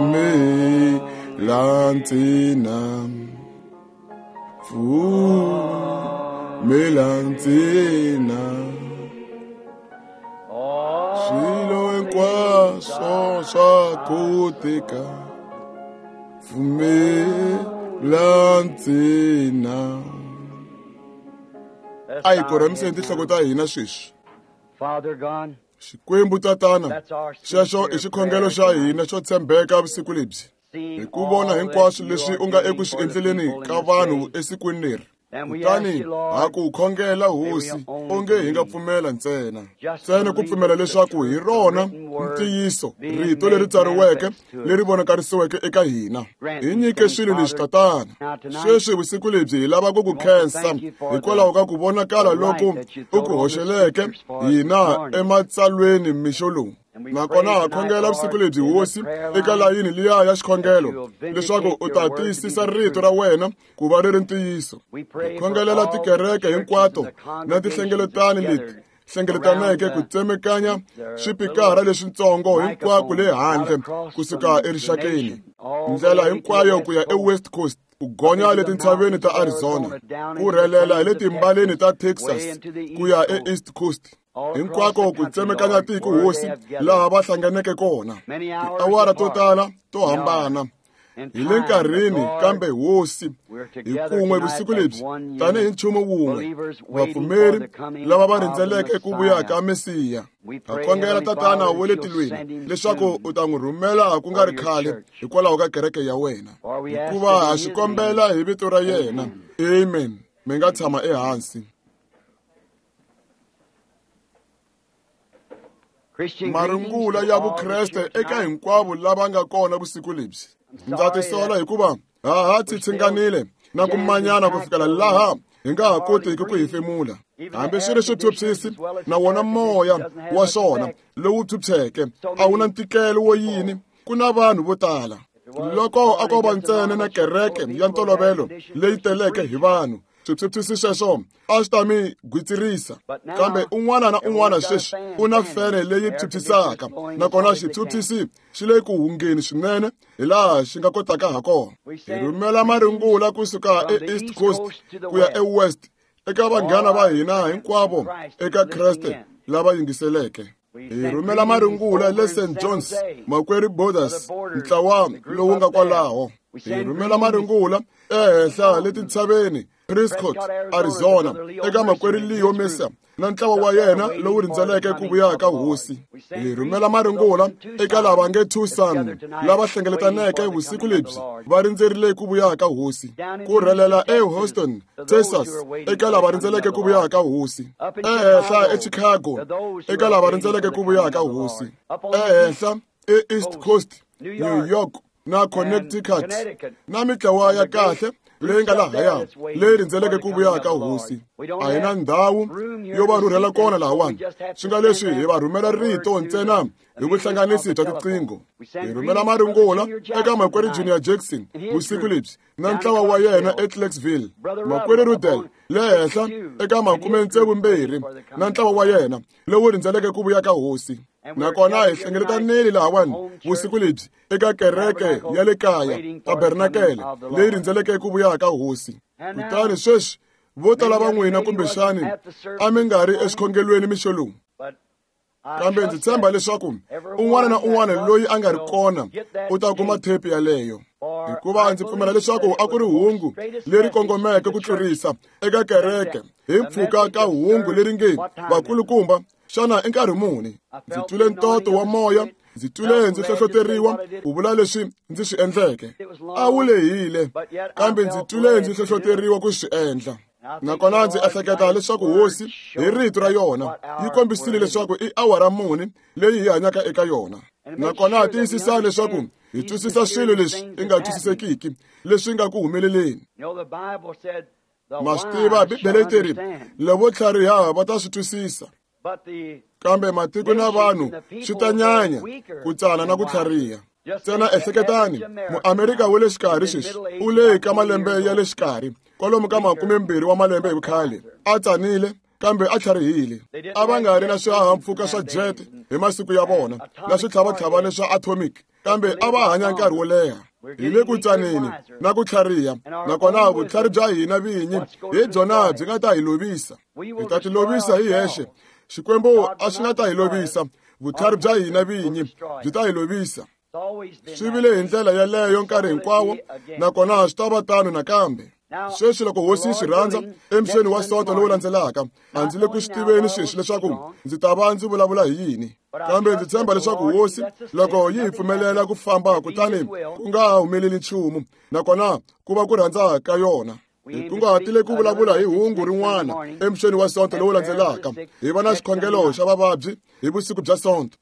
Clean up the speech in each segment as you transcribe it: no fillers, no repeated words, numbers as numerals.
Pfumela ntsena, pfumela ntsena. Swilo hinkwaswo swa koteka, pfumela ntsena. A hi korhamiseni tinhloko ta hina sweswi. Xikwembu Tatana, xexo i xikhongelo xa hina xo tshembeka vusiku lebyi, hi ku vona hinkwaswo leswi u nga eku swi endleleni ka vanhu esikwini leri. Kutani ha ku khongela Hosi, onge hi nga pfumela ntsena, ntsena ku pfumela leswaku hi rona ntiyiso, rito leri tsariweke leri vonakarisiweke eka hina. Hi nyike swilo leswi, Tatana. Sweswi vusiku lebyi hi lava ku ku khensa hikwalaho ka ku vonakala loku u ku hoxeleke hina ematsalweni mixo lowu. Nakona ha khongela vusiku lebyi, Hosi, eka layini liya ya xikhongelo, leswaku u ta tiyisisa rito ra wena ku va ri ri ntiyiso. Hi khongelela tikereke hinkwato na tinhlengeletano leti hlengeletaneke ku tsemekanya swipikara leswitsongo hinkwako le handle kusuka erixakeni, ndlela hinkwayo ku ya eWest Coast, ku gonya le tintshaveni ta Arizona, ku rhelela hi le timbaleni ta Texas ku ya eEast Coast, hinkwako ku tsemekanya tiko, Hosi, laha va hlanganeke kona tiawara to tala to hambana. Hi le nkarhini, kambe Hosi, hi kun'we vusiku lebyi tanihi nchumu wun'we, vapfumeri lava va rindzeleke ku vuya ka Mesiya. Ha khongela, Tatana wa le tilweni, leswaku u ta n'wi rhumela ku nga ri khale hikwalaho ka kereke ya wena, hikuva ha swi kombela hi vito ra yena. Amen. Mi nga tshama ehansi. Marungula ya Vukreste eka hinkwavo lava nga kona vusiku lebyi. Ndza tisola hikuva ha ha tshinganile na ku manyana ku fikela laha hi nga ha kotiki ku hefemula. Hambi swi ri swiphyuphyisi na wona moya wa swona lowu phyuphyeke a wu na ntikelo wo yini, ku na vanhu vo tala. Loko a ko va ntsena na kereke ya ntolovelo leyi teleke hi vanhu, swiphyuphyisi sweswo a swi ta mi gwitsirisa. Kambe un'wana na un'wana sweswi u na fene leyi phyuphyisaka, nakona xiphyuphyisi xi le ku hungeni swinene hi laha xi nga kotaka ha kona. Hi rhumela marungula kusuka eEast Coast ku ya eWest eka vanghana va hina hinkwavo eka Kreste lava yingiseleke. Hi rhumela marungula le St. John's, Makwerhu Borders, ntlawa lowu nga kwalaho. Hi rhumela marungula ehenhla le tintshaveni, Prescott, Arizona, eka Makwerhu Leo Mesa na ntlawa wa yena lowu rindzeleke ku vuya ka Hosi. Hi rhumela marungula eka lava nge Tucson lava hlengeletaneke vusiku lebyi va rindzerile ku vuya ka Hosi. Ku rhelela eHouston, Texas, eka lava rindzeleke ku vuya ka Hosi. Ehenhla eChicago, eka lava rindzeleke ku vuya ka Hosi. Ehenhla eEast Coast, New York na Connecticut, na mitlawa ya kahle leyi nga lahaya leyi rindzeleke ku vuya ka Hosi. A hi na ndhawu yo va rhurhela kona lahawani, swi nga leswi hi va rhumela rito ntsena hi vuhlanganisi bya tiqingho. Hi rhumela marungula eka Makwerhu Junior Jackson vusiku lebyi na ntlawa wa yena eClarksville, Makwerhu Rudel le henhla eka 62 na ntlawa wa yena lowu rindzeleke ku vuya ka Hosi. Nakona hi hlengeletanile lahawani vusiku lebyi eka kereke ya le kaya, tabernakele leyi rindzeleke ku vuya ka Hosi. Kutani sweswi vo tala va n'wina kumbexani a mi nga ri exikhongelweni mixo lowu, kambe ndzi tshemba leswaku un'wana na un'wana loyi a nga ri kona u ta kuma thepi yaleyo, hikuva ndzi pfumela leswaku a ku ri hungu leri kongomeke ku tlurisa eka kereke hi mpfhuka ka hungu leri nge vakulukumba, xana i nkarhi muni? Ndzi twile ntoto wa moya, ndzi twile ndzi hlohloteriwa ku vula leswi ndzi swi endleke. A wu lehile, kambe ndzi twile ndzi hlohloteriwa ku swi endla. Nakona ndzi ehleketa leswaku Hosi hi rito ra yona yi kombisile leswaku i awara muni leyi hi hanyaka eka yona. Nakona tiyisisa leswaku hi twisisa swilo leswi i nga twisisekiki leswi nga ku humeleleni. Ma swi tiva, Bibele yi teri lavo tlhariha va ta swi twisisa, kambe matiko na vanhu swi ta nyanya ku tsana na ku tlhariha. Ntsena ehleketani, Muamerika wa le xikarhi sweswi u le ka malembe ya le xikarhi, kwalomu ka 20 wa malembe hi vukhale, a tsanile. kambe a tlharihile. A va nga ri na swihahampfhuka swa jet hi masiku ya vona na switlhavatlhavani swa atomic, kambe a va hanya nkarhi wo leha. Hi le ku tsaneni na ku tlhariha, nakona vutlhari bya hina vinyi hi byona byi nga ta hi lovisa. Hi ta ti lovisa hi hexe. Xikwembu a xi nga ta hi lovisa, vutlhari bya hina vinyi byi ta hi lovisa. Swi vile hi ndlela yeleyo nkarhi hinkwawo, nakona swi ta va tano nakambe. Sweswi loko hosi yi swi rhandza, emixeni wa Sonto lowu landzelaka, a ndzi le ku swi tiveni sweswi leswaku ndzi ta va ndzi vulavula hi yini, kambe ndzi tshemba leswaku hosi loko yi hi pfumelela ku famba kutani ku nga humeleli nchumu, nakona ku va ku rhandza ka yona. Hi kunguhatile ku vulavula hi hungu rin'wana emixeni wa Sonto lowu landzelaka, hi va na xikhongelo xa vavabyi hi vusiku bya Sonto.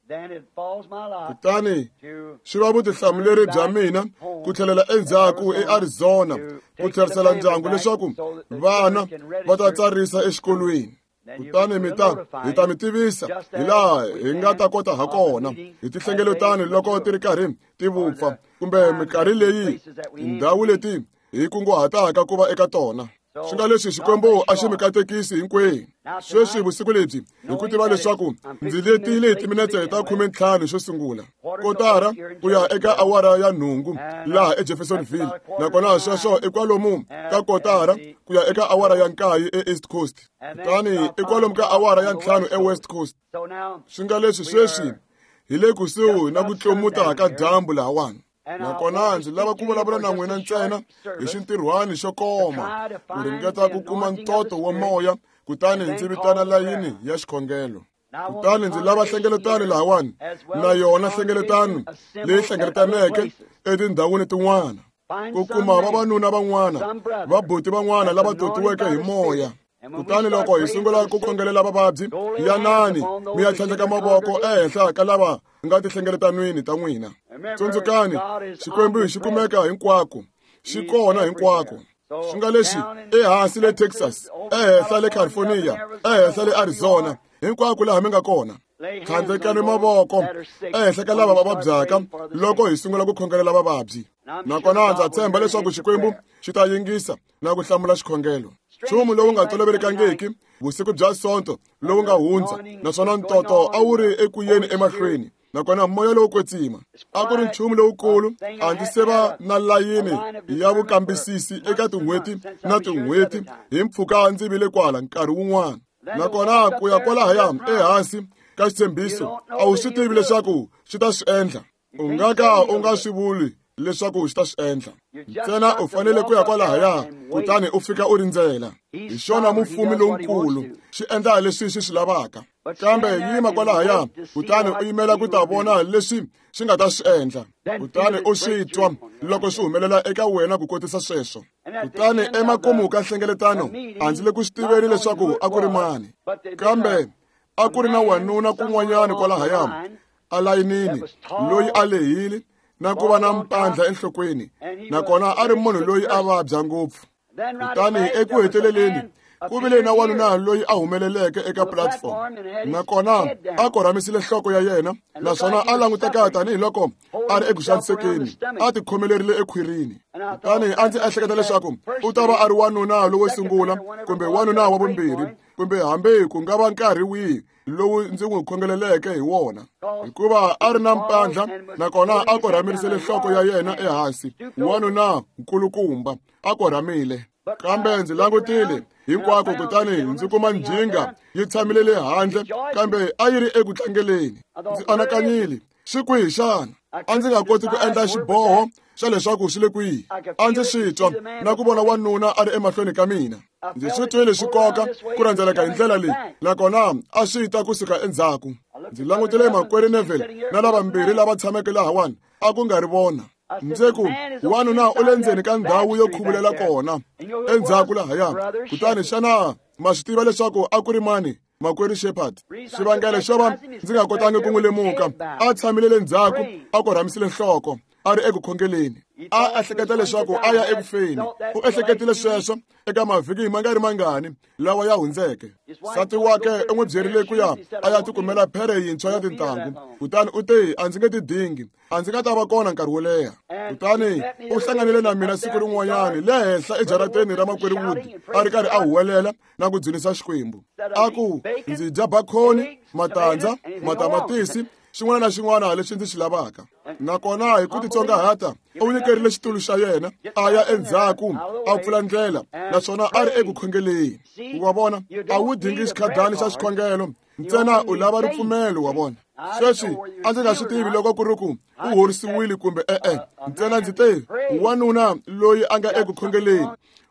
Kutani swi va vutihlamuleri bya mina ku tlhelela endzhaku eArizona ku tlherisela ndyangu leswaku vana va ta tsarisa exikolweni. Kutani hi ta mi tivisa hi laha hi nga ta kota ha kona hi tihlengeletano loko ti ri karhi ti vupfa, kumbe minkarhi leyi tindhawu leti hi kunguhataka ku va eka tona. Swi nga leswi Xikwembu a xi mi katekisi hinkwenu. Sweswi vusiku lebyi, hi ku tiva leswaku ndzi letile hi timinetse ta 15 xo sungula, kotara ku ya eka awara ya 8 laha eJeffersonville, nakona sweswo i kwalomu ka kotara ku ya eka awara ya 9 eEast Coast, kutani i kwalomu ka awara ya 5 eWest Coast. Swi nga leswi sweswi hi le kusuhi na ku tlomuta ka dyambu lahawani. Nakona ndzi lava ku vulavula na n'wina ntsena hi xintirhwani xo koma, ku ringeta ku kuma ntoto wa moya, kutani ndzi vitana layini ya xikhongelo. Kutani ndzi lava hlengeletano lahawani, na yona hlengeletano leyi hlengeletaneke etindhawini tin'wana, ku kuma vavanuna van'wana, vabuti van'wana lava totiweke hi moya. Kutani loko hi sungula ku khongelela vavabyi, yanani mi ya tlhandleka mavoko ehenhla ka lava nga tihlengeletanweni ta n'wina. Tsundzukani, Xikwembu xi kumeka hinkwako, xi kona hinkwako. Swi nga leswi ehansi le Texas, ehenhla le California, ehenhla le Arizona, hinkwako laha mi nga kona. Tlhandlekani mavoko ehenhla ka lava va vabyaka loko hi sungula ku khongelela vavabyi. Nakona ndza tshemba leswaku Xikwembu xi ta yingisa na ku hlamula xikhongelo. Nchumu lowu nga tolovelekangiki vusiku bya Sonto lowu nga hundza, naswona ntoto a wu ri eku yeni emahlweni, nakona moya lowo kwetsima a ku ri nchumu lowukulu. A ndzi se va na layini ya vukambisisi eka tin'hweti na tin'hweti hi mpfhuka ndzi vile kwala nkarhi wun'wana. Nakona ku ya kwalahaya ehansi ka xitshembiso, a wu swi tivi leswaku xi ta swi endla. U nga ka u nga swi vuli leswaku xi ta swi endla. Ntsena u fanele ku ya kwalahaya kutani u fika u rindzela. Hi xona mufumi lonkulu, xi endla leswi xi swi lavaka. Kambe yima kwalahaya kutani u yimela ku ta vona leswi xi nga ta swi endla, kutani u swi twa loko swi humelela eka wena ku kotisa sweswo. Kutani emakumu ka nhlengeletano, a ndzi le ku swi tiveni leswaku a ku ri mani, kambe a ku ri na wanuna kun'wanyana kwalahaya alayinini loyi a lehile na ku va na mpandla enhlokweni, nakona a ri munhu loyi a vabya ngopfu. Kutani eku heteleleni ku vile na wanuna loyi a humeleleke eka platform, nakona a korhamisile nhloko ya yena, naswona a languteka tanihiloko a ri eku xanisekeni, a tikhomelerile ekhwirini. Kutani a ndzi ehleketa leswaku u ta va a ri wanuna lowo sungula kumbe wanuna wa vumbirhi, kumbe hambi ku nga va nkarhi wihi lowu ndzi n'wi khongeleleke hi wona, hikuva a ri na mpandla nakona a korhamirisele nhloko ya yena ehansi, wanuna nkulukumba a korhamile. Kambe ndzi langutile hinkwako kutani ndzi kuma njhinga yi tshamile le handle, kambe a yi ri eku tlangeleni. Ndzi anakanyile, swi kwihi xana? A ndzi nga koti ku endla xiboho xa leswaku swi le kwihi. A ndzi swi twa na ku vona wanuna a ri emahlweni ka mina. Ndzi swi twile swi koka ku rhendzeleka hi ndlela leyi, nakona a swi ta kusuka endzhaku. Ndzi langutile makwerhu Neville na lavambirhi lava tshameke lahawani, a ku nga ri vona. Ndzi ku, wanuna u le ndzeni ka ndhawu yo khuvulela kona endzhaku lahaya. Kutani xana ma swi tiva leswaku a ku ri mani? Makwerhu Shepherd. Xivangelo xo va ndzi nga kotangi ku n'wi lemuka, a tshamile le ndzhaku a korhamisile nhloko. a ri eku khongeleni. A ehleketa leswaku a ya eku feni. U ehleketile sweswo eka mavhiki ma nga ri mangani lawa ya hundzeke. Nsati wakwe u n'wi byerile ku ya a ya tikumela phere yintshwa ya tintangu, kutani u te, a ndzi nge ti dingi, a ndzi nga ta va kona nkarhi wo leha. Kutani u hlanganile na mina siku rin'wanyani le henhla ejarateni ra makwerhu Wood, a ri karhi a huwelela na ku dzunisa Xikwembu, a ku, ndzi dya bakhoni, matandza, matamatisi, xin'wana na xin'wana lexi ndzi xi lavaka. Nakona hi ku titsongahata u nyikerile xitulu xa yena, a ya endzhaku a pfula ndlela, naswona a ri eku khongeleni. Wa vona, a wu dingi xikhadani xa xikhongelo, ntsena u lava ripfumelo. Wa vona, sweswi a ndzi nga swi tivi loko ku ri ku u horisiwile kumbe e-e, ntsena ndzi te wanuna loyi a nga eku khongeleni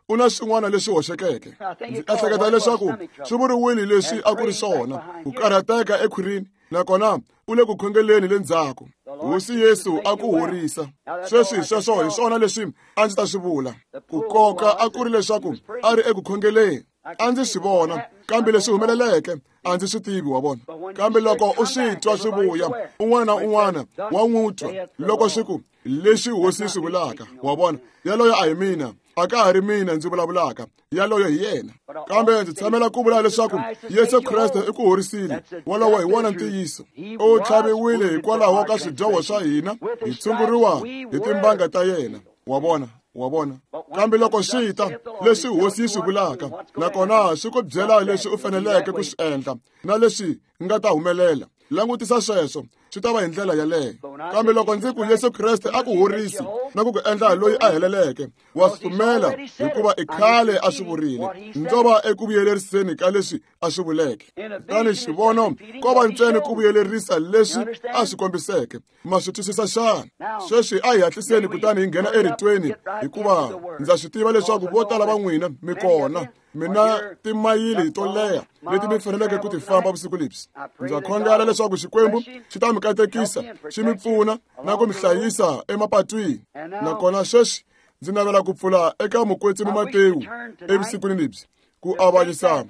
u na swin'wana leswi hoxekeke. Ndzi ehleketa leswaku swi vuriwile leswi a ku ri swona, ku karhateka ekhwirini, nakona u le ku khongeleni le ndzhaku. Hosi Yesu a ku horisa. Sweswi sweswo hi swona leswi a ndzi ta swi vula. Ku koka a ku ri leswaku a ri eku khongeleni, a ndzi swi vona, kambe leswi humeleleke a ndzi swi tivi. Wa vona, kambe loko u swi twa swi vuya, un'wana na un'wana wa n'wi twa loko swi ku leswi hosi swi vulaka. Wa vona, yaloyo a hi mina, a ka ha ri mina ndzi vulavulaka, yaloyo hi yena. Kambe ndzi tshamela ku vula leswaku Yesu Kreste i ku horisile. Wolowo hi wona ntiyiso. U tlhaviwile hikwalaho ka swidyoho swa hina, hi tshunguriwa hi timbanga ta yena. Wa vona, wa vona. Kambe loko swi ta leswi hosi yi swi vulaka, nakona swi ku byela leswi u faneleke ku swi endla na leswi nga ta humelela, langutisa sweswo, swi ta va hi ndlela yaleyo. Kambe loko ndzi ku Yesu Kreste a ku horisi na ku ku endla loyi a heleleke, wa swi pfumela, hikuva i khale a swi vurile. Ndzo va eku vuyeleriseni ka leswi a swi vuleke. Kutani xivono ko va ntsena ku vuyelerisa leswi a swi kombiseke. Ma swi twisisa xana? Sweswi a hi hatliseni kutani hi nghena eritweni, hikuva ndza swi tiva leswaku vo tala va n'wina mi kona mina timayili to leha leti mi faneleke ku ti famba vusiku lebyi. Ndza khongela leswaku Xikwembu xi ta mi katekisa, xi mi pfuna na ku mi hlayisa emapatwini. Nakona sweswi ndzi navela ku pfula eka mukwetsimi Matewu evusikwini lebyi, ku avanyisa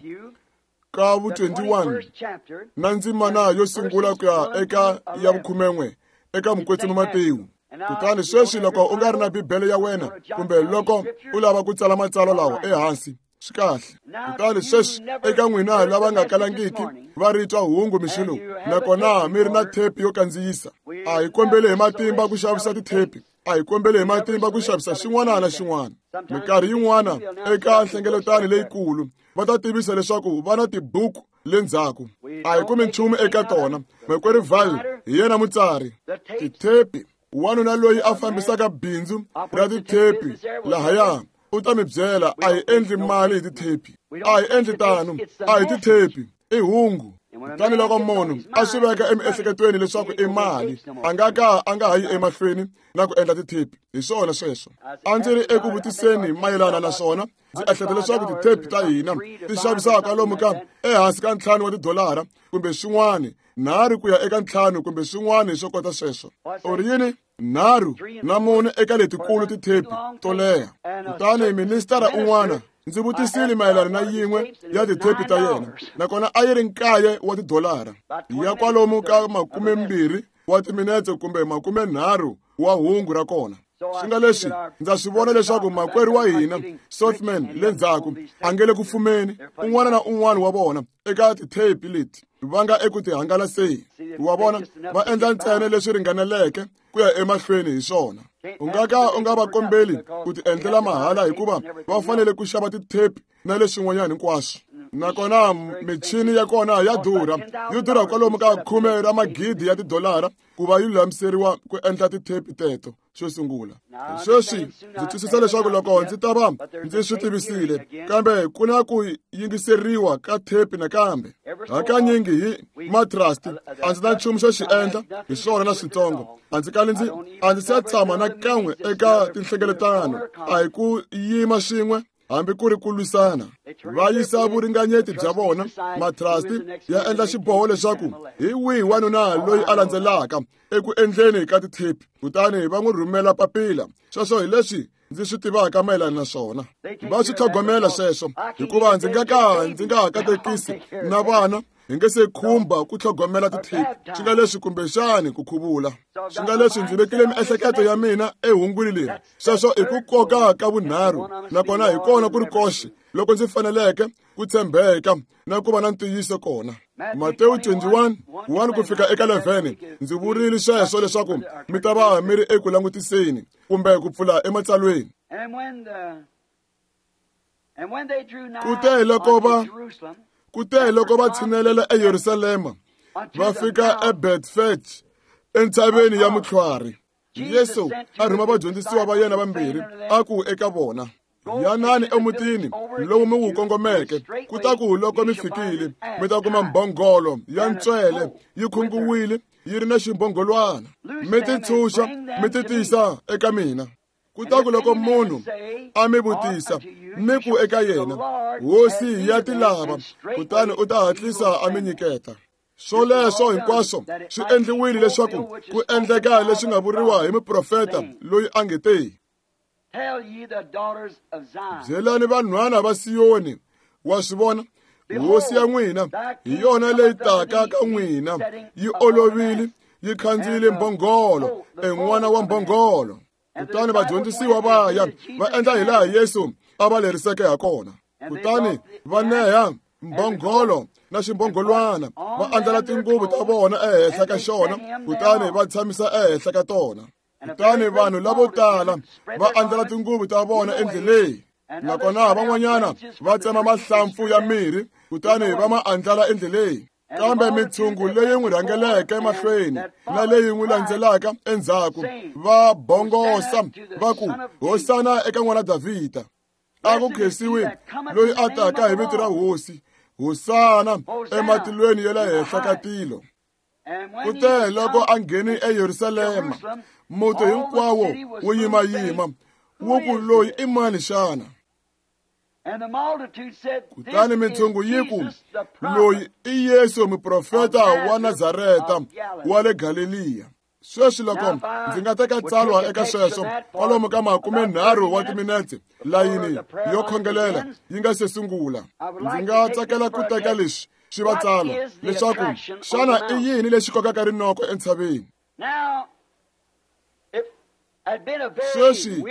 ka vu 21 na ndzimana yo sungula ku ya eka ya vukhumen'we eka mukwetsimi Matewu. Kutani sweswi loko u nga ri na Bibele ya wena, kumbe loko u lava ku tsala matsalwa lawa ehansi, swi kahle. Kutani sweswi eka n'wina lava nga kalangiki va ri twa hungu mixo lowu, nakona mi ri na thepi yo kandziyisa, a hi kombeli hi matimba ku xavisa tithepi, a hi kombeli hi matimba ku xavisa xin'wana na xin'wana. Minkarhi yin'wana eka nhlengeletano leyikulu va ta tivisa leswaku va na tibuku le ndzhaku, a hi kumi nchumu eka tona. Makwerhu Val hi yena mutsari tithepi, wanuna loyi a fambisaka bindzu ra tithepi lahaya u ta mi byela, a hi endli mali hi tithepi, a hi endli tano, a hi tithepi, i hungu. Kutani loko munhu a swi veka emiehleketweni leswaku i mali, a nga ka a nga ha yi emahlweni na ku endla tithepi. Hi swona sweswo. A ndzi ri eku vutiseni mayelana na swona. Ndzi ehleketa leswaku tithepi ta hina ti xavisaka kwalomu ka ehansi ka 5 wa tidolara kumbe swin'wana, 3 ku ya eka 5 kumbe swin'wana swo kota sweswo. U ri yini? 3 na 4 eka letikulu tithepi to leha. Kutani ministara un'wana ndzi vutisile mayelana na yin'we ya tithepi ta yena, nakona a yi ri 9 wa tidolara, ya kwalomu ka 20 wa timinetse kumbe 30 wa hungu ra kona. Swi nga leswi ndza swi vona leswaku makwerhu wa hina Sothman le ndzhaku a nge le ku fumeni, un'wana na un'wana wa vona eka tithepi leti va nga eku ti hangalaseni. Wa vona, va endla ntsena leswi ringaneleke ku ya emahlweni hi swona. U nga ka u nga va kombeli ku ti endlela mahala, hikuva va fanele ku xava tithepi na leswin'wanyana hinkwaswo. Nakona michini ya kona ya durha, yo durha kwalomu ka 10 ra magidi ya tidolara ku va yi lulamiseriwa ku endla tithepi teto xo sungula. Sweswi ndzi twisisa leswaku loko ndzi ta va ndzi swi tivisile, kambe ku na ku yingiseriwa ka thepi nakambe. Hakanyingi hi matrust a ndzi na nchumu xo xi endla hi swona na switsongo. A ndzi kali ndzi a ndzi se tshama na kan'we eka tinhlengeletano, a hi ku yima swin'we hambi ku ri ku lwisana. Va yisa vuringanyeti bya vona, matrasti ya endla xiboho leswaku hi wihi wanuna loyi a landzelaka eku endleni ka tithepi, kutani va n'wi rhumela papila. Sweswo hi leswi ndzi swi tivaka mayelana na swona. Va swi tlhogomela sweswo, hikuva ndzi nga ka ndzi nga ha katekisi na vana Hi nge se khumba ku tlhogomela tithepi, swi nga leswi kumbexani ku khuvula. Swi nga leswi ndzi vekile miehleketo ya mina ehungwini leri. Sweswo i ku koka ka vunharhu, nakona hi kona ku ri koxe loko ndzi faneleke ku tshembeka na ku va na ntiyiso kona. Matewu 21, 1 ku fika eka 11, ndzi vurile sweswo leswaku mi ta va mi ri eku langutiseni kumbe ku pfula ematsalweni. Kute loko va tshinelela eYerusalema, va fika eBetfage, entshaveni ya Mutlhwari. Yesu a rhuma vadyondzisiwa va yena vambirhi, a ku eka vona: Yanani emutini lowu mi wu kongomeke, kutaku loko mi fikile mi ta kuma mbhongolo ya ntswele yi khunguwile yi ri na ximbhongolwana, mi ti tshunxa mi ti tisa eka mina. Kutaku loko munhu a mi vutisa, mi ku eka yena: Hosi ya ti lava, kutani u ta hatlisa a mi nyiketa. Swoleswo hinkwaswo swi endliwile leswaku ku endleka leswi nga vuriwa hi muprofeta loyi a nge te: Byelani vanhwana va Siyoni, wa swi vona, hosi ya n'wina hi yona leyi taka ka n'wina, yi olovile, yi khandziyile mbhongolo, en'wana wa mbhongolo. Kutani vadyondzisiwa va ya va endla hilaha Yesu a va leriseke ha kona. Kutani va neha mbhongolo na ximbhongolwana, va andlala tinguvu ta vona ehenhla ka xona, kutani va tshamisa ehenhla ka tona. Kutani vanhu lavo tala va andlala tinguvu ta vona endleleni, nakona van'wanyana va tsema mahlampfu ya mirhi kutani va ma andlala endleleni. Kambe mitshungu leyi n'wi rhangeleke mahlweni na leyi n'wi landzelaka endzhaku va bongosa va ku: Hosana eka n'wana Davhida. A ku khensiwi loyi a taka hi vito ra Hosi, Hosana ematilweni ya le henhla ka tilo. Kute loko a nghene eYerusalema, muti hinkwawo wu yimayima, wu ku: Loyi i mani xana? Kutani mitshungu yi ku: Loyi i Yesu muprofeta wa Nazareta wa le Galeliya. Sweswi loko ndzi nga teka tsalwa eka sweswo kwalomu ka 30 wa timinetse, layini yo khongelela yi nga se sungula, ndzi nga tsakela ku teka leswi swi va tsalwa leswaku xana i yini lexi kokaka rinoko entshaveni. Sweswi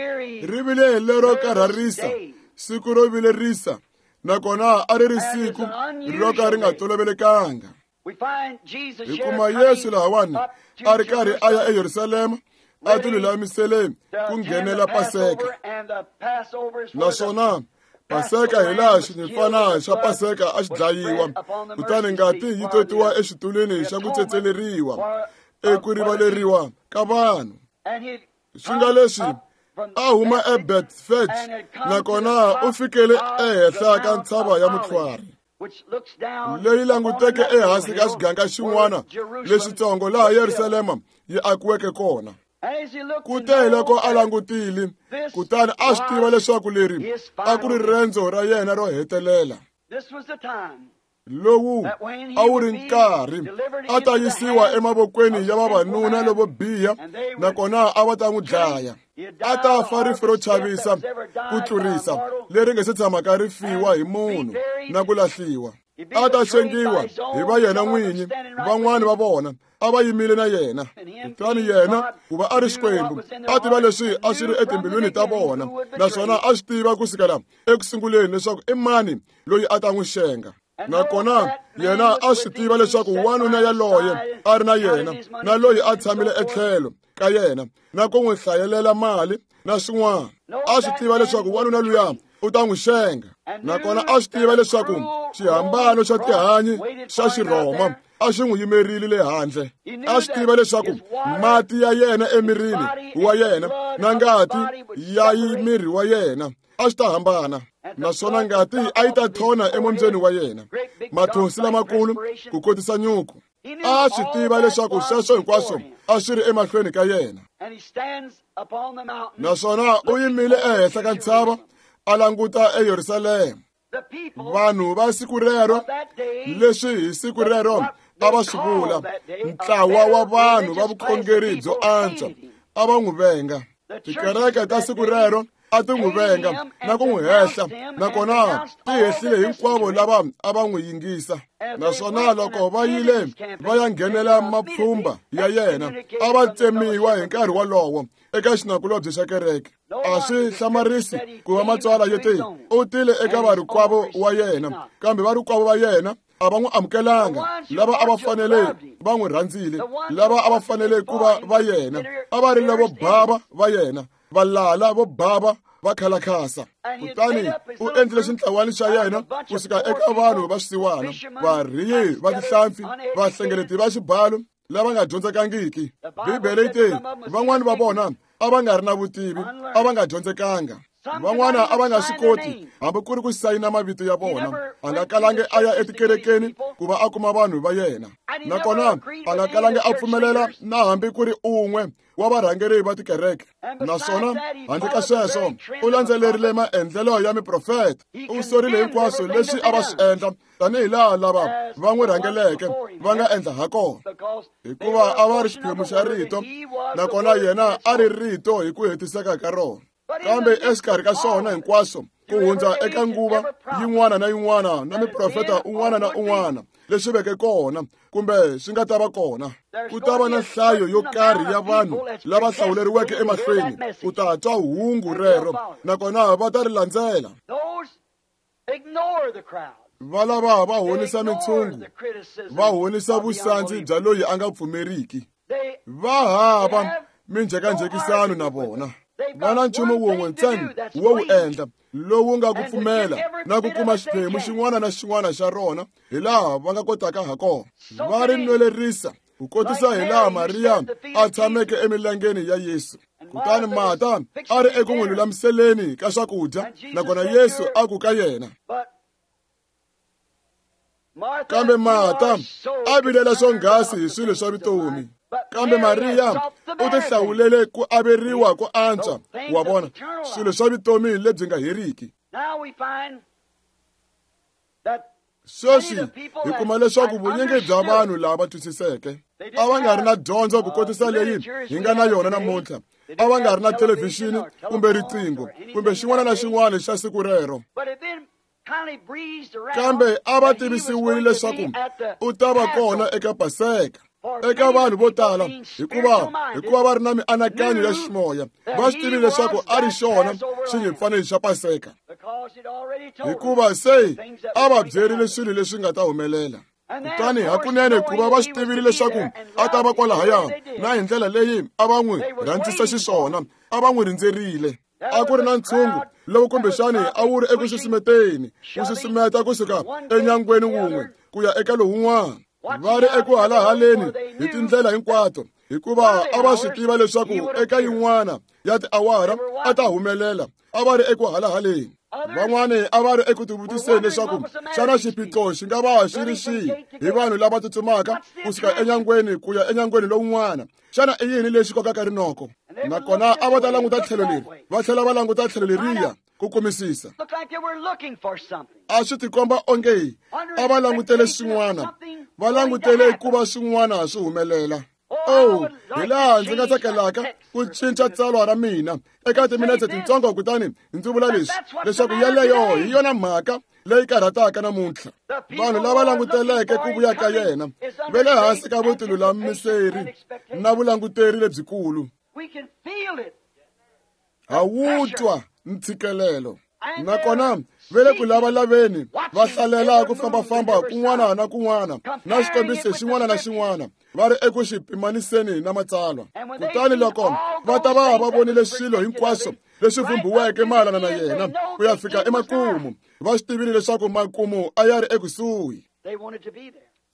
ri vile lero karharisa, siku ro vilerisa, nakona a ri ri siku ro ka ri nga tolovelekanga. Hi kuma Yesu lahawani a ri karhi a ya eYerusalema, a tilulamisele ku nghenela Paseka. Naswona Paseka hi laha xinyimpfana xa Paseka a xi dlayiwa, kutani ngati yi totiwa exitulwini xa ku tsetseleriwa, eku rivaleriwa ka vanhu. Swi nga leswi a huma eBetfage, nakona u fikele ehenhla ka ntshava ya Mutlhwari, leyi languteke ehansi ka xiganga xin'wana lexitsongo laha Yerusalema yi akiweke kona. Kute loko a langutile, kutani a swi tiva leswaku leri a ku ri rendzo ra yena ro hetelela. Lowu a wu ri nkarhi a ta yisiwa emavokweni ya vavanuna lovo biha, nakona a va ta n'wi dlaya. A ta fa rifu ro chavisa ku tlurisa leri nga se tshamaka ri fiwa hi munhu na ku lahliwa. A ta xengiwa hi va yena n'winyi, van'wani va vona a va yimile na yena. Kutani yena, ku va a ri Xikwembu, a tiva leswi a swi ri etimbilwini ta vona, naswona a swi tiva ku sukela eku sunguleni leswaku i mani loyi a ta n'wi xenga. Nakona yena a swi tiva leswaku wanuna yaloye a ri na yena, na loyi a tshamile etlhelo ka yena, na ku n'wi hlayelela mali na swin'wana. A swi tiva leswaku wanuna luya u ta n'wi xenga, nakona a swi tiva leswaku xihambano xa tihanyi xa Xirhoma a xi n'wi yimerile le handle. A swi tiva leswaku mati ya yena emirini wa yena na ngati ya miri wa yena a swi ta hambana, naswona ngati a yi ta thona emombyeni wa yena, mathonsi lamakulu ku kotisa nyuku. A swi tiva leswaku sweswo hinkwaswo a swi ri emahlweni ka yena, naswona u yimile ehenhla ka ntshava a languta eYerusalema. Vanhu va siku rero, leswi hi siku rero a va swi vula ntlawa wa vanhu va vukhongeri byo antswa, a va n'wi venga. Tikereke ta siku rero a ti n'wi venga na ku n'wi hehla, nakona ti hehlile hinkwavo lava a va n'wi yingisa. Naswona loko va yile va ya nghenela mapfhumba ya yena, a va tsemiwa hi nkarhi wolowo eka xinakulobye xa kereke. A swi hlamarisi ku va Matsalwa yi te u tile eka varikwavo wa yena, kambe varikwavo va yena a va n'wi amukelanga. Lava a va fanele va n'wi rhandzile, lava a va fanele ku va va yena, a va ri lavo bava va yena, valala vo bava va khalakhasa. Kutani u endlile xintlawani xa yena kusuka eka vanhu va swisiwana, varhiyi va tihlampfi, vahlengeleti va xibalo lava nga dyondzekangiki. Bibele yi te van'wani va vona a va nga ri na vutivi, a va nga dyondzekanga. Van'wana a va nga swi koti hambi ku ri ku sayina mavito ya vona. A nga kalangi a ya etikerekeni ku va a kuma vanhu va yena, nakona a nga kalangi a pfumelela na hambi ku ri un'we wa varhangeri va tikereke. Naswona handle ka sweswo u landzelerile maendlelo ya miprofeta. U sorile hinkwaswo leswi a va swi endla, tanihi laha lava va n'wi rhangeleke va nga endla ha kona, hikuva a va ri xiphemu xa rito, nakona yena a ri rito hi ku hetiseka ka rona. Kambe exikarhi ka swona hinkwaswo, ku hundza eka nguva yin'wana na yin'wana na miprofeta un'wana na un'wana leswi veke kona kumbe swi nga ta va kona, ku ta va na nhlayo yo karhi ya vanhu lava hlawuleriweke emahlweni ku ta twa hungu rero, nakona va ta ri landzela. Va lava va honisa mintshungu, va honisa vusandzi bya loyi a nga pfumeriki. Va hava minjhekanjhekisano na vona. Va na nchumu wun'we ntsena wo wu endla, lowu nga ku pfumela na ku kuma xiphemu xin'wana na xin'wana xa rona hi laha va nga kotaka ha kona. Va ri nwelerisa ku kotisa hi laha Mariya a tshameke emilengeni ya Yesu. Kutani Marta a ri eku n'wi lulamiseleni ka swakudya, nakona Yesu a ku ka yena, kambe Marta a vilela swonghasi hi swilo swa vutomi, kambe Mariya u tihlawulele ku averiwa ku antswa, wa vona, swilo swa vutomi lebyi nga heriki. Sweswi hi kuma leswaku vunyingi bya vanhu lava twisiseke a va nga ri na dyondzo ku kotisa leyi hi nga na yona namuntlha. A va nga ri na thelevhixini kumbe riqingho kumbe xin'wana na xin'wana xa siku rero, kambe a va tivisiwile leswaku u ta va kona eka Paseka. Eka vanhu vo tala, hikuva va ri na mianakanyo ya ximoya, va swi tivile leswaku a ri xona xinyimpfaneni xa Paseka, hikuva se a va byerile swilo leswi nga ta humelela. Kutani hakunene ku va va swi tivile leswaku a ta va kwalahaya, na hi ndlela leyi a va n'wi rhandzisa xiswona, a va n'wi rindzerile. A ku ri na ntshungu lowu kumbexani a wu ri eku susumeteni, wu susumeta kusuka enyangweni wun'we ku ya eka lowun'wana, va ri eku halahaleni hi tindlela hinkwato, hikuva a va swi tiva leswaku eka yin'wana ya tiawara a ta humelela. A va ri eku halahaleni. Van'wani a va ri eku tivutiseni leswaku xana xiphiqo xi nga va xi ri xihi hi vanhu lava tsutsumaka kusuka enyangweni ku ya enyangweni lowun'wana. Xana i yini lexi kokaka rinoko? Nakona a va ta languta tlhelo leri, va tlhela va languta tlhelo leriya ku kumisisa. A swi tikomba onge a va langutele swin'wana, va langutele ku va swin'wana swi humelela. Oh, hi laha ndzi nga tsakelaka ku cinca tsalwa ra mina eka timinetse tintsongo, kutani ndzi vula leswi, leswaku yeleyo hi yona mhaka leyi karhataka namuntlha. Vanhu lava languteleke ku vuya ka yena va le hansi ka vutilulamiseri na vulanguteri lebyikulu. Ha wu twa ntshikelelo, nakona va le ku lavalaveni, va hlalela ku fambafamba kun'wana na kun'wana na xikombiso xin'wana na xin'wana, va ri eku xi pimaniseni na Matsalwa. Kutani loko va ta va va vonile swilo hinkwaswo leswi vhumbhiweke mayelana na yena ku ya fika emakumu, va swi tivile leswaku makumu a ya ri ekusuhi.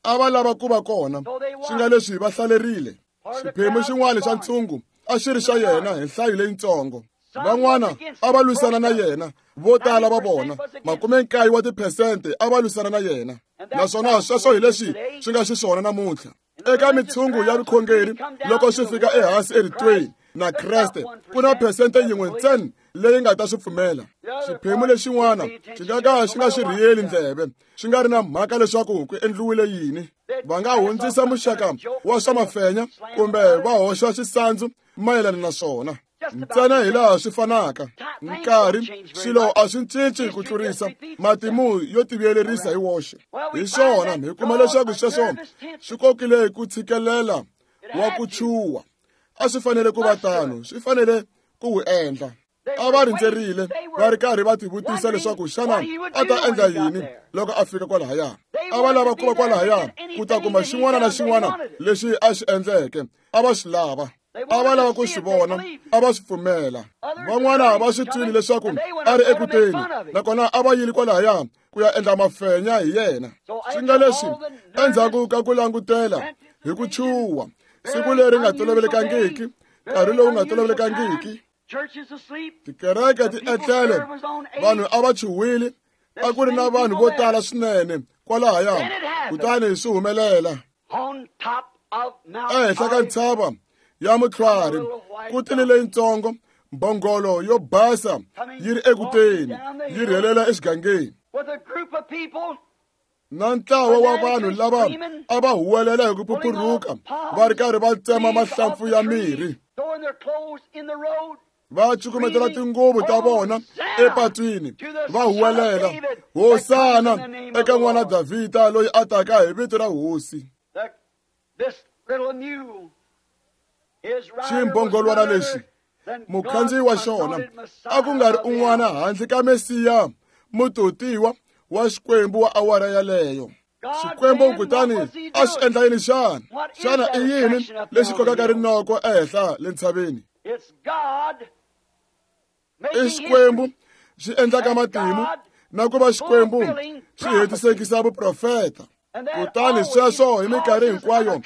A va lava ku va kona, swi nga leswi va hlalerile. Xiphemu xin'wana xa ntshungu a xi ri xa yena hi nhlayo leyitsongo. Van'wana a va lwisana na yena, vo tala va vona, 90 wa tiphesente a va lwisana na yena. Naswona sweswo hi leswi swi nga xiswona namuntlha eka mitshungu ya vukhongeri. Loko swi fika ehansi eritweni na Kreste, ku na phesente yin'we ntsena leyi nga ta swi pfumela. Xiphemu lexin'wana xi nga ka xi nga xi rhiyeli ndleve, swi nga ri na mhaka leswaku ku endliwile yini. Va nga hundzisa muxaka wa swa mafenya kumbe va hoxa xisandzu mayelana na swona, ntsena hi laha swi fanaka. Nkarhi swilo a swi cinci ku tlurisa matimu yo tivuyelerisa hi woxe. Hi swona hi kuma leswaku sweswo swi kokile ku tshikelela wa ku chuha. A swi fanele ku va tano, swi fanele ku wu endla. A va rindzerile va ri karhi va tivutisa leswaku xana a ta endla yini loko a fika kwalahaya. A va lava ku va kwalahaya ku ta kuma xin'wana na xin'wana lexi a xi endleke. A va swi lava, a va lava ku swi vona, a va swi pfumela. Van'wana va swi twile leswaku a ri ekuteni, nakona a va yile kwalahaya ku ya endla mafenya hi yena. Swi nga leswi endzhaku ka ku langutela hi ku chuha siku leri nga tolovelekangiki, nkarhi lowu nga tolovelekangiki, tikereke ti etlele, vanhu a va chuhwile, a ku ri na vanhu vo tala swinene kwalahaya. Kutani swi humelela ehenhla ka ntshava ya mutlhwari ku tile leyitsongo mbhongolo yo basa yi ri ekuteni yi rhelela exigangeni na ntlawa wa vanhu lava a va huwelela hi ku phuphuruka va ri karhi va tsema mahlampfu ya mirhi, va cukumetela tinguvu ta vona epatwini va huwelela, Hosana eka n'wana Davhida loyi a taka hi vito ra Hosi. Ximbhongolwana lexi mukhandziyi wa xona a ku nga ri un'wana handle ka Mesiya mutotiwa wa Xikwembu wa awara yaleyo. Xikwembu kutani a xi endla yini xana? Xana i yini lexi kokaka rinoko ehenhla le ntshaveni? I Xikwembu xi endlaka matimu na ku va Xikwembu xi hetisekisa vuprofeta. Kutani sweswo hi minkarhi hinkwayo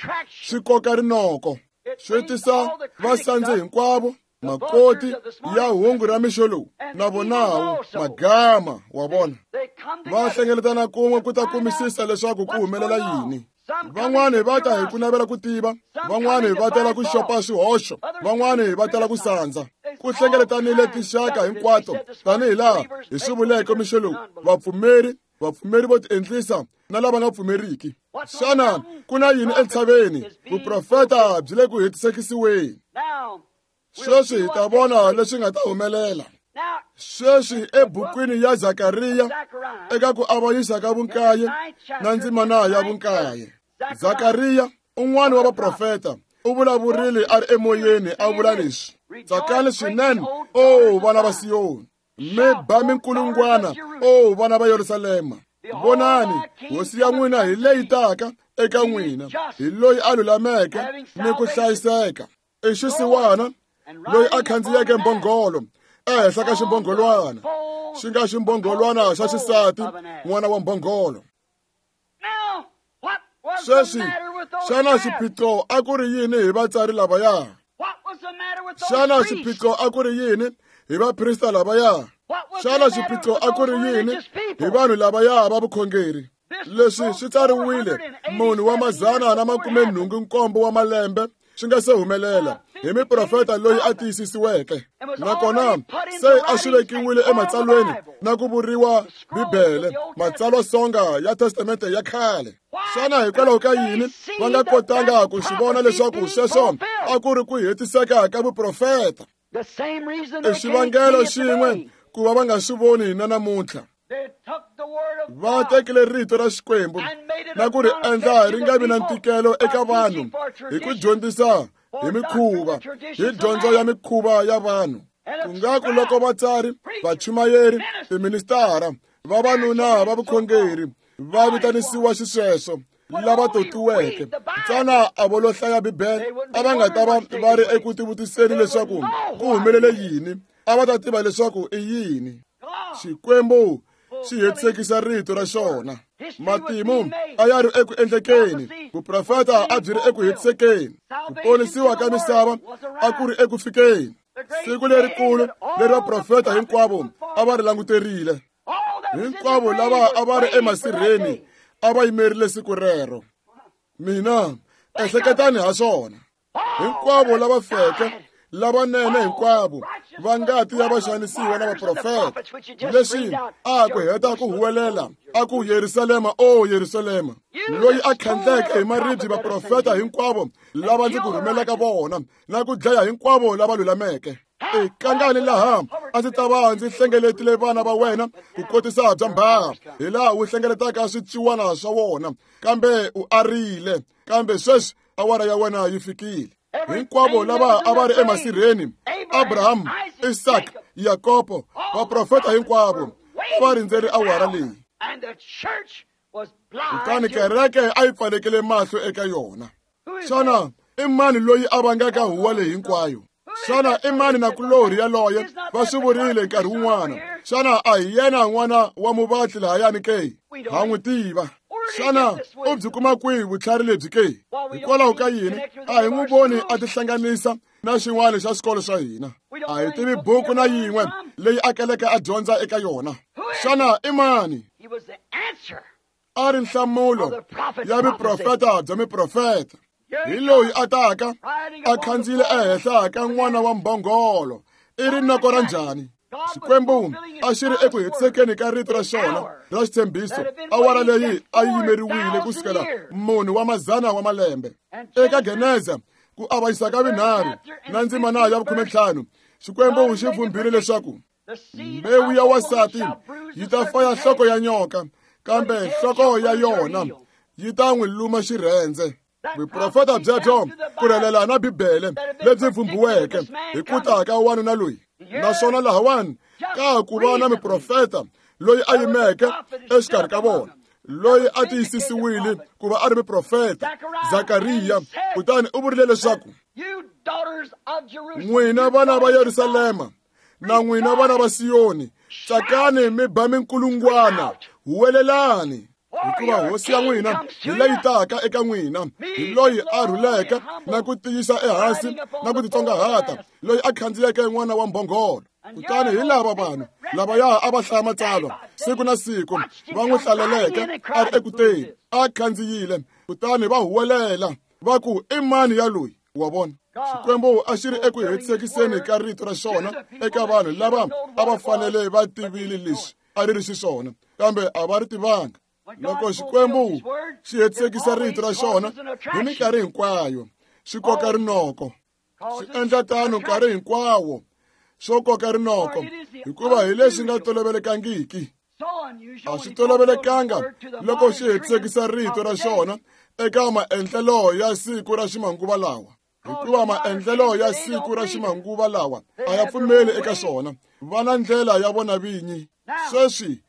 swi koka rinoko, swi tisa vasandzi hinkwavo, makoti ya hungu ra mixo lowu na vonawo magama wa vona va hlengeletana kun'we ku ta kumisisa leswaku ku humelela yini. Van'wani va ta hi ku navela ku tiva, van'wani va tela ku xopa swihoxo, van'wani va tela ku sandza. Ku hlengeletanile tinxaka hinkwato tanihi laha hi swi vuleke mixo lowu, vapfumeri, vapfumeri vo tiendlisa na lava nga pfumeriki. Xana ku na yini entshaveni? Vuprofeta byi le ku hetisekisiweni. Sweswi hi ta vona leswi nga ta humelela. Sweswi ebukwini ya Zakariya eka ku avanyisa ka vunkaye na ndzimana ya vunkaye, Zakariya un'wana wa vaprofeta u vulavurile a ri emoyeni a vula leswi: Tsakani swinene, o vana va Siyoni, mi ba minkulungwana, o vana va Yerusalema. Vonani, hosi ya n'wina hi leyi taka eka n'wina, hi loyi a lulameke ni ku hlayiseka, i xisiwana loyi a khandziyeke mbhongolo ehenhla ka ximbhongolwana, xi nga ximbhongolwana xa xisati, n'wana wa mbhongolo. Sweswi xana xiphiqo a ku ri yini hi vatsari lavaya? Xana xiphiqo a ku ri yini hi vaprista lavaya? Xana xiphiqo a ku ri yini hi vanhu lavaya va vukhongeri? Leswi swi tsariwile munhu wa 187 wa malembe swi nga se humelela hi miprofeta loyi a tiyisisiweke, nakona se a swi vekiwile ematsalweni na ku vuriwa Bibele, matsalwasonga ya Testamente ya khale. Xana hikwalaho ka yini va nga kotanga ku swi vona leswaku sweswo a ku ri ku hetiseka ka vuprofeta? I xivangelo xin'we ku va va nga swi voni na namuntlha. Va tekile rito ra Xikwembu na ku ri endla ri nga vi na ntikelo eka vanhu hi ku dyondzisa hi mikhuva, hi dyondzo ya mikhuva ya vanhu. Ku nga ku loko vatsari, vachumayeri, tiministara, vavanuna va vukhongeri va vitanisiwa xisweswo lava totiweke ntsena a vo lo hlaya Bibele, a va nga ta va va ri eku tivutiseni leswaku ku humelele yini, a va ta tiva leswaku i yini. Xikwembu xi hetisekisa rito ra xona. Matimu a ya ri eku endlekeni, vuprofeta a byi ri eku hetisekeni, ku ponisiwa ka misava a ku ri eku fikeni. Siku lerikulu leri vaprofeta hinkwavo a va ri languterile, hinkwavo lava a va ri emasirheni a va yimerile siku rero. Mina ehleketani ha swona, hinkwavo lava feke, lavanene hinkwavo va ngati ya vaxanisiwa na vaprofeta, leswi a ku heta ku huwelela a ku Yerusalema, o Yerusalema, loyi a khandleke hi maribye vaprofeta hinkwavo lava ndzi ku rhumelaka vona na ku dlaya hinkwavo lava lulameke. I kangani laha A ndzi ta va ndzi hlengeletile vana va wena ku kotisa bya mbhaha, hi laha wu hlengeletaka swiciwana swa wona, kambe u arile. Kambe sweswi awara ya wena yi fikile. Hinkwavo lava a va ri emasirheni, Abraham, Isaka, Yakobo, vaprofeta hinkwavo a va rindzeri awara leyi. Kutani kereke a yi pfalekile mahlo eka yona. Xana i mani loyi a vangaka huwa leyi hinkwayo? Xana i mani nakulorhi yaloye va swi vurile nkarhi wun'wana? Xana a hi yena n'wana wa muvatli lahayani ke? Ha n'wi tiva. Xana u byi kuma kwihi vutlhari lebyi ke? Hikwalaho ka yini a hi n'wi voni a tihlanganisa na xin'wana xa swikolo swa hina? A hi tivi buku na yin'we leyi a keleke a dyondza eka yona. Xana i mani? A ri nhlamulo ya vuprofeta bya miprofeta. Hi loyi a taka a khandziyile ehenhla ka n'wana wa mbhongolo. I rinoko ra njhani? Xikwembu a xi ri eku hetisekeni ka rito ra xona ra xitshembiso. Awara leyi a yi yimeriwile ku sukela munhu wa mazana wa malembe. Eka Geneza ku avanyisa ka vunharhu na ndzimana ya 15, Xikwembu xi vhumbhile leswaku mbewu ya wansati yi ta faya nhloko ya nyoka, kambe nhloko ya yona yi ta n'wi luma xirhendze. Vuprofeta byebyo ku rhelela na Bibele lebyi vhumbhiweke hi ku ta ka wanuna loyi. Naswona lahawani ka ku va na muprofeta loyi a yimeke exikarhi ka vona, loyi a tiyisisiwile ku va a ri muprofeta, Zakariya. Kutani u vurile leswaku n'wina vana va Yerusalema na n'wina vana va Siyoni, tsakani mi ba minkulungwana, huwelelani, hikuva hosi ya n'wina hi leyi taka eka n'wina, hi loyi a rhuleke na ku tiyisa ehansi na ku titsongahata, loyi a khandziyeke n'wana wa mbhongolo. Kutani hi lava vanhu lavaya a va hlaya matsalwa siku na siku va n'wi hlaleleke a ri ekuteni, a khandziyile, kutani va huwelela va ku, i mani ya loyi? Wa vona, Xikwembu a xi ri eku hetisekiseni ka rito ra xona eka vanhu lava a va fanele va tivile leswi a ri ri xiswona, kambe a va ri tivanga. Loko Xikwembu xi hetisekisa rito ra xona hi minkarhi hinkwayo, xi koka rinoko. Xi endla tano nkarhi hinkwawo swo koka rinoko, hikuva hi leswi nga tolovelekangiki. A swi tolovelekanga loko xi hetisekisa rito ra xona eka maendlelo ya siku ra ximanguva lawa, hikuva maendlelo ya siku ra ximanguva lawa a ya pfumeli eka swona. Va na ndlela ya vona vinyi. Sweswi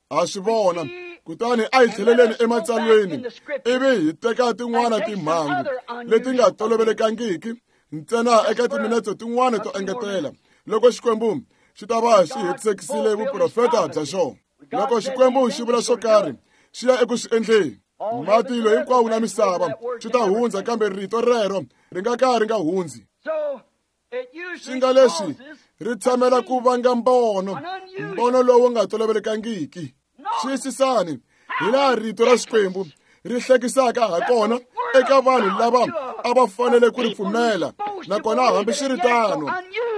ha swi vona. Kutani a hi tlheleleni ematsalweni ivi hi teka tin'wana timhangu leti nga tolovelekangiki ntsena eka timinetse tin'wana to engetela, loko Xikwembu xi ta va xi hetisekisile vuprofeta bya xona. Loko Xikwembu xi vula swo karhi, xi ya eku swi endleni. Matilo hinkwawo na misava swi ta hundza, kambe rito rero ri nga ka ri nga hundzi. Swi nga leswi ri tshamela ku vanga mbono, mbono lowu nga tolovelekangiki. Xiyisisani hi laha rito ra Xikwembu ri hlekisaka ha kona eka vanhu lava a va fanele ku ri pfumela, nakona hambiswiritano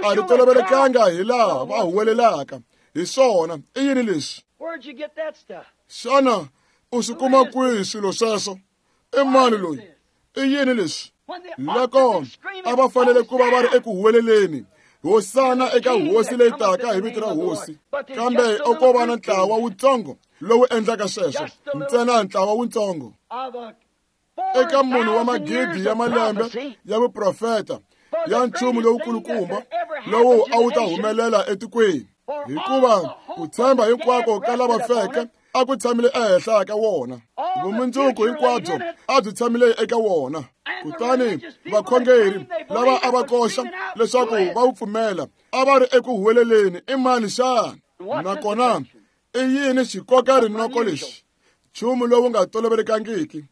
a ri tolovelekanga hi laha va huwelelaka hi swona. I yini leswi? Xana u swi kuma kwihi swilo sweswo? I mani loyi? I yini leswi? Loko a va fanele ku va va ri eku huweleleni hosana eka hosi leyi taka hi vito ra hosi, kambe o ko va na ntlawa wutsongo lowu endlaka sweswo, ntsena ntlawa wutsongo eka munhu wa magidi ya malembe ya vuprofeta ya nchumu lowukulukumba lowu a wu ta humelela etikweni, hikuva ku tshemba hinkwako ka lava feke a ku tshamile ehenhla ka wona, vumundzuku hinkwabyo a byi tshamile eka wona. Kutani vakhongeri lava a va koxa leswaku va wu pfumela a va ri eku huweleleni, i mani xana? Nakona i yini xikoka rinoko lexi? Nchumu lowu nga tolovelekangiki.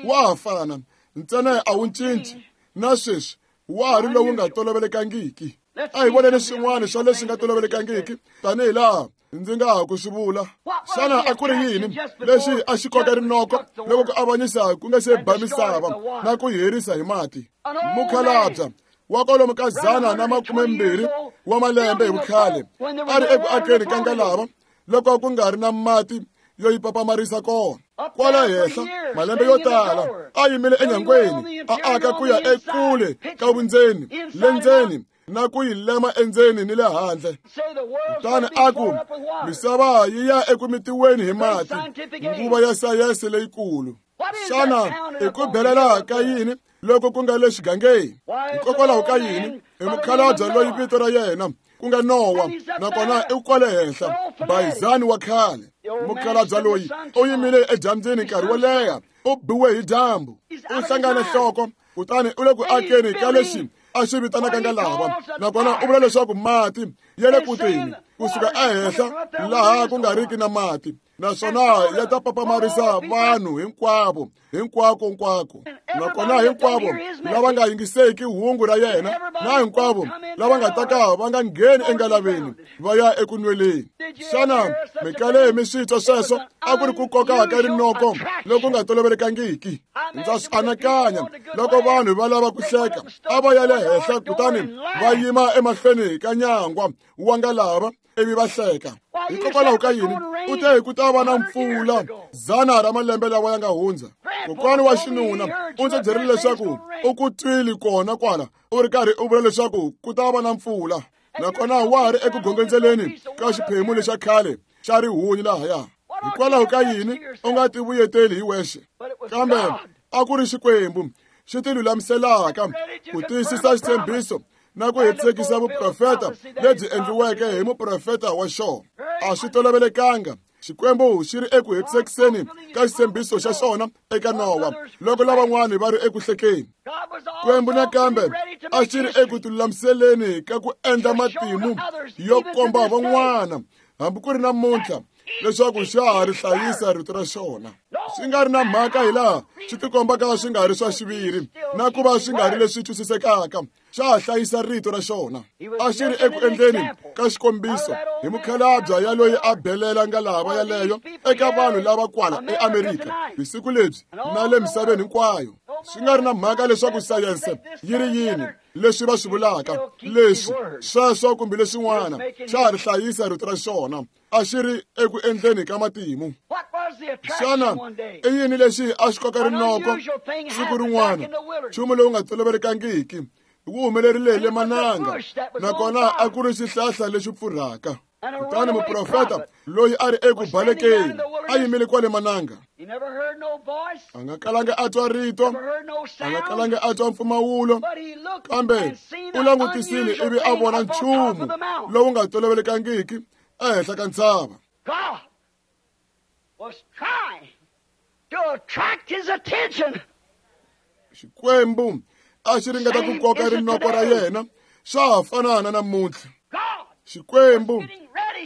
Wa ha fana ntsena, a wu cinci na sweswi, wa ha ri lowu nga tolovelekangiki. A hi voneni swin'wana swa leswi nga tolovelekangiki tanihi laha ndzi nga ha ku swi vula. Xana a ku ri yini lexi a xi koka rinoko loko ku avanyisa ku nga se ba misava na ku yi herisa hi mati? Mukhalabya wa kwalomu ka 120 wa malembe hi vukhale a ri eku akeni ka ngalava loko ku nga ri na mati yo yi papamarisa kona. Kwala henhla malembe yo tala a yimile enyangweni, a aka ku ya ekule ka vundzeni le ndzeni na ku yi lema endzeni ni le handle. Kutani a ku, misava yi ya eku mitiweni hi mati, nguva ya sayense leyikulu. Xana i ku belela ka yini loko ku nga le xigangeni? Hikokwalaho ka yini i mukhalabye loyi vito ra yena ku nga Nowa, nakona i kwale henhla bayizani wa khale. Mukhalabye loyi u yimile edyambyini nkarhi wo leha, u biwe hi dyambu, u hlangane nhloko, kutani u le ku akeni ka lexi a xi vitanaka ngalava, nakona u vula leswaku mati ya le ku teni kusuka ehenhla laha ku nga riki na mati, naswona ya ta papamarisa vanhu hinkwavo hinkwako nkwako. Nakona hinkwavo lava nga yingiseki hungu ra yena na hinkwavo lava nga ta ka va nga ngheni engalaveni va ya eku nweleni. Xana mi kale mi swi twa sweswo? A ku ri ku koka ka rinoko loku nga tolovelekangiki. Ndza swi anakanya loko vanhu va lava ku hleka, a va ya le henhla kutani va yima emahlweni ka nyangwa wa ngalava ivi va hleka. Hikokwalaho ka yini? U te ku ta va na mpfula 100 ra malembe lawa ya nga hundza. Kokwana wa xinuna u ndzi byerile leswaku u ku twile kona kwala u ri karhi u vula leswaku ku ta va na mpfula, nakona wa ha ri eku gongondzeleni ka xiphemu lexa khale xa rihunyi lahaya. Hikwalaho ka yini u nga ti vuyeteli hi wexe? Kambe a ku ri Xikwembu xi ti lulamiselaka ku tiyisisa xitshembiso na ku hetisekisa vuprofeta lebyi endliweke hi muprofeta wa xona. A swi tolovelekanga Xikwembu xi ri eku hetisekiseni ka xitshembiso xa xona eka Nowa loko lavan'wani va ri eku hlekeni. Xikwembu nakambe a xi ri eku tilulamiseleni ka ku endla matimu yo komba van'wana hambi ku ri namuntlha leswaku xa ha ri hlayisa rito ra xona, swi nga ri na mhaka hi laha swi tikombaka swi nga ri swa xiviri na ku va swi nga ri leswi twisisekaka. Xa ha hlayisa rito ra xona. A xi ri eku endleni ka xikombiso hi mukhalabye ya loyi a belela ngalava yaleyo eka vanhu lava kwala eAmerika hi siku lebyi na le misaveni hinkwayo. Swi nga ri na mhaka leswaku sayense yi ri yini, leswi va swi vulaka, leswi, sweswo kumbe leswin'wana, xa ha ri hlayisa rito ra xona. A xi ri eku endleni ka matimu. Xana i yini lexi a xi koka rinoko siku rin'wana? Nchumu lowu nga tolovelekangiki wu humelerile le mananga, nakona a ku ri xihlahla lexi pfurhaka. Kutani muprofeta loyi a ri eku balekeni a yimile kwale mananga. A nga kalanga a twa rito, a nga kalanga a twa mpfumawulo, kambe u langutisile ivi a vona nchumu lowu nga tolovelekangiki ehenhla ka ntshava. God was trying to attract his attention. Xikwembu a xi ringeta ku koka rinoko ra yena, swa ha fana na namuntlha. Xikwembu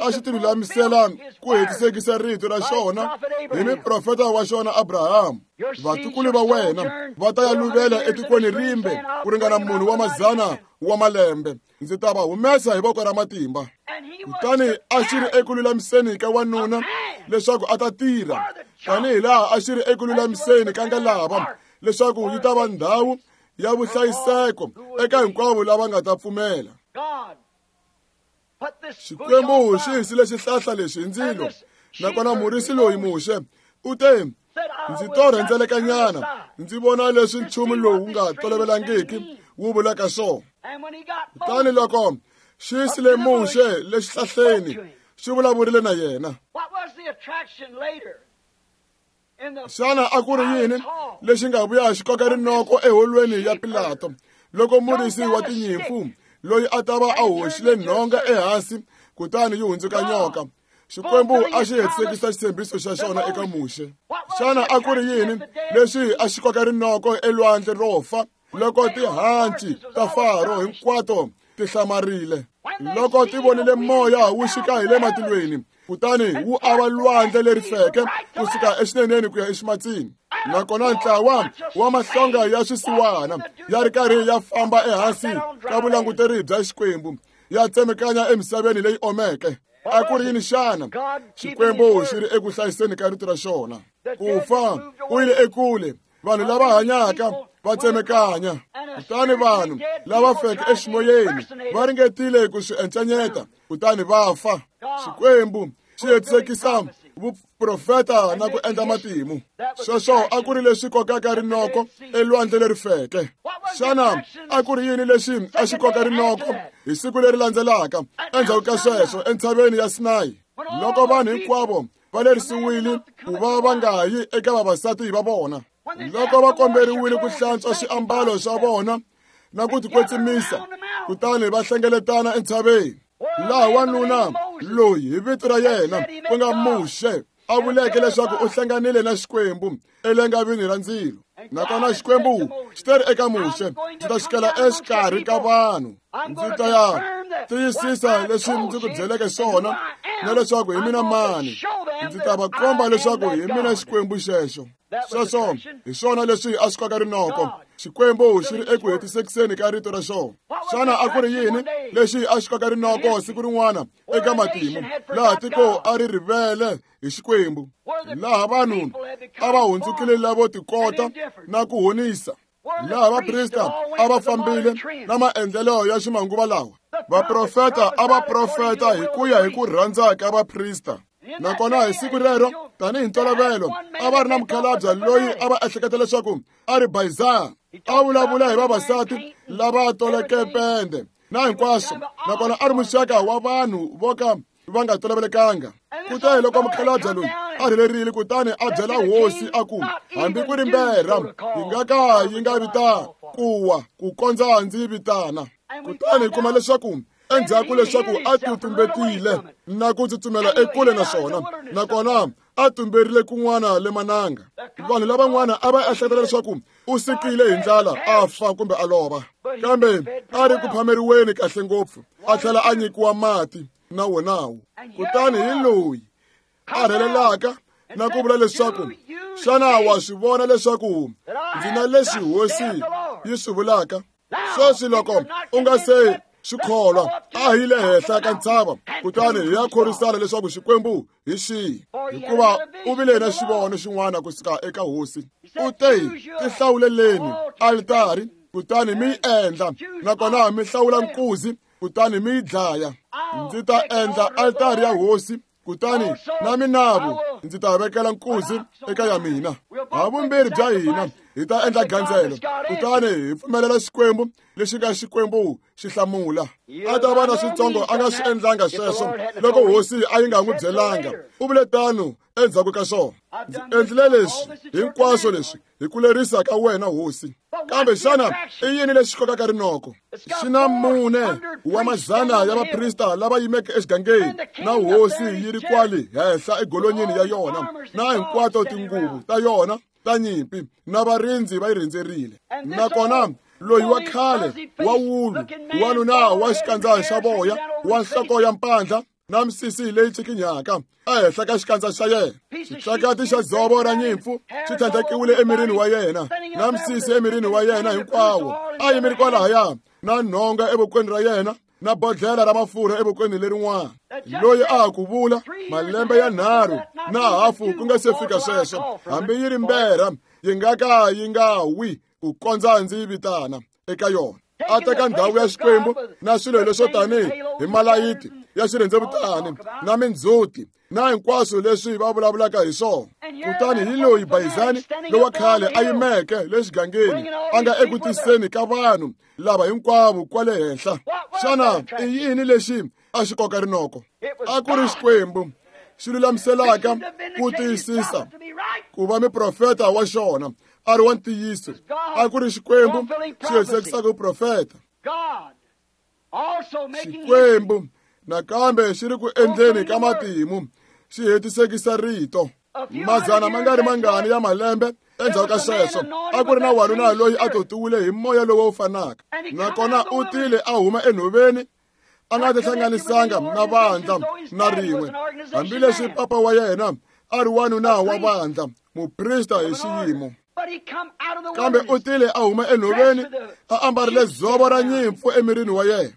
a xi tilulamisela ku hetisekisa rito ra xona hi muprofeta wa xona Abraham. Vatukulu va wena va ta ya luvela etikweni rimbe ku ringana munhu wa 100 wa malembe, ndzi ta va humesa hi voko ra matimba. Kutani a xi ri eku lulamiseni ka wanuna leswaku a ta tirha, tanihi laha a xi ri eku lulamiseni ka ngalava leswaku yi ta va ndhawu ya vuhlayiseko eka hinkwavo lava nga ta pfumela. Xikwembu xi hisile xihlahla lexi hi ndzilo, nakona murisi loyi Muxe u te, ndzi to rhendzelekanyana ndzi vona leswi nchumu lowu nga tolovelangiki wu vulaka swona. Kutani loko xi yisile Muxe le xihlahleni, xi vulavurile na yena. Xana a ku ri yini lexi nga vuya xi koka rinoko eholweni ya Pilato loko murisi wa tinyimpfu loyi a ta va a hoxile nhonga ehansi kutani yi hundzuka nyoka? Xikwembu a xi hetisekisa xitshembiso xa xona eka Muxe. Xana a ku ri yini lexi a xi koka rinoko elwandle ro fa loko tihanci ta Faro hinkwato ti hlamarile, loko ti vonile moya wu xika hi le matilweni kutani wu ava lwandle leri feke kusuka exineneni ku ya eximatsini, nakona ntlawa wa mahlonga ya swisiwana ya ri karhi ya famba ehansi ka vulanguteri bya Xikwembu ya tsemekanya emisaveni leyi omeke? A ku ri yini xana? Xikwembu xi ri eku hlayiseni ka rito ra xona. Ku fa ku yile ekule, vanhu lava hanyaka va tsemekanya, kutani vanhu lava feke eximoyeni va ringetile ku swi encanyeta kutani va fa. Xikwembu xi hetisekisa Vuprofeta na ku endla matimu. Sweswo a ku ri leswi kokaka rinoko elwandle leri feke. Xana a ku ri yini lexi a xi koka rinoko hi siku leri landzelaka endzhaku ka sweswo entshaveni ya Sinayi, loko vanhu hinkwavo va lerisiwile ku va va nga yi eka vavasati va vona, loko va komberiwile ku hlantswa swiambalo swa vona na ku tikwetsimisa, kutani va hlengeletana entshaveni, laha wanuna loyi hi vito ra yena ku nga Muxe a vuleke leswaku u hlanganile na Xikwembu elangavini ra ndzilo. Nakona Xikwembu xi teri eka Muxe, ndzi ta xikela exikarhi ka vanhu, ndzi ta ya tiyisisa leswi ndzi ku byeleke swona na leswaku hi mina mani, ndzi ta va komba leswaku hi mina Xikwembu xexo. Sweswo hi swona leswi a swi koka rinoko. Xikwembu xi ri eku hetisekiseni ka rito ra xona. Xana a ku ri yini lexi a xi koka rinoko siku rin'wana eka matimu, laha tiko a ri rivele hi Xikwembu, laha vanhu a va hundzukile lavo tikota na ku honisa, laha vaprista a va fambile na maendlelo ya ximanguva lawa, vaprofeta a va profeta hi ku ya hi ku rhandza ka vaprista. Nakona hi siku rero, tanihi ntolovelo, a va ri na mukhalabye loyi a va ehleketa leswaku a ri Bayizana, a vulavula hi vavasati lava toleke pende na hinkwaswo, nakona a ri muxaka wa vanhu vo ka va nga tolovelekanga. Kutani loko mukhalabye loyi a rhelerile, kutani a byela hosi a ku, hambi ku ri mberha yi nga ka yi nga vitana ku wa ku kondza ndzi vitana. Kutani hi kuma leswaku endzhaku leswaku a titumbetile na ku tsutsumela ekule na swona, nakona a tumberile kun'wana le mananga. Vanhu lavan'wana a va ehleketa leswaku u sikile hi ndlala a fa kumbe a lova, kambe a ri ku phameriweni kahle ngopfu, a tlhela a nyikiwa mati na wonawo. Kutani hi loyi a rhelelaka na ku vula leswaku, xana wa swi vona leswaku ndzi na leswi hosi yi swi vulaka? Sweswi loko u nga se swi kholwa, a hi le henhla ka ntshava, kutani hi ya khorisana leswaku Xikwembu hi xihi, hikuva u vile na xivono xin'wana kusuka eka hosi. U te, tihlawuleleni alitari, kutani mi yi endla, nakona mi hlawula nkuzi, kutani mi yi dlaya. Ndzi ta endla alitari ya hosi, kutani na minavu ndzi ta vekela nkuzi eka ya mina. Havumbirhi bya hina hi ta endla gandzelo, kutani hi pfumelela Xikwembu lexi nga Xikwembu xi hlamula. A ta va na switsongo a nga swi endlanga sweswo loko hosi a yi nga n'wi byelanga. U vule tano endzhaku ka swona, ndzi endlile leswi hinkwaswo leswi hi ku lerisa ka wena hosi. Kambe xana i yini lexi kokaka rinoko? Xi na 400 ya vaprista lava yimeke exigangeni, na hosi yi ri kwale henhla egolonyeni ya yona, na hinkwato tinguvu ta yona ta nyimpi, na varindzi va yi rhendzerile. Nakona loyi wa khale wa wulu, wanuna wa xikandza xa voya, wa nhloko ya mpandla, na misisi leyi cikinyaka ehenhla ka xikandza xa yena, xitlakati xa dzovo ra nyimpfu xi tlhandlekiwile emirini wa yena, na misisi emirini wa yena hinkwawo, a yimile kwalahaya na nhonga evokweni ra yena, na bodlhela ra mafurha evokweni lerin'wana. Loyi a ha ku vula malembe ya 3 na hafu ku nga se fika sweswo, hambi yi ri mberha yi nga ka yi nga wi ku kondza ndzi yi vitana eka yona. A teka ndhawu ya Xikwembu na swilo leswo tanihi hi malayiti ya xirhendzevutani na mindzhuti na hinkwaswo leswi va vulavulaka hi swona. Kutani hi loyi Bayizani lowa khale a yimeke le xigangeni, a nga eku tiseni ka vanhu lava hinkwavo kwale henhla. Xana i yini lexi a xi koka rinoko? A ku ri Xikwembu xi lulamiselaka ku tiyisisa ku va muprofeta wa xona a ri wa ntiyiso. A ku ri Xikwembu xi hetisekisaka vuprofeta. Xikwembu nakambe xi ri ku endleni ka matimu, xi hetisekisa rito. Mazana ma nga ri mangani ya malembe endzhaku ka sweswo, a ku ri na wanuna loyi a totiwile hi moya lowu wu fanaka, nakona u tile a huma enhoveni, a nga tihlanganisanga na vandla na rin'we, hambileswi papa wa yena a ri wanuna wa vandla, muprista hi xiyimo. Kambe u tile a huma enhoveni, a ambarile dzovo ra nyimpfu emirini wa yena,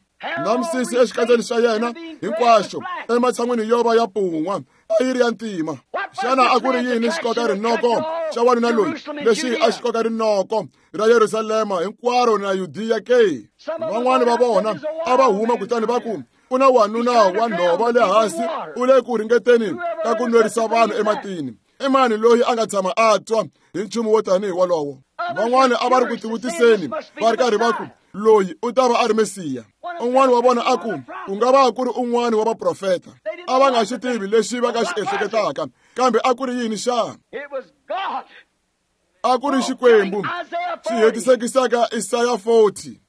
na misisi exikandzeni xa yena hinkwaxo, ematshan'wini yo va ya pun'wa a yi ri ya ntima. Xana a ku ri yini xikoka rinoko xa wanuna loyi lexi a xi koka rinoko ra Yerusalema hinkwaro na Yudiya ke? Van'wana va vona a va huma kutani va ku, u na wanuna wa nhova le hansi, u le ku ringeteni ka ku nwerisa vanhu ematini. I mani loyi a nga tshama a twa hi nchumu wo tanihi wolowo? Van'wani a va ri ku tivutiseni va ri karhi va ku, loyi u ta va a ri Mesiya. Un'wana wa vona a ku, ku nga va ku ri un'wana wa vaprofeta. A va nga xi tivi lexi va nga xi ehleketaka, kambe a ku ri yini xana? A ku ri Xikwembu xi hetisekisaka Isaya 40,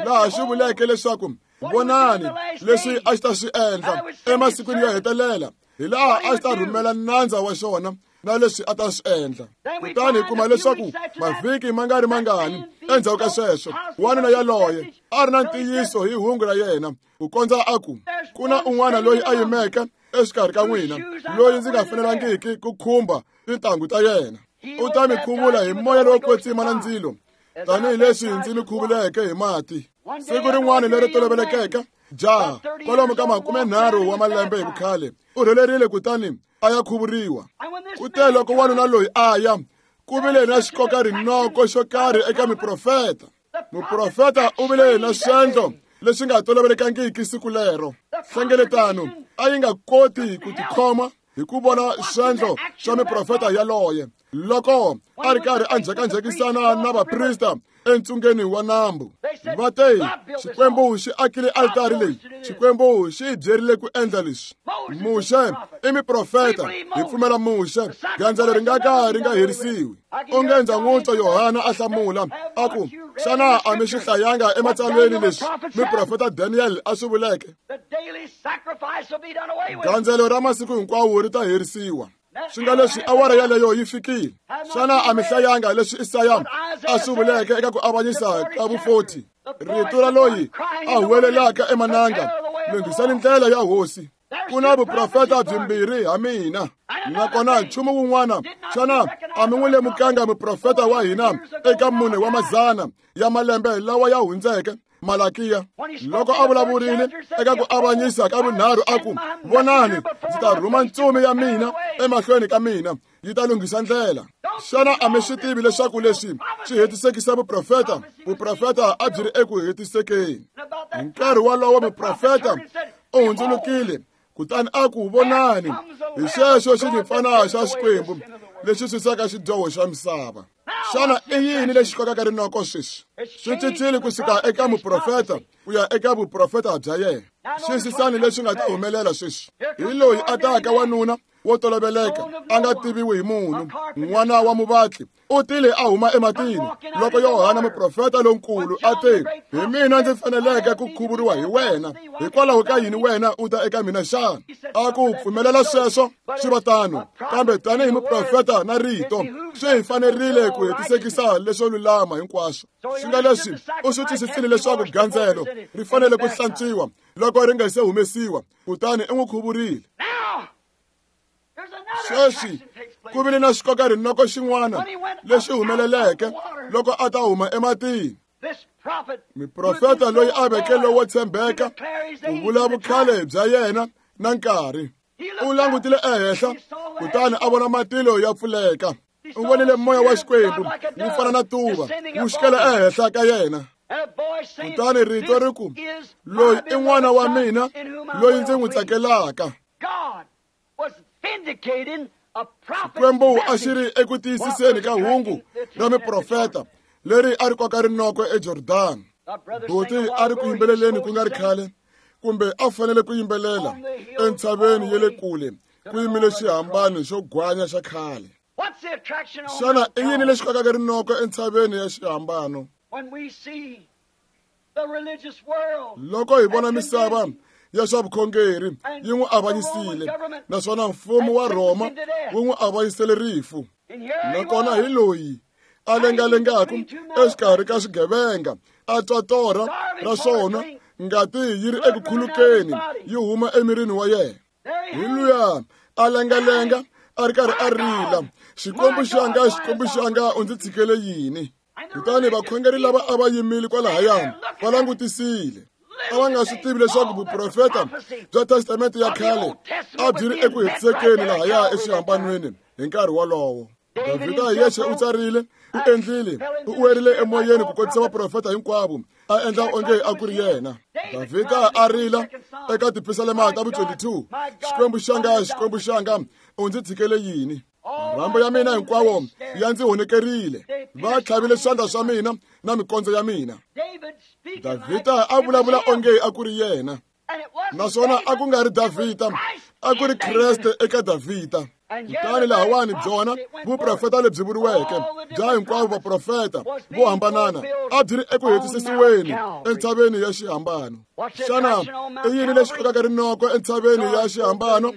laha xi vuleke leswaku vonani leswi a xi ta swi endla emasikwini yo hetelela, hi laha a xi ta rhumela nandza wa xona na leswi a ta swi endla. Kutani hi kuma leswaku mavhiki ma nga ri mangani endzhaku ka sweswo, wanuna yaloye a ri na ntiyiso hi hungu ra yena, ku kondza a ku, ku na un'wana loyi a yimeke exikarhi ka n'wina loyi ndzi nga fanelangiki ku khumba tintangu ta yena. U ta mi khuvula hi moya lowo kwetsima na ndzilo, tanihileswi ndzi mi khuvuleke hi mati. Siku rin'wana leri tolovelekeke, jaha kwalomu ka 30 wa malembe hi vukhale u rhelerile kutani a ya khuvuriwa. Kute loko wanuna loyi a ya, ku vile na xikoka rinoko xo karhi eka miprofeta. Muprofeta u vile na swendlo leswi nga tolovelekangiki siku lero. Hlengeletano a yi nga koti ku tikhoma hi ku vona swendlo swa miprofeta yaloye loko a ri karhi a njhekanjhekisana na vaprista entsungeni wa nambu. Va te, Xikwembu xi akile altari leyi, Xikwembu xi hi byerile ku endla leswi. Muxe i miprofeta, hi pfumela Muxe, gandzelo ri nga ka ri nga herisiwi. Onge ndza n'wi twa Yohana a hlamula a ku, xana a mi swi hlayanga ematsalweni leswi miprofeta Daniel a swi vuleke? Gandzelo ra masiku hinkwawo ri ta herisiwa. Swi nga leswi awara yaleyo yi fikile. Xana a mi hlayanga leswi Isaya a swi vuleke eka ku avanyisa ka vu-40? Rito ra loyi a huwelelaka emananga, lunghisani ndlela ya Hosi. Ku na vuprofeta byimbirhi ha mina. Nakona nchumu wun'wana, xana a mi n'wi lemukanga muprofeta wa hina eka 4 wa mazana ya malembe lawa ya hundzeke, Malakiya, loko a vulavurile eka ku avanyisa ka vunharhu a ku, vonani, ndzi ta rhuma ntsumi ya mina emahlweni ka mina, yi ta lunghisa ndlela. Xana a mi swi tivi leswaku leswi swi hetisekisa vuprofeta? Vuprofeta a byi ri eku hetisekeni. Hi nkarhi wolowo muprofeta u hundzulukile kutani a ku, vonani, hi xexo xinyimpfana xa Xikwembu lexi susaka xidyoho xa misava. Xana i yini lexi kokaka rinoko sweswi? Swi cincile kusuka eka muprofeta ku ya eka vuprofeta bya yena. Xiyisisani leswi nga ta humelela sweswi. Hi loyi a taka wanuna wo toloveleka, a nga tiviwi hi munhu, n'wana wa muvatli, u tile a huma ematini. Loko Yohana muprofeta lonkulu a te, hi mina ndzi faneleke ku khuvuriwa hi wena, hikwalaho ka yini wena u ta eka mina xana? A ku pfumelela sweswo swi va tano, kambe tanihi muprofeta na rito swi hi fanerile ku hetisekisa leswo lulama hinkwaswo. Swi nga leswi u swi twisisile leswaku gandzelo ri fanele ku hlantswiwa loko ri nga se humesiwa, kutani u n'wi khuvurile. Sweswi ku vile na xikoka rinoko xin'wana lexi humeleleke loko a ta huma ematini. Muprofeta loyi a veke lowo tshembeka ku vula vukhale bya yena na nkarhi, u langutile ehenhla kutani a vona matilo ya pfuleka. U vonile moya wa Xikwembu wu fana na tuva wu xikela ehenhla ka yena. Kutani rito ri ku, loyi i n'wana wa mina loyi ndzi n'wi tsakelaka. Xikwembu a xi ri eku tiyisiseni ka hungu ra miprofeta leri a ri koka rinoko eJordani. Buti a ri ku yimbeleleni ku nga ri khale, kumbe a fanele ku yimbelela entshaveni ya le kule, ku yimile xihambano xo gwanya xa khale. Xana i yini lexi kokaka rinoko entshaveni ya xihambano? Loko hi vona misava ya swa vukhongeri yi n'wi avanyisile, naswona mfumo wa Rhoma wu n'wi avanyisele rifu. Nakona hi loyi a lengalengaka exikarhi ka swigevenga, a twa torha ra swona, ngati yi ri eku khulukeni yi huma emirini wa yena. Hi luya a lengalenga a ri karhi a rila, Xikwembu xanga, Xikwembu xanga, u ndzi tshikele yini? Kutani vakhongeri lava a va yimile kwalahayani va langutisile. A va nga swi tivi leswaku vuprofeta bya Testamente ya khale a byi ri eku hetisekeni lahaya exihambanweni hi nkarhi wolowo. Davhida hi yexe u tsarile U endlile, u werile emoyeni ku kotisa vaprofeta hinkwavo, a endla onge a ku ri yena. Davhida a rila eka tipisalema ta vu-22, Xikwembu xanga, Xikwembu xanga, u ndzi tshikele yini? Marhambu ya mina hinkwawo ya ndzi honekerile, va tlhavile swandla swa mina na mikondzo ya mina. Davhida a vulavula onge a ku ri yena, naswona a ku nga ri Davhida, a ku ri Kreste eka Davhida. Kutani lahawani byona vuprofeta lebyi vuriweke bya hinkwavo vaprofeta vo hambanana a byi ri eku hetisisiweni entshaveni ya xihambano. Xana i yini lexi kokaka rinoko entshaveni ya xihambano?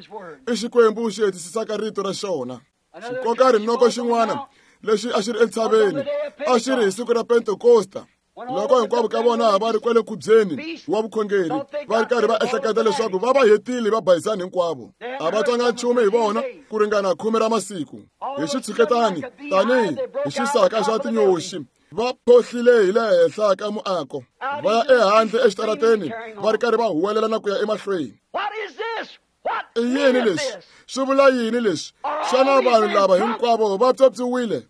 I Xikwembu xi hetisisaka rito ra xona. Xikoka rinoko xin'wana lexi a xi ri entshaveni a xi ri hi siku ra Pentekosta, loko hinkwavo ka vona va ri kwale nkhubyeni wa vukhongeri, va ri karhi va ehleketa leswaku va va hetile va bayisani hinkwavo. A va twanga nchumu hi vona ku ringana 10 ra masiku. Hi xitshuketani tanihi hi xisaka xa tinyoxi, va phohlile hi le henhla ka muako, va ya ehandle exitarateni va ri karhi va huwelela na ku ya emahlweni. I yini leswi? Swi vula yini leswi? Xana vanhu lava hinkwavo va pyopyiwile?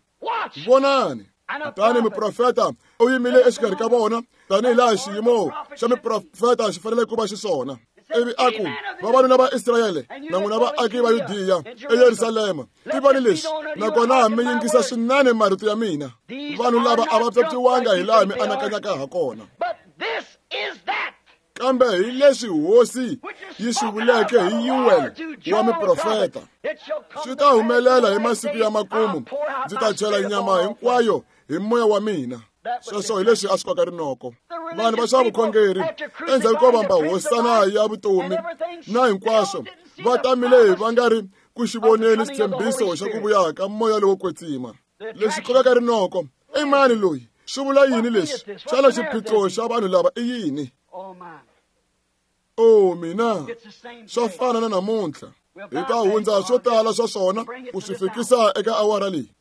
Vonani. Kutani muprofeta u yimile exikarhi ka vona tanihi laha xiyimo xa miprofeta xi fanele ku va xiswona. Ivi a ku, vavanuna va Israyele na n'wina vaaki va Yudiya eYerusalema, tivani leswi, nakona mi yingisa swinene marito ya mina. Vanhu lava a va pyopyiwanga hi laha mi anakanyaka ha kona. Kambe hi leswi Hosi yi swi vuleke hi Yuwele wa miprofeta, swi ta humelela hi masiku ya makumu, ndzi ta chela nyama hinkwayo hi moya wa mina. Sweswo hi leswi a swi koka rinoko. Vanhu va swa vukhongeri endzhaku ko vamba hosana ya vutomi na hinkwaswo, va tamile va nga ri ku xi voneni xitshembiso xa ku vuya ka moya lowo kwetsima. Lexi kokaka rinoko i mani loyi? Swi vula yini leswi? Xana xiphiqo xa vanhu lava i yini? O mina, swa fana na namuntlha. Hi ta hundza swo tala swa swona ku swi fikisa eka awara leyi.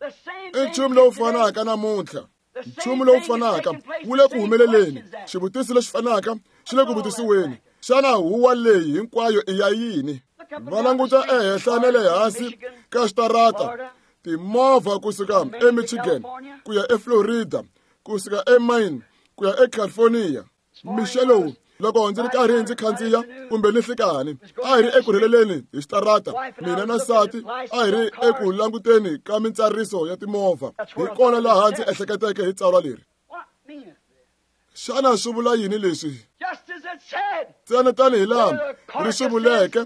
I nchumu lowu fanaka namuntlha. Nchumu lowu fanaka wu le ku humeleleni. Xivutiso lexi fanaka xi le ku vutisiweni. Xana huwa leyi hinkwayo i ya yini? Va languta ehenhla na le hansi ka xitarata, timovha kusuka eMichigan ku ya eFlorida, kusuka eMaine ku ya eCalifornia. Mixo lowu loko ndzi ri karhi ndzi khandziya kumbe ni nhlikani, a hi ri eku rheleleni hi xitarata, mina na nsati a hi ri eku languteni ka mintsariso ya timovha. Hi kona laha ndzi ehleketeke hi tsalwa leri. Xana swi vula yini leswi? Ntsena tanihi laha ri swi vuleke,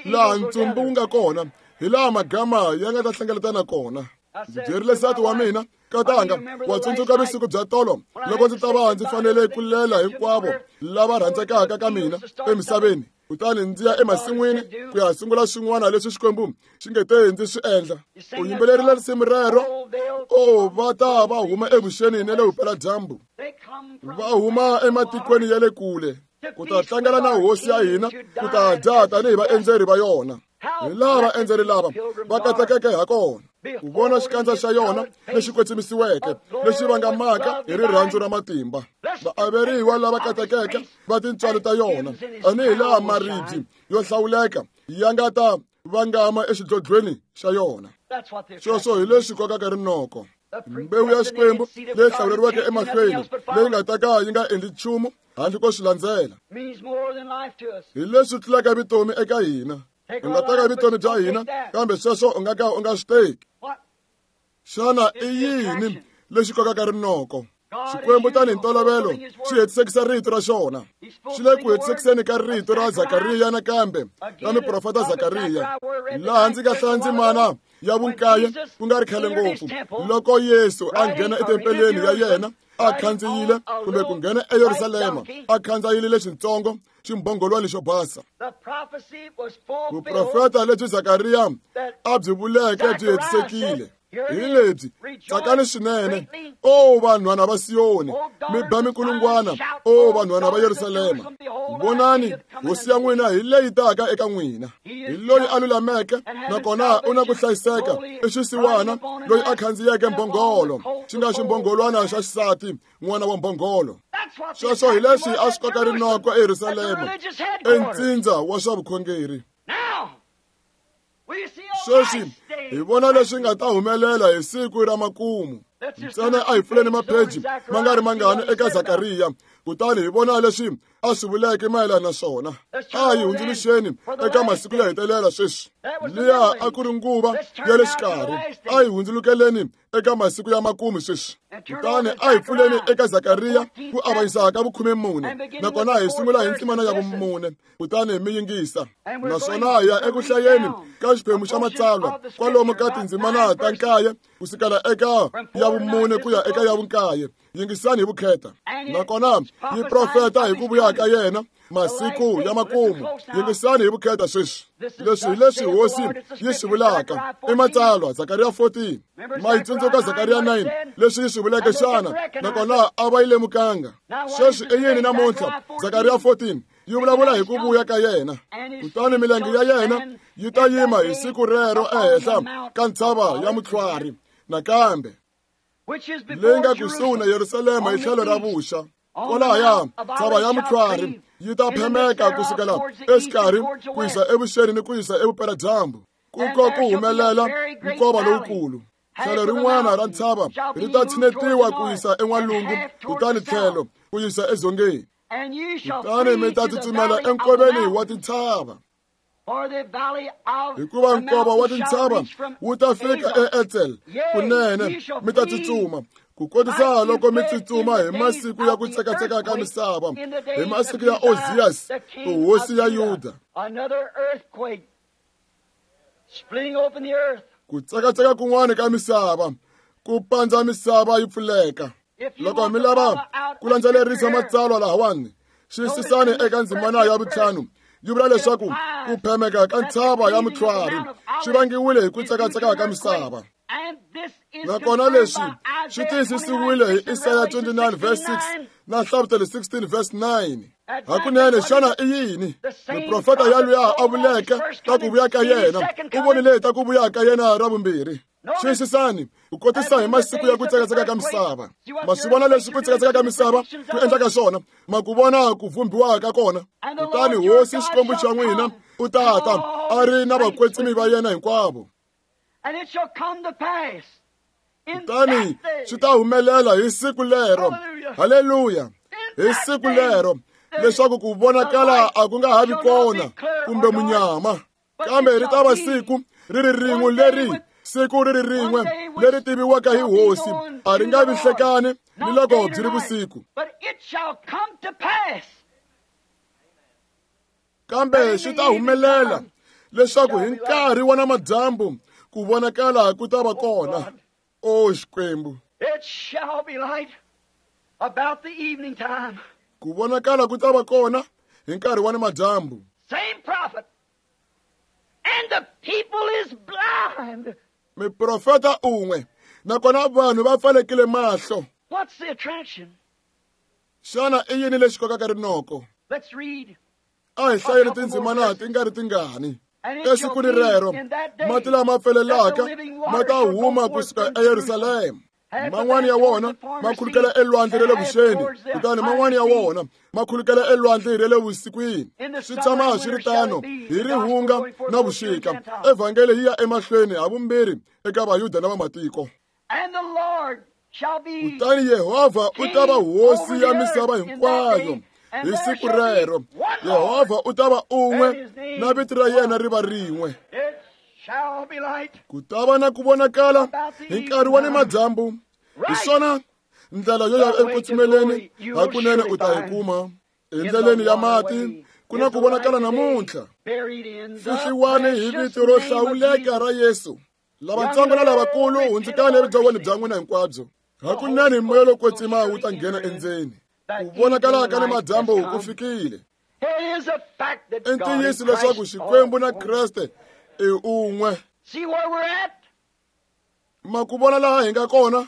laha ntsumbu wu nga kona, hi laha magama ya nga ta hlengeletana kona. Ndzi byerile nsati wa mina, katanga, wa tsundzuka vusiku bya tolo loko ndzi ta va ndzi fanele ku lela hinkwavo lava rhandzekaka ka mina emisaveni, kutani ndzi ya emasin'wini ku ya sungula swin'wana leswi Xikwembu xi nge te ndzi swi endla. U yimbelerile risimu rero, o va ta va huma evuxeni na le vupeladyambu, va huma ematikweni ya le kule ku ta tlangela na hosi ya hina, ku ta dya tanihi vaendzeri va yona. Hi laha vaendzeri lava va katekeke ha kona ku vona xikandza xa yona lexi kwetsimisiweke, lexi vangamaka hi rirhandzu ra matimba. Vaaveriwa lava katekeke va tintswalo ta yona, tanihi laha maribye yo hlawuleka ya nga ta vangama exidlodlweni xa yona. Sweswo hi leswi kokaka rinoko. Mbewu ya Xikwembu leyi hlawuleriweke emahlweni, leyi nga ta ka yi nga endli nchumu handle ko swi landzela, hi leswi tlulaka vutomi eka hina. U nga teka vutomi bya hina, kambe sweswo u nga ka u nga swi teki. Xana i yini lexi kokaka rinoko? Xikwembu tanihi ntolovelo xi hetisekisa rito ra xona. Xi le ku hetisekiseni ka rito ra Zakariya nakambe ra miprofeta Zakariya, laha ndzi nga hlaya ndzimana ya vunkaye ku nga ri khale ngopfu, loko Yesu a nghena etempeleni ya yena a khandziyile, kumbe ku nghena eYerusalema a khandziyile lexintsongo ximbhongolwani xo basa. Vuprofeta lebyi Zakariya a byi vuleke byi hetisekile. Hi lebyi, tsakani swinene, o vanhwana va Siyoni, mi ba minkulungwana, o vanhwana va Yerusalema. Vonani, hosi ya n'wina hi leyi taka eka n'wina, hi loyi a lulameke nakona u na ku hlayiseka, i xisiwana loyi a khandziyeke mbhongolo, xi nga ximbhongolwana xa xisati, n'wana wa mbhongolo. Sweswo hi leswi a swi koka rinoko eYerusalema, entsindza wa swa vukhongeri. Sweswi hi vona leswi nga ta humelela hi siku ra makumu. Ntsena a hi pfuleni mapheji ma nga ri mangani eka Zakariya, kutani hi vona leswi a swi vuleke mayelana na swona. A hi hundzuluxeni eka masiku yo hetelela sweswi. Liya a ku ri nguva ya le xikarhi. A hi hundzulukeleni eka masiku ya makumu sweswi. Kutani a hi pfuleni eka Zakariya ku avanyisa ka vu-14, nakona hi sungula hi ndzimana ya vu-4, kutani mi yingisa. Naswona hi ya eku hlayeni ka xiphemu xa matsalwa kwalomu ka tindzimana ta 9 kusukela eka ya vu-4 ku ya eka ya vu-9. Yingisani hi vukheta. Nakona yi profeta hi ku vuya ka yena masiku ya makumu. Yingisani hi vukheta sweswi. Leswi hi leswi Hosi yi swi vulaka i matsalwa Zakariya 14. Ma yi tsundzuka Zakariya 9 leswi yi swi vuleke xana? Nakona a va yi lemukanga. Sweswi i yini namuntlha? Zakariya 14 yi vulavula hi ku vuya ka yena. Kutani milenge ya yena yi ta yima hi siku rero ehenhla ka ntshava ya mutlhwari nakambe leyi nga kusuhi na Yerusalema hi tlhelo ra vuxa. Kwalahaya ntshava ya mutlhwari yi ta phemeka kusukela exikarhi ku yisa evuxeni ni ku yisa evupeladyambu, ku ko ku humelela nkova lowukulu. Tlhelo rin'wana ra ntshava ri ta tshinetiwa ku yisa en'walungu, kutani tlhelo ku yisa edzongeni. Kutani mi ta tsutsumela enkoveni wa tintshava, hikuva nkova wa tintshava wu ta fika eEtsel. Kunene mi ta tsutsuma ku kotisa loko mi tsutsuma hi masiku ya ku tsekatseka ka misava, hi masiku ya Ozias hosi ya Yuda. Ku tsekatseka kun'wana ka misava ku pandza misava yi pfuleka. Loko mi lava ku landzelerisa matsalwa lahawani, xiyisisani eka ndzimana ya vu-5. Yi vula leswaku ku phemeka ka ntshava ya mutlhwari swi vangiwile hi ku tsekatseka ka misava. Nakona leswi swi tiyisisiwile hi Isaya 29 verse 6 na Nhlavutelo 16 verse 9. Hakunene xana i yini? Muprofeta yaluya a vuleke ta ku vuya ka yena, u vonile ta ku vuya ka yena ra vumbirhi. Xiyisisani ku kotisa hi masiku ya ku tsekatseka ka misava. Ma swi vona leswi ku tsekatseka ka misava ku endlaka swona, ma ku vona ku vhumbiwa ka kona. Kutani Hosi Xikwembu xa n'wina u ta ta a ri na vakwetsimi va yena hinkwavo. Kutani swi ta humelela hi siku lero, haleluya, hi siku lero leswaku ku vonakala a ku nga ha vi kona kumbe munyama, kambe ri ta va siku ri ri rin'we leri siku ri ri rin'we leri tiviwaka hi Hosi, a ri nga vi hlekani ni loko byi ri vusiku. Kambe swi ta humelela leswaku hi nkarhi wa namadyambu ku vonakala ku ta va kona. O Xikwembu, ku vonakala ku ta va kona hi nkarhi wa namadyambu. And the people is blind. Miprofeta un'we, nakona vanhu va pfalekile mahlo. What's the attraction? Xana i yini lexi kokaka rinoko? Let's read. A hi hlayeni tindzimana ti nga ri tingani. Esikwini rero mati lama pfelelaka ma ta huma kusuka eYerusalema. Man'wana ya wona ma khulukela elwandle ra le vuxeni, kutani man'wana ya wona ma khulukela elwandle ra le vusikwini. Swi tshama swi ri tano hi rihunga na vuxika. Evhangeli yi ya emahlweni havumbirhi eka Vayuda na vamatiko. Kutani Yehovha u ta va hosi ya misava hinkwayo hi siku rero. Yehovha u ta va un'we na vito ra yena ri va rin'we. Ku ta va na ku vonakala hi nkarhi wa nimadyambu. Hi swona ndlela yo ya eku hakunene u ta yi kuma. Endleleni ya mati ku na ku vonakala namuntlha. Fihliwani hi vito ro hlawuleka ra Yesu. Lavatsongo na lavakulu hundzukani evubyalweni bya n'wina hinkwabyo. Hakunene moya lowo kwetsima wu ta nghena endzeni. Ku vonakala ka nimadyambu ku fikile. I ntiyiso leswaku Xikwembu na Kreste i un'we. Ma ku vona laha hi nga kona?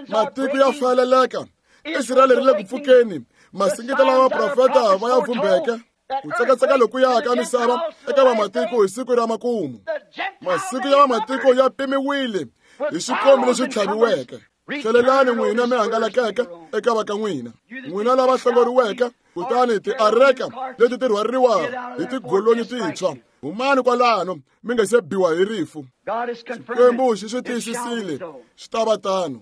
Matiko ya faleleka. Israyele ri le ku pfukeni. Masingita lawa vaprofeta va ya vhumbeke. Ku tsekatseka loku ya ka misava eka vamatiko hi siku ra makumu. Masiku ya vamatiko ya pimiwile hi xikombi lexi tlhaviweke. Tlhelelani n'wina mi hangalakeke eka va ka n'wina, n'wina lava hlongoriweke, kutani tiareka leti ti rhwariwa hi tigolonyi tintshwa. Humani kwalano mi nga se biwa hi rifu. Xikwembu xi swi tiyisisile, swi ta va tano.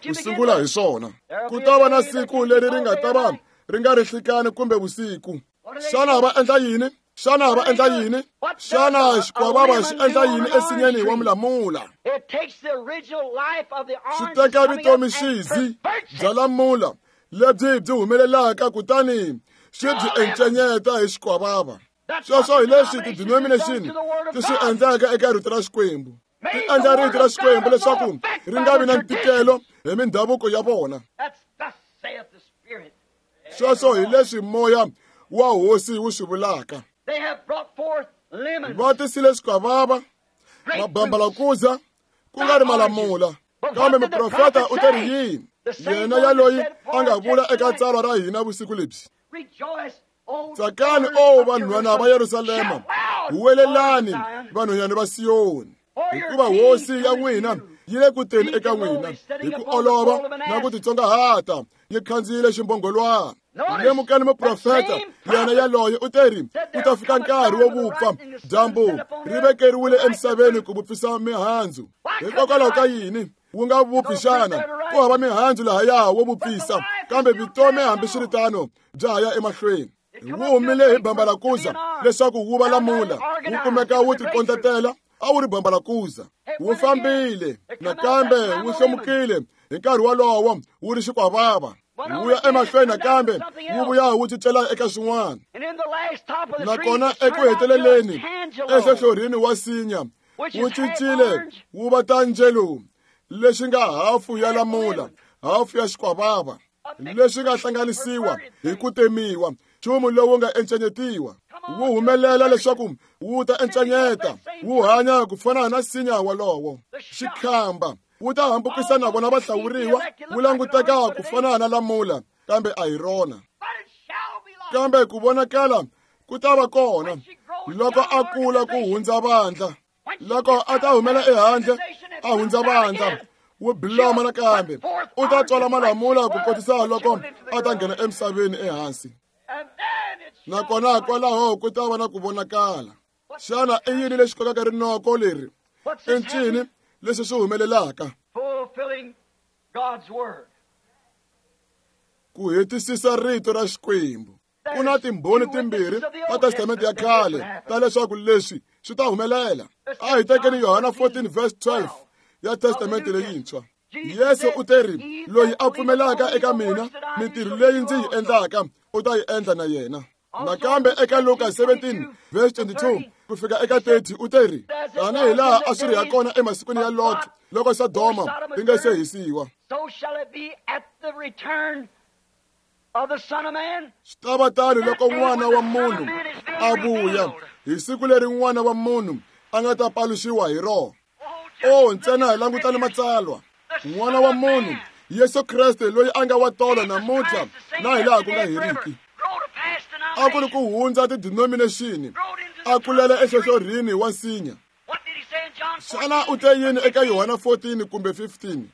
ku sungula hi swona. Ku ta va na siku leri ri nga ta va ri nga ri hlikani kumbe vusiku. Xana va endla yini? Xana va endla yini? Xana xikwavava xi endla yini ensinyeni wa mulamula? Xi teka vutomi xizi bya lamula lebyi byi humelelaka kutani xi byi encenyeta hi xikwavava. Sweswo hi leswi ti-denomination ti swi endlaka eka rito ra Xikwembu. Ti endla rito ra Xikwembu leswaku ri nga vi na ntikelo hi mindhavuko ya vona. Sweswo hi leswi moya wa hosi wu swi vulaka. Va tisile swikwavava, mabambalakuza, ku nga ri malamula. Kambe muprofeta u te ri yini? Yena yaloyi a nga vula eka tsalwa ra hina vusiku lebyi. Tsakani, o vanhwana va Yerusalema, huwelelani vanhwanyana va Siyoni, hikuva hosi ya n'wina yi le ku teni eka n'wina hi ku olova na ku titsongahata, yi khandziyile ximbongolwana. Lemukani muprofeta yena yaloye u te ri ku ta fika nkarhi wo vupfa, dyambu ri vekeriwile emisaveni ku vupfisa mihandzu. Hikokwalaho ka yini wu nga vupfi xana? Ku hava mihandzu lahaya wo vupfisa, kambe vutomi hambiswiritano bya ha ya emahlweni. Wu humile hi bambalakuza leswaku wu va lamula, wu kumeka wu tikondletela, a wu ri bambalakuza. Wu fambile nakambe wu hlomukile hi nkarhi wolowo wu ri xikwavava. Wu ya emahlweni nakambe wu vuya wu cincela eka swin'wana. Nakona eku heteleleni enhlohlorhini wa sinya wu cincile wu va tanjelo, lexi nga hafu ya lamula, hafu ya xikwavava, leswi nga hlanganisiwa hi ku temiwa, nchumu lowu nga encenyetiwa. Wu humelela leswaku wu ta encenyeta, wu hanya ku fana na nsinya wolowo. Xikhamba wu ta hambukisa na vona vahlawuriwa, wu languteka ku fana na lamula, kambe a hi rona. Kambe ku vonakala ku ta va kona loko a kula ku hundza vandla. Loko a ta humela ehandle a hundza vandla, wu biloma nakambe, u ta tswala malamula ku kotisa loko a ta nghena emisaveni ehansi. Nakona kwalaho ku ta va na ku vonakala. Xana i yini lexi kokaka rinoko leri? I ncini leswi swi humelelaka? Ku hetisisa rito ra Xikwembu. Ku na timbhoni timbirhi ta Testamente ya khale ta leswaku leswi swi ta humelela. A hi tekeni Yohana 14 verse 12 ya Testamente leyintshwa. Yesu u te ri, loyi a pfumelaka eka mina, mintirho leyi ndzi yi endlaka u ta yi endla na yena. Nakambe eka Luka 17 verse 22 ku fika eka 30 u te ri, tanihi laha a swi ri ha kona emasikwini ya Lot loko Sodoma yi nga se hisiwa, swi ta va tano loko N'wana wa Munhu a vuya, hi siku leri N'wana wa Munhu a nga ta paluxiwa hi rona. O ntsena hi langutani matsalwa. N'wana wa Munhu, Yesu Kreste, loyi a nga wa tolo namuntlha na hi laha ku nga heriki. A ku ri ku hundza ti-denomination, a kulela enhlohlorhini wa nsinya. Xana u te yini eka Yohana 14 kumbe 15?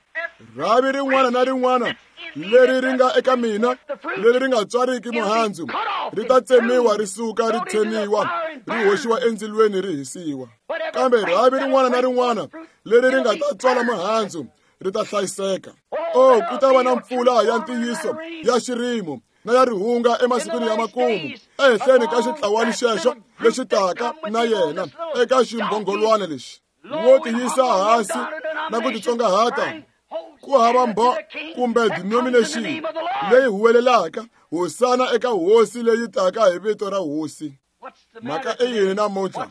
Rhavi rin'wana na rin'wana leri ri nga eka mina, leri ri nga tswariki muhandzu, ri ta tsemiwa ri suka ri tsheniwa, ri hoxiwa endzilweni ri hisiwa. Kambe rhavi rin'wana na rin'wana leri ri nga ta tswala muhandzu ri ta hlayiseka. O ku ta va na mpfula ya ntiyiso ya xirimo na ya rihunga emasikwini ya makumu, ehenhleni ka xitlawani xexo lexi taka na yena eka ximbhongolwana lexi. Wo tiyisa hansi na ku titsongahata, ku hava mbo kumbe denomination leyi huwelelaka hosana eka hosi leyi taka hi vito ra hosi. Mhaka i yini namuntlha?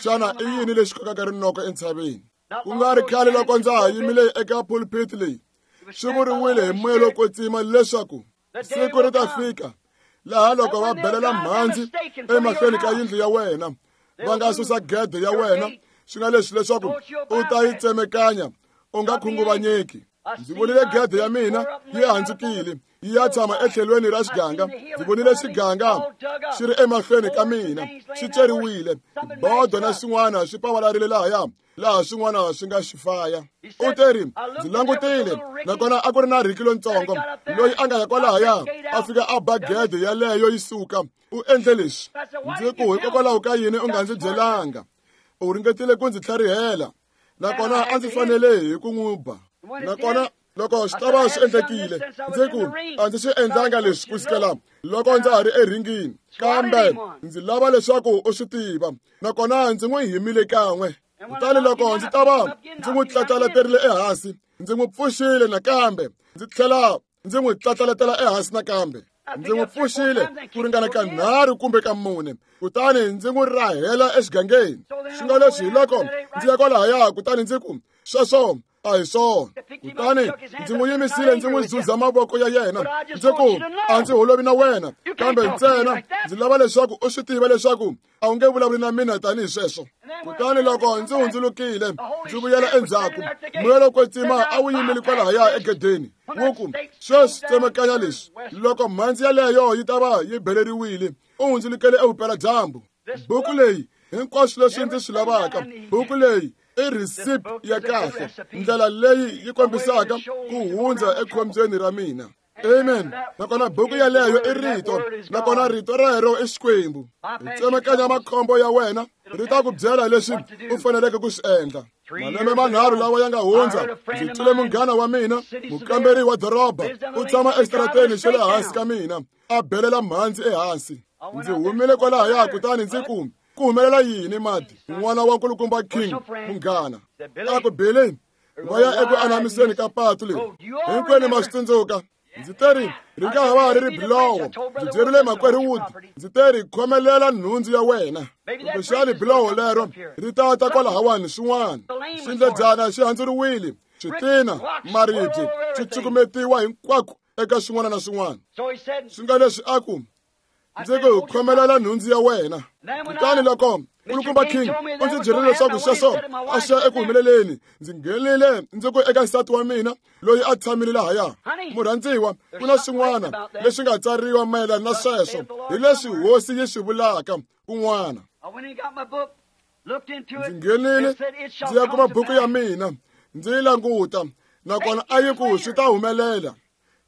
Xana i yini lexi kokaka rinoko entshaveni? Ku nga ri khale loko ndza ha yimile eka pulpit leyi, swi vuriwile hi moya lowo kwetsima leswaku siku ri ta fika laha loko va belela mhandzi emahlweni ka yindlu ya wena, va nga susa gede ya wena, swi nga leswi leswaku u ta yi tsemekanya, u nga khunguvanyeki. Ndzi vonile gede ya mina yi handzukile, yi ya tshama etlhelweni ra xiganga. Ndzi vonile xiganga xi ri emahlweni ka mina, xi ceriwile, bodo na swin'wana swi pavalarile lahaya, laha swin'wana swi nga xi faya. U te ri, ndzi langutile, nakona a ku ri na Ricky lontsongo loyi a nga ya kwalahaya, a fika a ba gede yaleyo yi suka. U endle leswi. Ndzi ku, hikokwalaho ka yini u nga ndzi byelanga? U ringetile ku ndzi tlharihela, nakona a ndzi fanele hi ku n'wi ba. Nakona loko swi ta va swi endlekile, ndzi ku, a ndzi swi endlanga leswi ku sukela loko ndza ha ri eringini, kambe ndzi lava leswaku u swi tiva. Nakona ndzi n'wi himile kan'we. Kutani loko ndzi ta va ndzi n'wi tlatlaleterile ehansi, ndzi n'wi pfuxile nakambe, ndzi tlhela ndzi n'wi tlatlaletela ehansi nakambe. Ndzi n'wi pfuxile ku ringana ka 3 kumbe ka 4, kutani ndzi n'wi rahela exigangeni. Swi nga leswi hi loko ndzi ya kwalahaya, kutani ndzi ku, sweswo a hi swona. Kutani ndzi n'wi yimisile, ndzi n'wi zuza mavoko ya yena, ndzi ku, a ndzi holovi na wena, kambe ntsena ndzi lava leswaku u swi tiva leswaku a wu nge vulavuli na mina tanihi sweswo. Kutani loko ndzi hundzulukile ndzi vuyela endzhaku, moya lowo kwetsima a wu yimile kwalahaya egedeni, wu ku, sweswi tsemakanya leswi. Loko mhandzi yaleyo yi ta va yi beleriwile, u hundzulukele evupeladyambu. Buku leyi hinkwaswo leswi ndzi swi lavaka, buku leyi i recipe ya kahle, ndlela leyi yi kombisaka ku hundza ekhombyeni ra mina. Amen. Nakona buku yaleyo i rito, nakona rito rero i Xikwembu. Ri tsemakanya makhombo ya wena, ri ta ku byela leswi u faneleke ku swi endla. Malembe manharhu lawa ya nga hundza, ndzi twile munghana wa mina, mukamberi wa doroba, u tshama exitarateni xa le hansi ka mina, a belela mhandzi ehansi. Ndzi humile kwalahaya, kutani ndzi ku, ku humelela yini mati, n'wana wa nkulukumba King, munghana? A ku, Billy, va ya eku anamiseni ka patu leri. Hinkwenu ma swi tsundzuka. Ndzi teri ri nga ha va ri ri bilowo. Ndzi byerile makwerhu Wood, ndzi teri khomelela nhundzu ya wena, kumbexani bilowo lero ri ta ta kwalahawani swin'wana. Xindledyana xi handzuriwile, switina, maribye swi cukumetiwa hinkwako eka swin'wana na swin'wana. Swi nga leswi a ku, ndzi ku khomelela nhundzu ya wena. Kutani loko nkulukumba King u ndzi byerile leswaku sweswo a swi ya eku humeleleni, ndzi nghenile ndzi ku eka nsati wa mina loyi a tshamile lahaya, murhandziwa, ku na swin'wana leswi nga tsariwa mayelana na sweswo, hi leswi hosi yi swi vulaka kun'wana. Ndzi nghenile ndzi ya kuma buku ya mina, ndzi yi languta, nakona a yi ku swi ta humelela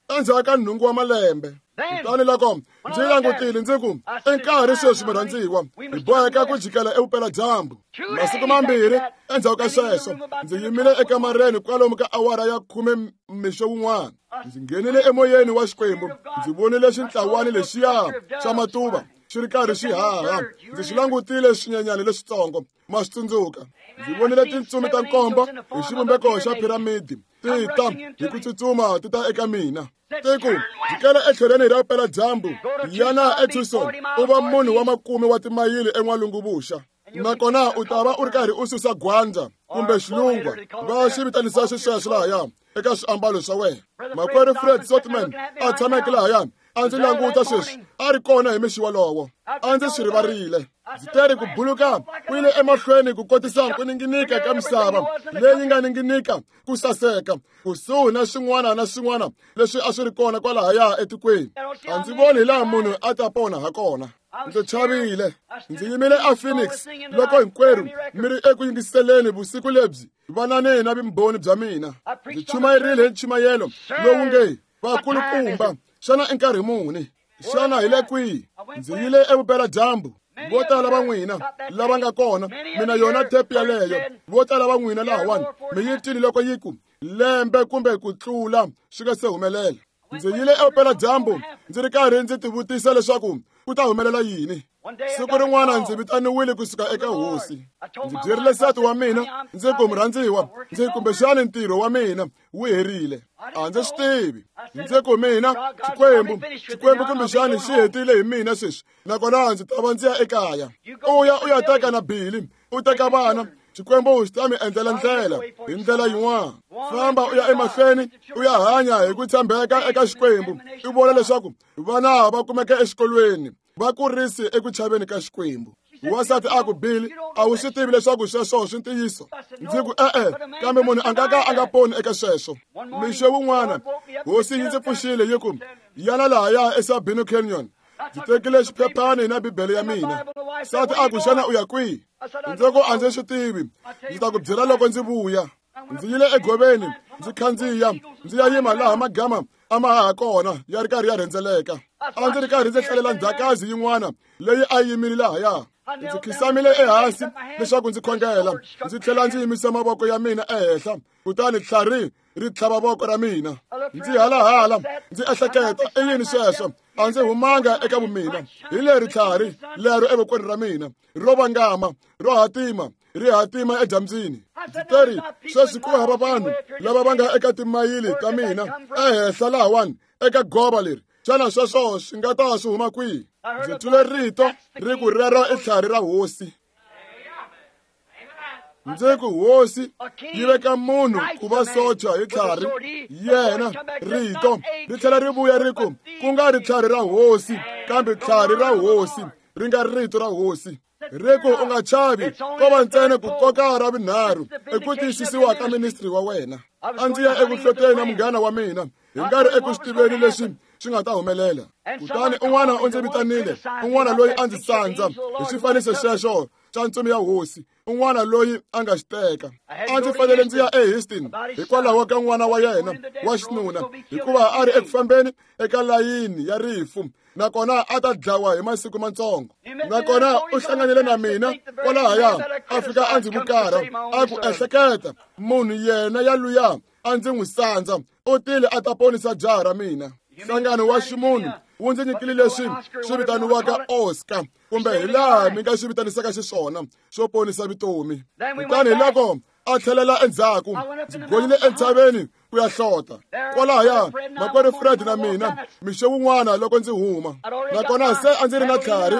endzhaku ka 8 wa malembe. Kutani loko ndzi langutile, ndzi ku, i nkarhi sweswi murhandziwa, hi boheka ku jikela evupeladyambu. Masiku mambirhi endzhaku ka sweswo, ndzi yimile ekamareni kwalomu ka awara ya 10 mixo wun'wana. Ndzi nghenile emoyeni wa Xikwembu, ndzi vonile xintlawani lexiya xa matuva xi ri karhi xi haha. Ndzi swi langutile swinyenyani leswitsongo, ma swi tsundzuka. Ndzi vonile tintsumi ta 7 hi xivumbeko xa piramidi ti ta hi ku tsutsuma ti ta eka mina. Ti ku, jikela etlhelweni ra vupeladyambu, yana eTucson, u va munhu wa 10 wa timayili en'walungu-vuxa, nakona u ta va u ri karhi u susa gwandza kumbe xilungwa, va xi vitanisa xisweswo lahaya eka swiambalo swa wena. Makwerhu Fred Sotman a tshameke lahaya, a ndzi languta sweswi, a ri kona hi mixi wolowo, a ndzi swi rivarile. Ndzi teri ku buluka ku yile emahlweni ku kotisa ku ninginika ka misava leyi nga ninginika ku saseka, kusuhi na swin'wana na swin'wana leswi a swi ri kona kwalahaya etikweni. A ndzi voni hi laha munhu a ta pona ha kona. Ndzi chavile. Ndzi yimile a Phoenix loko hinkwerhu mi ri eku yingiseleni vusiku lebyi, vanani na vumbhoni bya mina. Ndzi chumayerile hi nchumayelo lowu nge vakulukumba, xana i nkarhi muni? Xana hi le kwihi? Ndzi yile evupeladyambu. Vo tala va n'wina lava nga kona, mina yona tepi yaleyo, vo tala va n'wina lahawani mi yi twile loko yi ku lembe kumbe ku tlula swi nga se humelela. Ndzi yile evupeladyambu ndzi ri karhi ndzi tivutisa leswaku ku ta humelela yini. Siku rin'wana ndzi vitaniwile kusuka eka hosi. Ndzi byerile nsati wa mina, ndzi ku, murhandziwa, ndzi kumbexani ntirho wa mina wu herile. A ndzi swi tivi. Ndzi ku, mina Xikwembu kumbexani xi hetile hi mina sweswi, nakona ndzi ta va ndzi ya ekaya. U ya u ya teka na Billy, u teka vana, Xikwembu xi ta mi endlela ndlela hi ndlela yin'wana. Famba u ya emahlweni, u ya hanya hi ku tshembeka eka Xikwembu, u vona leswaku vana va kumeka exikolweni, va kurisi eku chaveni ka Xikwembu. Wansati a ku, Billy, a wu swi tivi leswaku sweswo swi ntiyiso? Ndzi ku, e-e, kambe munhu a nga ka a nga poni eka sweswo. Mixo wun'wana hosi yi ndzi pfuxile yi ku, yana lahaya eSabino Canyon. Ndzi tekile xiphephani na Bibele ya mina. Nsati a ku, xana u ya kwihi? Ndzi ku, a ndzi swi tivi, ndzi ta ku byela loko ndzi vuya. Ndzi yile egoveni, ndzi khandziya, ndzi ya yima laha magama a ma haha kona ya ri karhi ya rhendzeleka. A ndzi ri karhi ndzi hlalela ndzhakazi yin'wana leyi a yi yimile lahaya. Ndzi khisamile ehansi leswaku ndzi khongela, ndzi tlhela ndzi yimisa mavoko ya mina ehenhla, kutani tlhari ri tlhava voko ra mina. Ndzi halahala, ndzi ehleketa, i yini sweswo? A ndzi humanga eka vumina. Hi leri tlhari lero evokweni ra mina, ro vangama, ro hatima, ri hatima edyambyini. Ndzi teri, sweswi ku hava vanhu lava va nga eka timayili ta mina ehenhla lahawani eka gova leri. Xana sweswo swi nga ta swi huma kwihi? Ndzi twile rito ri ku rero i tlhari ra hosi. Ndzi ku hosi yi veka munhu ku va socha hi tlhari yena rito ri tlhela ri vuya ri ku ku nga ri tlhari ra hosi kambe tlhari ra hosi ri nga rito ra hosi. Ri ku u nga chavi ko va ntsena ku koka ra vunharhu i ku tiyisisiwa ka ministry wa wena. A ndzi ya eku hloteni na munghana wa mina hi nga ri eku swi tiveni leswi swi nga ta humelela. Kutani un'wana u ndzi vitanile, un'wana loyi a ndzi sandza hi xifaniso xexo xa ntsumi ya hosi, un'wana loyi a nga xi teka. A ndzi fanele ndzi ya eHouston hikwalaho ka n'wana wa yena wa xinuna, hikuva a ri eku fambeni eka layini ya rifu, nakona a ta dlawa hi masiku matsongo. Nakona u hlanganile na mina kwalahaya, a fika a ndzi vukarha, a ku ehleketa munhu yena yaluya a ndzi n'wi sandza, u tile a ta ponisa jaha ra mina. Nhlangano wa ximunhu wu ndzi nyikile leswi swi vitaniwaka Oscar, kumbe hi laha mi nga swi vitanisaka xiswona, swo ponisa vutomi. Kutani hi loko a tlhelela endzhaku, ndzi gonyile entshaveni ku ya hlota. Kwalahaya makwerhu Fred na mina mixo wun'wana loko ndzi huma, nakona se a ndzi ri na tlhari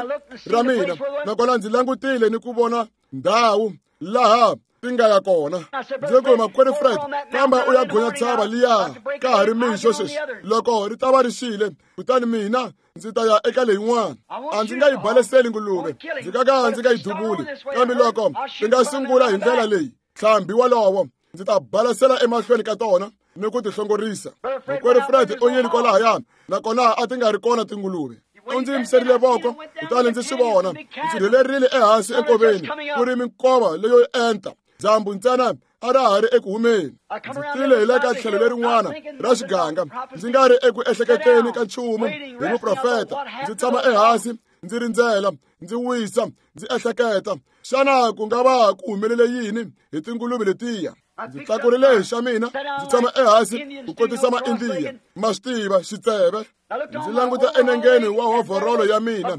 ra mina, nakona ndzi langutile ni ku vona ndhawu laha ti nga ya kona. Ndzi ku makwerhu Fred, famba u ya gonya tshava liya ka ha ri mixo sweswi, loko ri ta va ri xile, kutani mina ndzi ta ya eka leyin'wana. A ndzi nga yi baleseli nguluve, ndzi nga ka ndzi nga yi duvuli, kambe loko ti nga sungula hi ndlela leyi ntlhambi wolowo ndzi ta balesela emahlweni ka tona ni ku ti hlongorisa. Makwerhu Fred u yile kwalahaya, nakona a ti nga ri kona tinguluve. U ndzi yimiserile voko, kutani ndzi swi vona. Ndzi rhelerile ehansi enkoveni, ku ri minkova leyo enta, dyambu ntsena a ra ha ri eku humeni. Ndzi tile hi le ka tlhelo lerin'wana ra xiganga, ndzi nga ri eku ehleketeni ka nchumu hi muprofeta. Ndzi tshama ehansi, ndzi rindzela, ndzi wisa, ndzi ehleketa, xana ku nga va ku humelele yini hi tinguluve letiya? Ndzi tlakurile hi xa mina, ndzi tshama ehansi ku kotisa Maindiya, ma swi tiva, xitseve. Ndzi languta enengeni wa hovhorolo ya mina,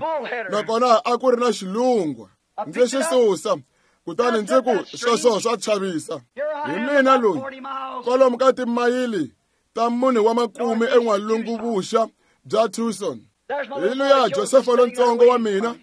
nakona a ku ri na xilungwa. Ndzi xi susa, kutani ndzi ku sweswo swa chavisa. Hi mina loyi, kwalomu ka timayili ta 4 wa makume en'walungu-vuxa bya Tucson. Hi luya Josefa lontsongo wa mina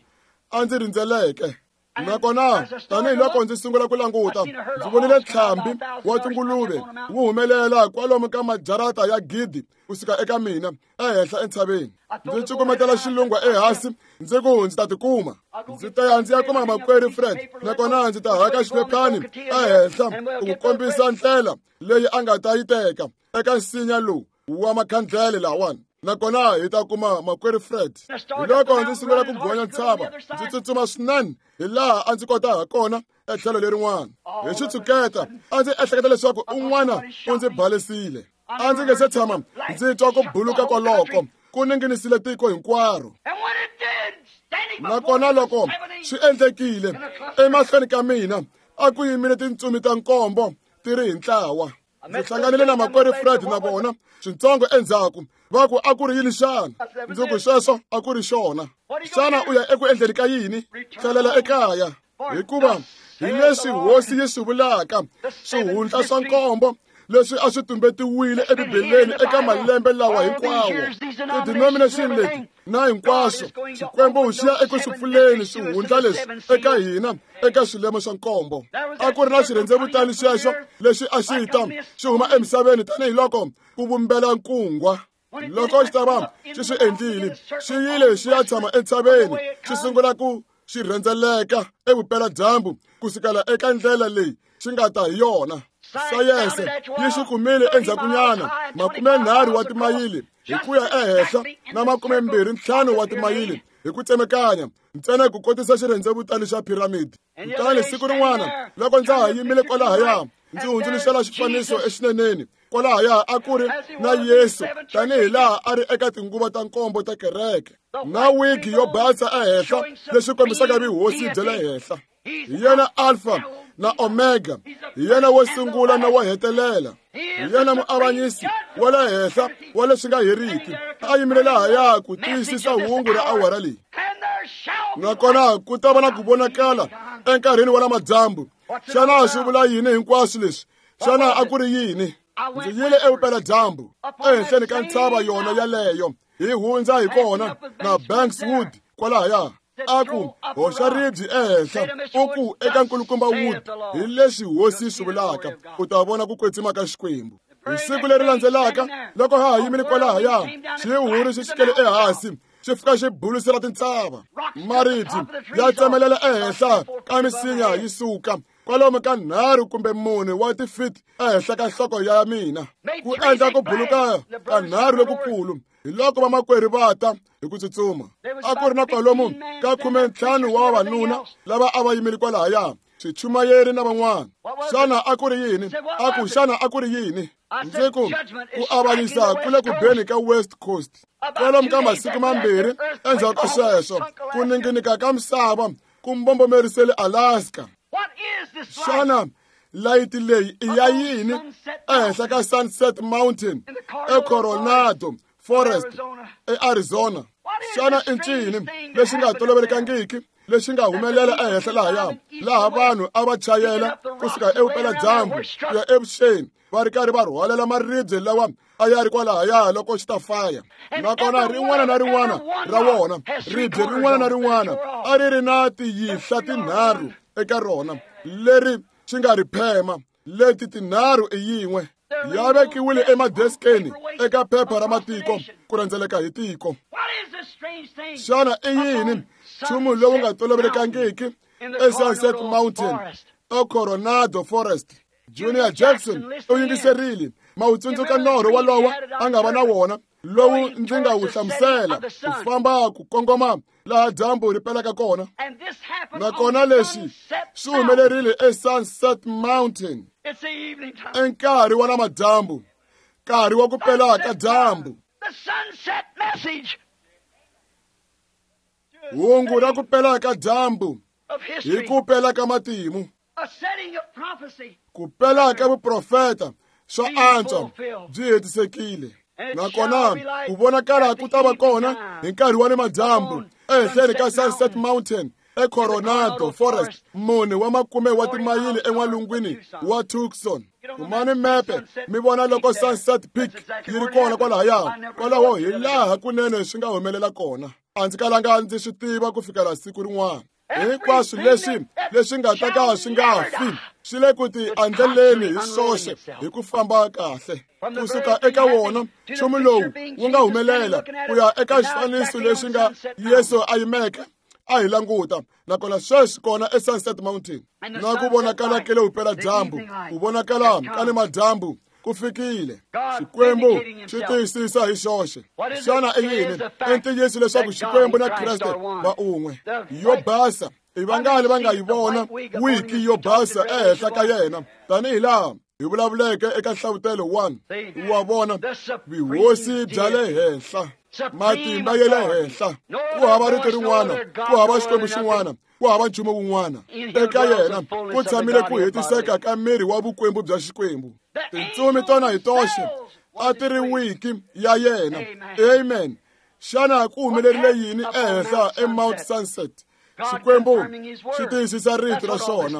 a ndzi rindzeleke. Nakona tanihiloko ndzi sungula ku languta, ndzi vonile ntlhambi wa tinguluve wu humelela kwalomu ka majarata ya 1000 kusuka eka mina ehenhla entshaveni. Ndzi cukumetela xilungwa ehansi, ndzi ku ndzi ta tikuma. Ndzi ta ya ndzi ya kuma makwerhu Fred, nakona ndzi ta haka xiphephani ehenhla ku kombisa ndlela leyi a nga ta yi teka eka nsinya lowu wa makhandlele lawani, nakona hi ta kuma makwerhu Fred. Hi loko ndzi sungula ku gonya ntshava, ndzi tsutsuma swinene hi laha a ndzi kota ha kona etlhelo lerin'wana. Hi xitshuketa a ndzi ehleketa leswaku un'wana u ndzi balesile. A ndzi nge se tshama ndzi twa ku buluka kwaloko, ku ninginisile tiko hinkwaro. Nakona loko swi endlekile emahlweni ka mina, a ku yimile tintsumi ta nkombo ti ri hi ntlawa. Ndzi hlanganile na makwerhu Fred na vona swintsongo endzhaku, va ku a ku ri yini xana? Ndzi ku sweswo a ku ri xona. Xana u ya eku endleni ka yini? Tlhelela ekaya, hikuva hi leswi hosi yi swi vulaka, swihundla swa nkombo leswi a swi tumbetiwile eBibeleni eka malembe lawa hinkwawo, ti-denomination leti na hinkwaswo, Xikwembu xi ya eku swi pfuleni swihundla leswi eka hina eka swilemo swa nkombo. A ku ri na xirhendzevutani xexo lexi a xi ta xi huma emisaveni tanihiloko ku vumbela nkungwa. Loko xi ta va xi swi endlile, xi yile xi ya tshama entshaveni, xi sungula ku xi rhendzeleka evupeladyambu kusukela eka ndlela leyi xi nga ta hi yona. Sayense yi xi kumile endzhakunyana 30 wa timayili hi ku ya ehenhla na 25 wa timayili hi ku tsemekanya, ntsena ku kotisa xirhendzevutani xa piramidi. Kutani siku rin'wana loko ndza ha yimile kwalahaya, ndzi hundzuluxela xifaniso exineneni. Kwalahaya a ku ri na Yesu tanihi laha a ri eka tinguva ta nkombo ta kereke, na wigi yo basa ehenhla leswi kombisaka vuhosi bya le henhla. Hi yena Alpha na Omega, hi yena wo sungula na wo hetelela, hi yena muavanyisi wa le henhla wa leswi nga heriki. A yimile lahaya ku tiyisisa hungu ra awara leyi. Nakona ku ta va na ku vonakala enkarhini wa lamadyambu. Xana swi vula yini hinkwaswo leswi? Xana a ku ri yini? Ndzi yile evupeladyambu ehenhleni ka ntshava yona yaleyo, hi hundza hi kona na Bankswood kwalahaya. A ku hoxa ribye ehenhla, u ku eka nkulukumba Wood, hi leswi hosi swi vulaka, u ta vona ku kwetsima ka Xikwembu. Hi siku leri landzelaka, loko ha ha yimile kwalahaya, xihuri xi xikele ehansi, xi fika xi bulusela tintshava. Maribye ya tsemelela ehenhla ka misinya yi suka kwalomu ka 3 kumbe 4 wa tifiti ehenhla ka nhloko ya mina, ku endla ku buluka ka 3 lokukulu. Hi loko vamakwerhu va ta hi ku tsutsuma. A ku ri na kwalomu ka 15 wa vavanuna lava a va yimile kwalahaya, swichumayeri na van'wana. Xana a ku ri yini? A ku xana a ku ri yini? Ndzi ku ku avanyisa ku le ku beni ka West Coast. Kwalomu ka masiku mambirhi endzhaku ka sweswo, ku ninginika ka misava ku mbombomerisele Alaska. Xana layiti leyi i ya yini ehenhla ka Sunset Mountain eCoronado Forest eArizona? Xana i ncini lexi nga tolovelekangiki lexi nga humelela ehenhla lahaya, laha vanhu a va chayela kusuka evupeladyambu ku ya evuxeni, va ri karhi va rhwalela maribye lawa a ya ri kwalahaya loko xi ta faya? Nakona rin'wana na rin'wana ra wona, ribye rin'wana na rin'wana a ri ri na tiyihla tinharhu eka rona leri xi nga ri phema. Leti tinharhu i yin'we, ya vekiwile emadeskeni eka phepha ra matiko ku rhendzeleka hi tiko. Xana i yini nchumu lowu nga tolovelekangiki eSunset Mountain eCoronado Forest? Junior Jackson u yingiserile. Ma wu tsundzuka norho walowo a nga va na wona, lowu ndzi nga wu hlamusela, ku famba ku kongoma laha dyambu ri pelaka kona. Nakona leswi swi humelerile eSunset Mountain enkarhi wa namadyambu, nkarhi wa ku pela ka dyambu. Hungu ra ku pela ka dyambu hi ku pela ka matimu, ku pela ka vuprofeta swa antswa byi hetisekile. Nakona ku vonakala ku ta va kona hi nkarhi wa namadyambu ehenhleni ka Sunset Mountain eCoronado Forest, 4 wa makume wa timayili en'walungwini wa Tucson. Kumani mepe mi vona loko Sunset Peak yi ri kona kwalahaya. Kwalaho hi laha kunene swi nga humelela kona. A ndzi kalanga ndzi swi tiva ku fikela siku rin'wana. Hinkwaswo leswi leswi nga ta ka swi nga fi swi le ku ti andleleni hi swoxe hi ku famba kahle. Kusuka eka wona nchumu lowu wu nga humelela ku ya eka xifaniso lexi nga Yesu a yimeke a hi languta, nakona sweswi kona eSunset Mountain. Na ku vonakala ke le vupeladyambu, ku vonakala ka le madyambu ku fikile. Xikwembu xi tiyisisa hi xoxe. Xana i yini? I ntiyiso leswaku Xikwembu na Kreste va un'we. Yo basa i vangani va nga yi vona wiki yo basa ehenhla ka yena, tanihi laha hi vulavuleke eka Nhlavutelo 1. Wa vona vuhosi bya le henhla, matimba ya le henhla. Ku hava rito rin'wana, ku hava Xikwembu xin'wana, ku hava nchumu wun'wana. Eka yena ku tshamile ku hetiseka ka miri wa vukwembu bya Xikwembu. Tintsumi tona hi toxe a ti ri wiki ya yena. Amen. Xana ku humelerile yini ehenhla eMount Sunset? Xikwembu xi tiyisisa rito ra xona.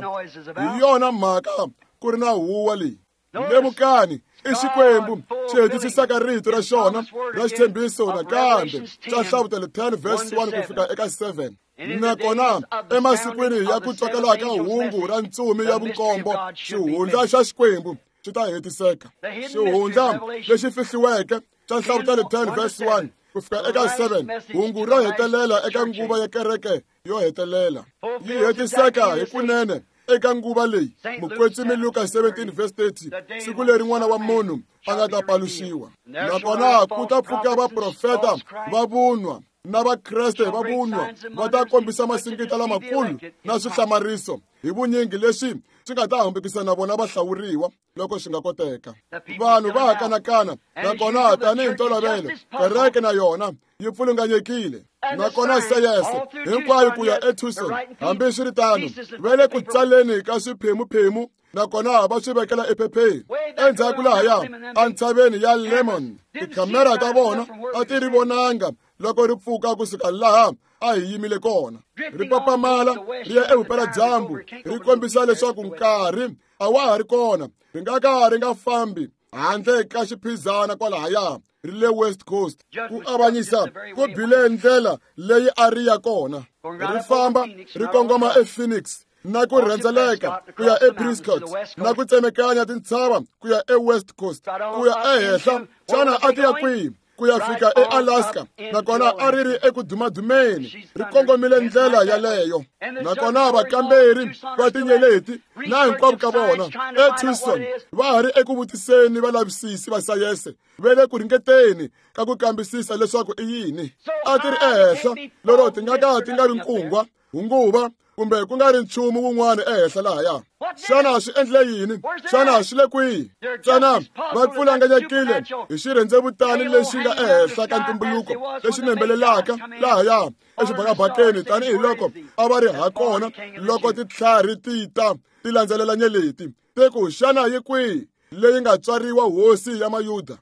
Hi yona mhaka ku ri na huwa leyi. Lemukani, i Xikwembu xi hetisisaka rito ra xona ra xitshembiso nakambe xa Nhlavutelo 10 verse 1 ku fika eka 7. Nakona emasikwini ya ku tswakela ka hungu ra ntsumi ya vunkombo, xihundla xa Xikwembu xi ta hetiseka. Xihundla lexi fihliweke xa Nhlavutelo 10 verse 1 ku fika eka 7, hungu ro hetelela eka nguva ya kereke yo hetelela yi hetiseka hi kunene eka nguva leyi. Mukwetsimi Luka 17 verse 30, siku leri n'wana wa munhu a nga ta paluxiwa. Nakona ku ta pfuka vaprofeta va vunwa na Vakreste va vunwa, va ta kombisa masingita lamakulu na swihlamariso hi vunyingi leswi swi nga ta hambukisa na vona vahlawuriwa loko swi nga koteka. Vanhu va ha kanakana, nakona tanihi ntolovelo kereke na yona yi pfulunganyekile. Nakona seyese hinkwayo ku ya eTucson, hambiswiritano va le ku tsaleni ka swiphemuphemu, nakona va swi vekela ephepheni. Endzhaku lahaya entshaveni ya Lemon, tikhamera ta vona a ti ri vonanga loko ri pfuka kusuka laha a hi yimile kona. Ri papamala ri ya evupeladyambu, ri kombisa leswaku nkarhi a wa ha ri kona, ri nga ka ri nga fambi Handle ka xiphizana kwalahaya ri le West Coast. Ku avanyisa ku bile ndlela leyi a ri ya kona. Ri famba ri kongoma ePhoenix na ku rhendzeleka ku ya ePrescott na ku tsemekanya tintshava ku ya eWest Coast ku ya ehenhla. Xana a ti ya kwihi? Ku ya fika eAlaska, nakona a ri ri eku dumadumeni, ri kongomile ndlela yaleyo. Nakona vakamberi va tinyeleti na hinkwavo ka vona eTucson va ha ri eku vutiseni valavisisi va sayense va le ku ringeteni ka ku kambisisa leswaku i yini. A ti ri ehenhla lero ti nga ka ti nga vi nkungwa, hunguva kumbe ku nga ri nchumu wun'wana ehenhla lahaya. Xana swi endle yini? Xana swi le kwihi? Ntsena va pfulanganyekile hi xirhendzevutani lexi nga ehenhla ka ntumbuluko lexi nembelelaka lahaya exibakabakeni tanihiloko a va ri ha kona loko titlhari ti ta ti landzelela nyeleti. Ti ku, xana yi kwihi leyi nga tswariwa hosi ya Mayuda?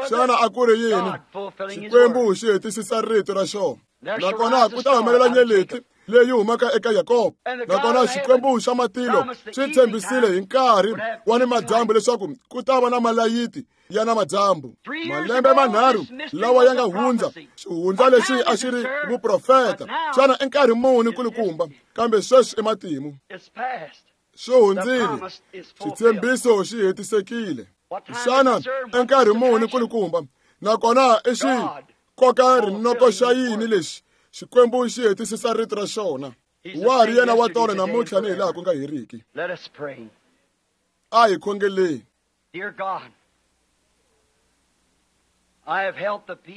Xana a ku ri yini? Xikwembu xi hetisisa rito ra xona. Nakona ku ta humelela nyeleti leyi humaka eka Yakobo. Nakona Xikwembu xa matilo xi tshembisile hi nkarhi wa ni madyambu leswaku ku ta va na malayiti ya na madyambu. Malembe manharhu lawa ya nga hundza, xihundla lexi a xi ri vuprofeta. Xana i nkarhi muni kulukumba? Kambe sweswi i matimu. Swi hundzile, xitshembiso xi hetisekile. Xana i nkarhi muni kulukumba? Nakona i xi koka rinoko xa yini lexi? Xikwembu xi hetisisa rito ra xona. Wa ha ri yena wa tolo namuntlha ni hilaha ku nga heriki. A hi khongeleni.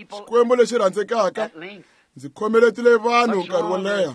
Xikwembu lexi rhandzekaka, ndzi khomeletile vanhu nkarhi wo leha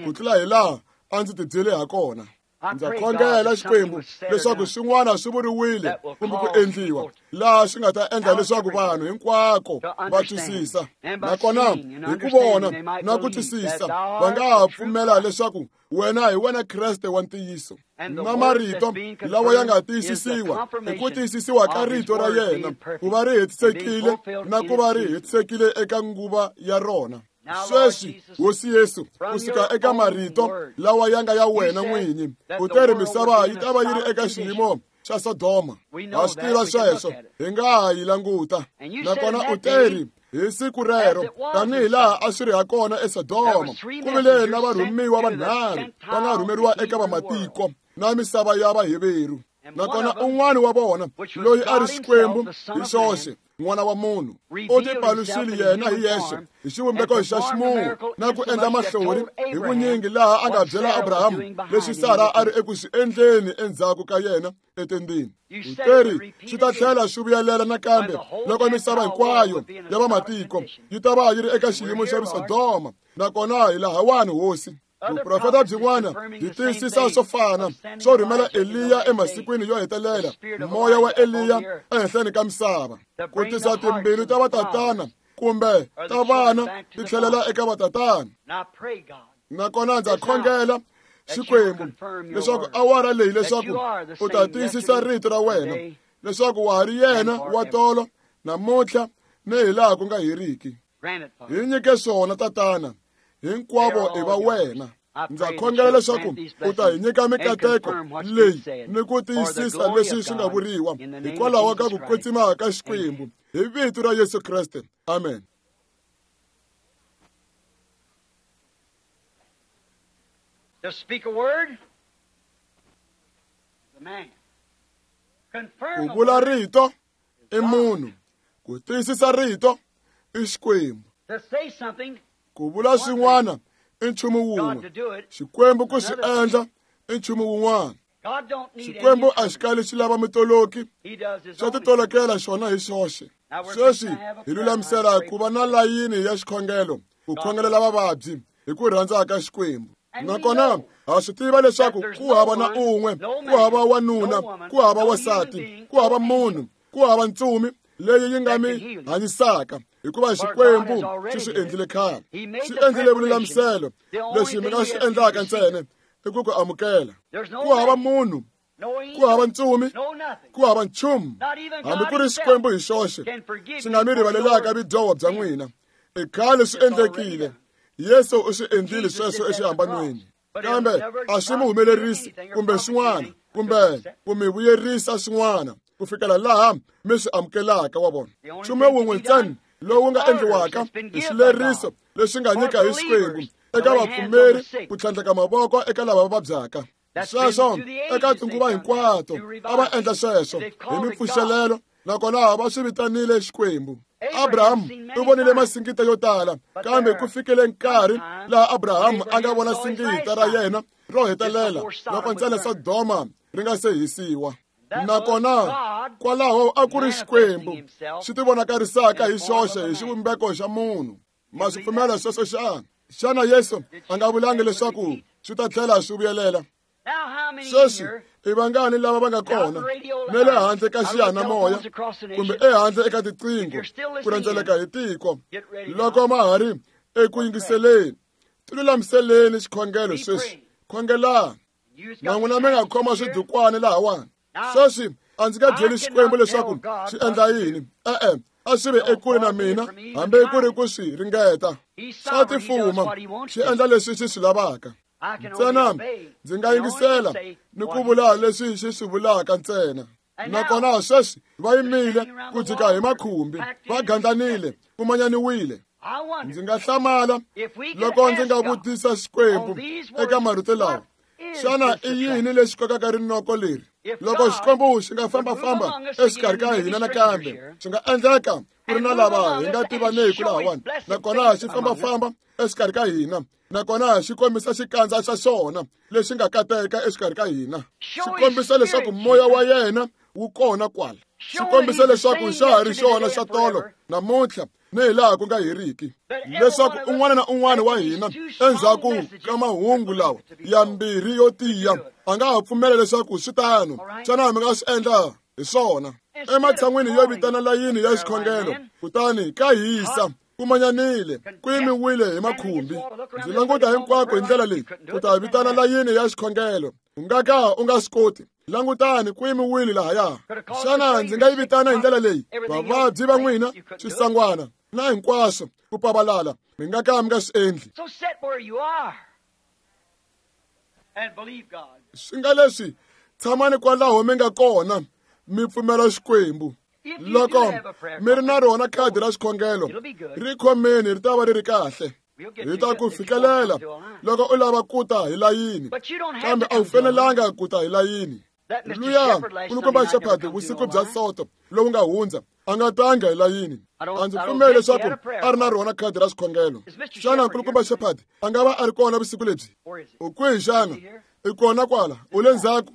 ku tlula hilaha a ndzi tibyele ha kona. Ndza khongela Xikwembu leswaku swin'wana swi vuriwile kumbe ku endliwa laha swi nga ta endla leswaku vanhu hinkwako va twisisa. Nakona hi ku vona na ku twisisa va nga ha pfumela leswaku wena hi wena Kreste wa ntiyiso. Na marito lawa ya nga tiyisisiwa hi ku tiyisisiwa ka rito ra yena ku va ri hetisekile na ku va ri hetisekile eka nguva ya rona. Sweswi, Hosi Yesu, ku suka eka marito lawa ya nga ya wena n'winyi, u te ri misava yi ta va yi ri eka xiyimo xa Sodoma. Ha swi tiva sweswo, hi nga ha yi languta. Nakona u te ri hi siku rero, tanihi laha a swi ri ha kona eSodoma, ku vile na varhumiwa vanharhu va nga rhumeriwa eka vamatiko na misava ya Vaheveru. Nakona un'wana wa vona, loyi a ri Xikwembu hi xoxe, n'wana wa munhu, u tipaluxile yena hi yexe hi xivumbeko xa ximunhu na ku endla mahlori hi vunyingi laha a nga byela Abrahamu leswi Sara a ri eku swi endleni endzhaku ka yena etendeni. U teri swi ta tlhela swi vuyelela nakambe loko misava hinkwayo ya vamatiko yi ta va yi ri eka xiyimo xa Sodoma. Nakona hi lahawani, Hosi. Vuprofeta byin'wana byi tiyisisa swo fana swo rhumela Eliya emasikwini yo hetelela, moya wa Eliya ehenhleni ka misava, ku tisa timbilu ta vatatana kumbe ta vana ti tlhelela eka vatatana. Nakona ndza khongela Xikwembu leswaku awara leyi leswaku u ta tiyisisa rito ra wena leswaku wa ha ri yena wa tolo namuntlha ni hilaha ku nga heriki. Hi nyike swona, Tatana, hinkwavo i va wena. Ndza khongela leswaku u ta hi nyika mikateko leyi ni ku tiyisisa leswi swi nga vuriwa hikwalaho ka ku kwetsima ka Xikwembu hi vito ra Yesu Kreste. Amen. To speak a word, the man. Ku vula rito i munhu, ku tiyisisa rito i Xikwembu. Ku vula swin'wana i nchumu wun'we, Xikwembu ku swi endla i nchumu wun'wana. Xikwembu a xi kali xi lava mitoloki, xa titolokela xona hi xoxe. Sweswi hi lulamisela ku va na layini ya xikhongelo ku khongelela vavabyi hi ku rhandza ka Xikwembu. Nakona ha swi tiva leswaku ku hava na un'we, ku hava wanuna, ku hava wansati, ku hava munhu, ku hava ntsumi leyi yi nga mi hanyisaka, hikuva Xikwembu xi swi endlile khale. Xi endlile vululamiselo. Leswi mi nga swi endlaka ntsena i ku ku amukela. Ku hava munhu, ku hava ntsumi, ku hava nchumu, hambi ku ri Xikwembu hi xoxe xi nga mi rivalelaka vudyoho bya n'wina. I khale swi endlekile. Yesu u swi endlile sweswo exihambanweni. Kambe a swi mi humelerisi kumbe swin'wana kumbe ku mi vuyerisa swin'wana. ku fikela laha mi swi amukelaka wa vona. Nchumu wun'we ntsena lowu nga endliwaka i xileriso lexi nga nyika hi Xikwembu eka vapfumeri ku tlhandleka mavoko eka lava vabyaka. Sweswo eka tinguva hinkwato a va endla sweswo hi mipfuxelelo, nakona va swi vitanile Xikwembu. Abraham u vonile masingita yo tala, kambe ku fikile nkarhi laha Abraham a nga vona singita ra yena ro hetelela loko ntsena Sodoma ri nga se hisiwa. Nakona kwalaho a ku ri Xikwembu xi tivonakarisaka hi xoxe hi xivumbeko xa munhu. Ma swi pfumela sweswo xana? Xana Yesu a nga vulangi leswaku swi ta tlhela swi vuyelela? Sweswi i vangani lava va nga kona na le handle ka xiyanimoya kumbe ehandle eka tiqingho ku rhendzeleka hi tiko, loko ma ha ri eku yingiseleni, tilulamiseleni xikhongelo sweswi. Khongelani. Na n'wina mi nga khoma swidukwani lahawani. Sweswi a ndzi nga byeli Xikwembu leswaku xi endla yini. E-e, a swi ve ekule na mina hambi ku ri ku swi ringeta. Swa tifuma, xi endla leswi xi swi lavaka. Ntsena ndzi nga yingisela ni ku vula leswi xi swi vulaka ntsena. Nakona sweswi va yimile ku jika hi makhumbi, va gandlanile, ku manyaniwile. Ndzi nga hlamala loko ndzi nga vutisa Xikwembu eka marito lawa, xana i yini lexi kokaka rinoko leri? Loko Xikwembu xi nga fambafamba exikarhi ka hina nakambe, swi nga endleka ku ri na lava hi nga tivaneki lahawani, nakona xi fambafamba exikarhi ka hina, nakona xi kombisa xikandza xa xona lexi nga kateka exikarhi ka hina, xi kombisa leswaku moya wa yena wu kona kwala, xi kombisa leswaku xa ha ri xona xa tolo namuntlha ni hi laha ku nga heriki, leswaku un'wana na un'wana wa hina endzhaku ka mahungu lawa ya mbirhi yo tiya a nga ha pfumela leswaku swi tano. Xana mi nga swi endla hi swona? Ematshan'wini yo vitana layini ya xikhongelo, kutani ka hisa, ku manyanile, ku yimiwile hi makhumbi. Ndzi languta hinkwako hi ndlela leyi ku ta vitana layini ya xikhongelo, u nga ka u nga swi koti. Langutani, ku yimiwile lahaya. Xana ndzi nga yi vitana hi ndlela leyi? Vavabyi va n'wina, swisangwana na hinkwaswo ku pavalala, mi nga ka mi nga swi endli. Swi nga leswi, tshamani kwalaho mi nga kona, mi pfumela Xikwembu. Loko mi ri na rona khadi ra xikhongelo, ri khomeni, ri ta va ri ri kahle. Hi ta ku fikelela loko u lava ku ta hi layini, kambe a wu fanelanga ku ta hi layini. Luya nkulukumba Shepherd vusiku bya Soto lowu nga hundza a nga tanga hi layini. A ndzi pfumeli leswaku a ri na rona khadi ra xikhongelo. Xana nkulukumba Shepherd a nga va a ri kona vusiku lebyi? U kwihi xana? I kona kwala, u le ndzhaku.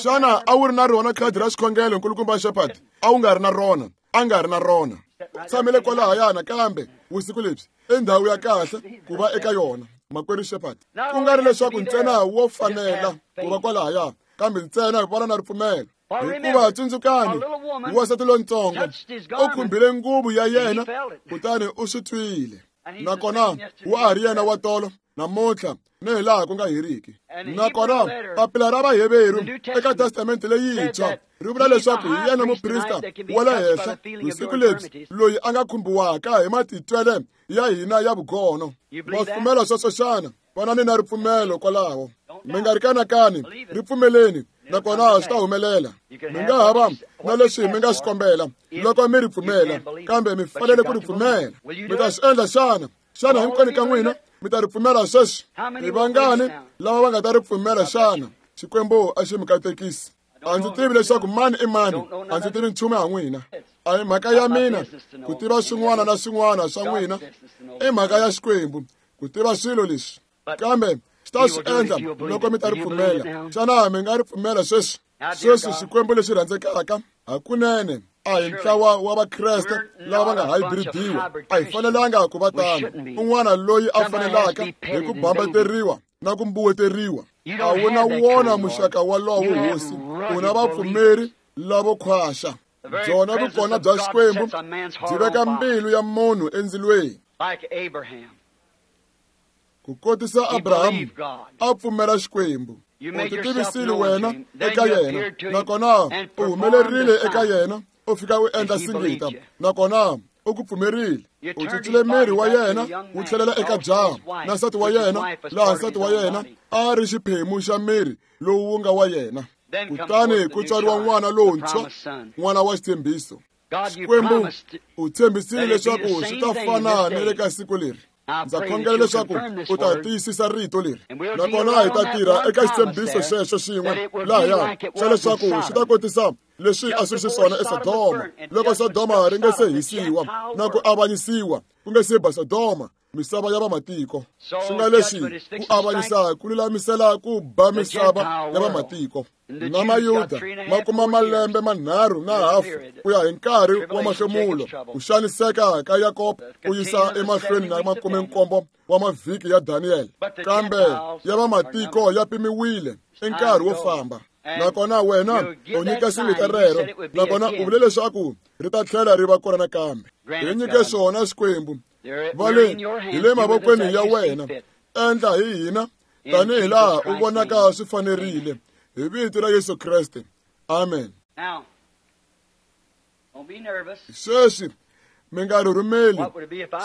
Xana a wu ri na rona khadi ra xikhongelo, nkulukumba Shepherd? A wu nga ri na rona. A nga ri na rona. U tshamile kwalahaya nakambe vusiku lebyi, i ndhawu ya kahle ku va eka yona, makwerhu Shepherd. Ku nga ri leswaku ntsena wo fanela ku va kwalahaya, kambe ntsena vana na ripfumelo. Hikuva tsundzukani, wansati lontsongo u khumbile nguvu ya yena, kutani u swi twile. Nakona wa ha ri yena wa tolo namuntlha ni hi laha ku nga heriki. Nakona papila ra Vaheveru eka Testamente leyintshwa ri vula leswaku hi yena muprista wa le henhla vusiku lebyi, loyi a nga khumbiwaka hi matitwele ya hina ya vugono. Ma pfumela sweswo xana? Vanani na ripfumelo kwalaho, mi nga ri kanakani, ri pfumeleni, nakona swi ta humelela. Mi nga ha va na leswi mi nga swi kombela loko mi ri pfumela, kambe mi fanele ku ri pfumela. Mi ta swi endla xana? Xana hinkwenu ka n'wina mi ta ri pfumela sweswi? I vangani lava va nga ta ri pfumela xana? Xikwembu a xi mi katekisi. A ndzi tivi leswaku mani i mani, a ndzi tivi nchumu ha n'wina. A hi mhaka ya mina ku tiva swin'wana na swin'wana swa n'wina, i mhaka ya Xikwembu ku tiva swilo leswi, kambe xi ta swi endla loko mi ta ri pfumela. Xana mi nga ri pfumela sweswi? Sweswi Xikwembu lexi rhandzekaka, hakunene a hi ntlawa wa Vakreste lava va nga hybridiwa. A hi fanelanga ku va tano. Un'wana loyi a fanelaka hi ku bambateriwa na ku mbuweteriwa, a wu na wona muxaka walowo, Hosi. U na vapfumeri lavo khwaxa. Byona vukona bya Xikwembu byi veka mbilu ya munhu endzilweni. Ku kotisa Abrahamu a pfumela Xikwembu. U titivisile wena eka yena, nakona u humelerile eka yena, u fika u endla singita, nakona u ku pfumerile. U cincile miri wa yena wu tlhelela eka jaha na nsati wa yena, laha nsati wa yena a ri xiphemu xa miri lowu wu nga wa yena. Kutani ku tswariwa n'wana lontshwa, n'wana wa xitshembiso. Xikwembu u tshembisile leswaku swi ta fana ni le ka siku leri. Ndza khongela leswaku u ta tiyisisa rito leri, nakona hi ta tirha eka xitshembiso xexo xin'we lahaya xa leswaku swi ta kotisa leswi a swi ri xiswona eSodoma loko Sodoma ri nga se hisiwa na ku avanyisiwa ku nga se ba Sodoma, misava ya vamatiko. Swi nga leswi ku avanyisa ku lulamisela ku ba misava ya vamatiko. Na Mayuda ma kuma malembe manharhu na hafu ku ya hi nkarhi wa mahlomulo, ku xaniseka ka Yakobo ku yisa emahlweni na 17 wa mavhiki ya Daniel. Kambe ya vamatiko ya pimiwile i nkarhi wo famba. Nakona wena u nyika singita rero, nakona u vule leswaku ri ta tlhela ri va kona nakambe. Hi nyike swona Xikwembu, va le hi le mavokweni ya wena, endla hi hina tanihi laha u vonaka swi fanerile, hi vito ra Yesu Kreste. Amen. Sweswi mi nga rhurhumeli.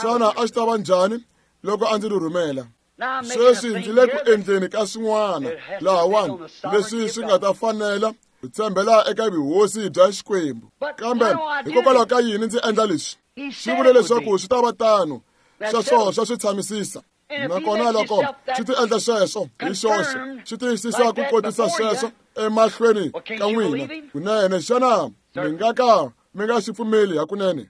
Xana a swi ta va njhani loko a ndzi rhurhumela? Sweswi ndzi le ku endleni ka swin'wana lahawani leswi swi nga ta fanela ku tshembela eka vuhosi bya Xikwembu. Kambe hikokwalaho ka yini ndzi endla leswi? Xi vule leswaku swi ta va tano, sweswo swa swi tshamisisa. Nakona loko swi ti endla sweswo hi xoxe, swi tiyisisa ku kotisa sweswo emahlweni ka n'wina kunene, xana mi nga ka mi nga swi pfumeli hakunene?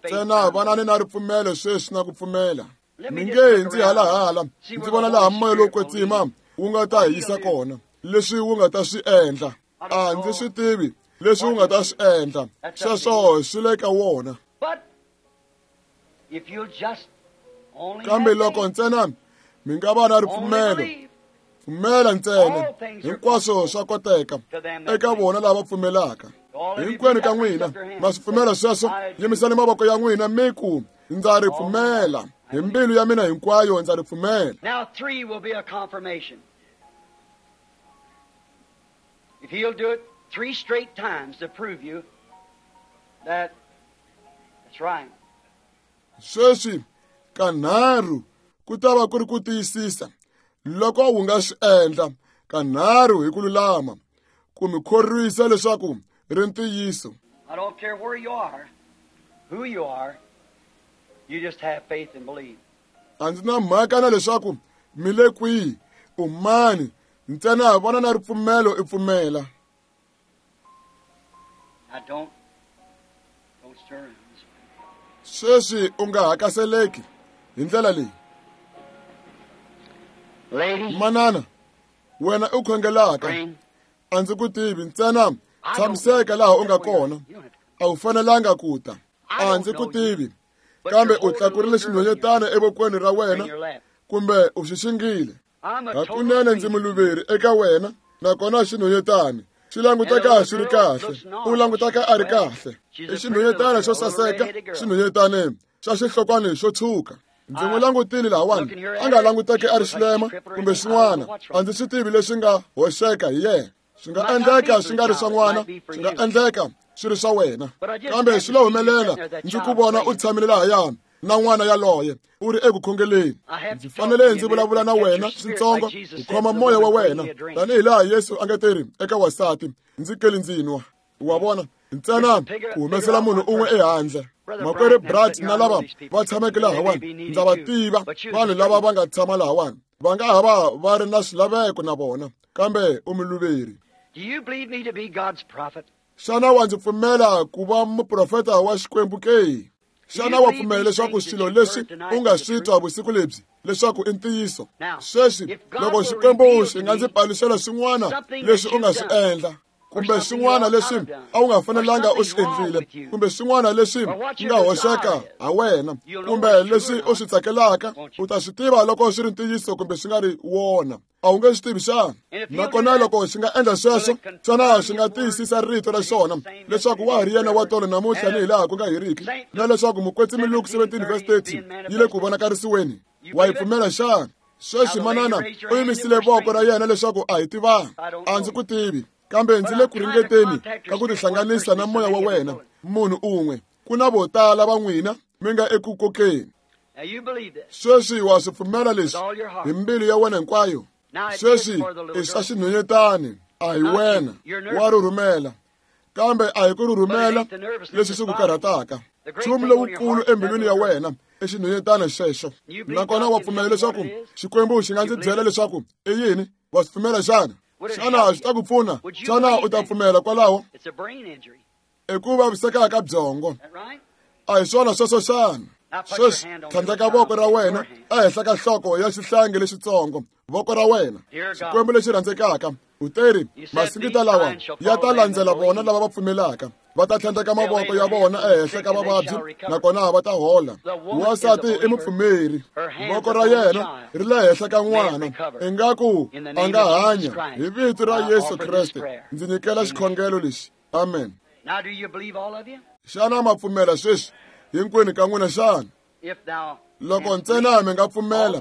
Ntsena vanani na ripfumelo sweswi na ku pfumela. Mi nge ndzi halahala ndzi vona laha moya lowo kwetsima wu nga ta hi yisa kona, leswi wu nga ta swi endla. A ndzi swi tivi leswi wu nga ta swi endla, sweswo swi le ka wona. Kambe loko ntsena mi nga va na ripfumelo, pfumela ntsena, hinkwaswo swa koteka eka vona lava pfumelaka. Hinkwenu ka n'wina ma swi pfumela sweswo? Yimisani mavoko ya n'wina mi ku, ndza ri pfumela hi mbilu ya mina hinkwayo, ndza ri pfumela. Now 3 will be a confirmation. If he'll do it 3 straight times to prove you that that's right. Sweswi kanharhu ku ta va ku ri ku tiyisisa loko wu nga swi endla kanharhu hi ku lulama, ku mi khorwisa leswaku ri ntiyiso. I don't care where you are, who you are, you just have faith and believe. A ndzi na mhaka na leswaku mi le kwihi, u mani, ntsena vona na ripfumelo i pfumela. I don't stir. Sweswi u nga hakaseleki hi ndlela leyi. Lady, manana, wena u khongelaka, a ndzi ku tivi, ntsena tshamiseka laha u nga kona, a wu fanelanga ku ta. A ndzi ku tivi, kambe u tlakurile xinhwanyetana evokweni ra wena, kumbe u xi xingile. Hakunene ndzi muluveri eka wena, nakona xinhwanyetana xi languteka xi ri kahle, u languteka a ri kahle. I xinhwanyetana xo saseka, xinhwanyetana xa xihlokwana xo tshwuka. Ndzi n'wi langutile lahawani, a nga languteki a ri xilema kumbe xin'wana, a ndzi swi tivi leswi nga hoxeka hi yena. Swi nga endleka swi nga ri swa n'wana, swi nga endleka swi ri swa wena, kambe swi lo humelela ndzi ku vona u tshamile lahayani na n'wana yaloye u ri eku khongeleni. Ndzi fanele ndzi vulavula na wena switsongo ku khoma moya wa wena, tanihi laha Yesu a nga teri eka wasati, ndzi keli ndzi nwa. Wa vona, ntsena ku humesela munhu un'we ehandle. Makwerhu Brad na lava va tshameke lahawani, ndza va tiva vanhu lava va nga tshama lahawani, va nga ha va va ri na swilaveko na vona, kambe u muluveri. Do you believe me to be God's prophet? Xana wa ndzi pfumela ku va muprofeta wa Xikwembu ke? Xana wa pfumela leswaku swilo leswi u nga swi twa vusiku lebyi leswaku i ntiyiso? Sweswi loko Xikwembu xi nga ndzi paluxela swin'wana leswi u nga swi endla, kumbe swin'wana leswi a wu nga fanelanga u swi endlile, kumbe swin'wana leswi nga hoxeka ha wena, kumbe leswi u swi tsakelaka, u ta swi tiva loko swi ri ntiyiso kumbe swi nga ri wona. A wu nge swi tivi xana? Nakona loko xi nga endla sweswo, xana xi nga tiyisisa rito ra xona leswaku wa ha ri yena wa tolo namuntlha ni hilaha ku nga heriki, na leswaku mukwetsimi Luke 17:30 yi le ku vonakarisiweni? Wa yi pfumela xana? Sweswi manana u yimisile voko ra yena leswaku a hi tivanga. A ndzi ku tivi, kambe ndzi le ku ringeteni ka ku tihlanganisa na moya wa wena, munhu un'we. Ku na vo tala va n'wina mi nga eku kokeni. Sweswi wa swi pfumela leswi hi mbilu ya wena hinkwayo? Sweswi i swa xinhwanyetani, A hi wena wa rhurhumela, kambe a hi ku rhurhumela leswi swi ku karhataka. Nchumu lowukulu embilwini ya wena i xinhwanyetana xexo. Nakona wa pfumela leswaku Xikwembu xi nga ndzi byela leswaku i yini? Wa swi pfumela xana? Xana swi ta ku pfuna? Xana u ta pfumela kwalaho? I ku vaviseka ka byongo. A hi swona sweswo xana? Sweswi tlhandleka voko ra wena ehenhla ka nhloko ya xihlangi lexitsongo, voko ra wena. Xikwembu lexi rhandzekaka, u teri masingita lawa ya ta landzela vona lava va pfumelaka. Va ta tlhandleka mavoko ya vona ehenhla ka vavabyi nakona va ta hola. Wansati i mupfumeri, voko ra yena ri le henhla ka n'wana, ingaku a nga hanya. Hi vito ra Yesu Kreste ndzi nyikela xikhongelo lexi. Amen. Xana ma pfumela sweswi hinkwenu ka n'wina xana? Loko ntsena mi nga pfumela,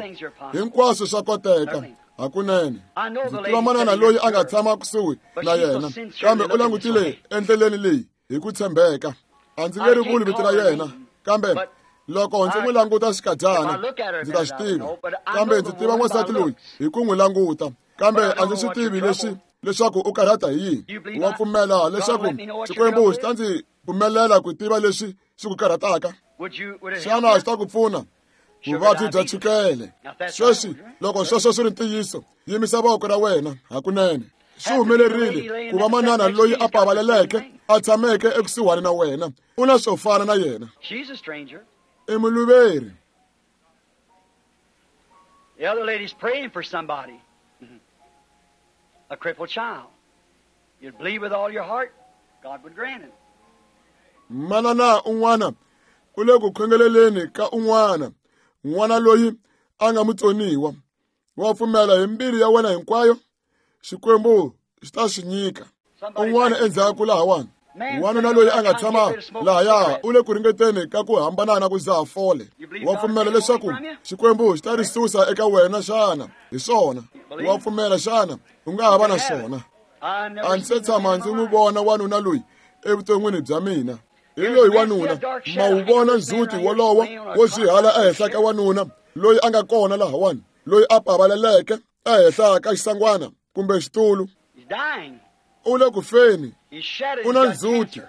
hinkwaswo swa koteka. Hakunene ndzi tiva manana loyi a nga tshama kusuhi na yena, kambe u langutile endleleni leyi hi ku tshembeka. A ndzi nge ri vuli vito ra yena, kambe loko ndzi n'wi languta xikadyana ndzi ta xi tiva. Kambe ndzi tiva n'wansati loyi hi ku n'wi languta, kambe a ndzi swi tivi leswi leswaku u karhata hi yini. Wa pfumela leswaku Xikwembu xi ta ndzi pfumelela ku tiva leswi swi ku karhataka? Xana xi ta ku pfuna? Vuvabyi bya chukele. Sweswi loko sweswo swi ri ntiyiso, yimisa voko ra wena. Hakunene swi humelerile ku va manana loyi a pavaleleke a tshameke ekusuhani na wena, u na swo fana na yena. I muluveri. The other lady's praying for somebody, a crippled child. You'd believe with all your heart, God would grant it. Manana un'wana u le ku khongeleleni ka un'wana, n'wana loyi a nga mutsoniwa. Wa pfumela hi mbilu ya wena hinkwayo, Xikwembu xi ta swi nyika. Un'wana endzhaku lahawani, wanuna loyi a nga tshama lahaya u le ku ringeteni ka ku hambana na ku dzaha fole. Wa pfumela leswaku Xikwembu xi ta ri susa eka wena xana? Hi swona. Wa pfumela xana? U nga ha va na swona. A ndzi se tshama ndzi n'wi vona wanuna loyi evuton'wini bya mina. Hi loyi wanuna, ma wu vona ndzhuti wolowo wo swihala ehenhla ka wanuna loyi a nga kona lahawani, loyi a pavaleleke ehenhla ka xisangwana kumbe xitulu. U le ku feni, u na ndzhuti,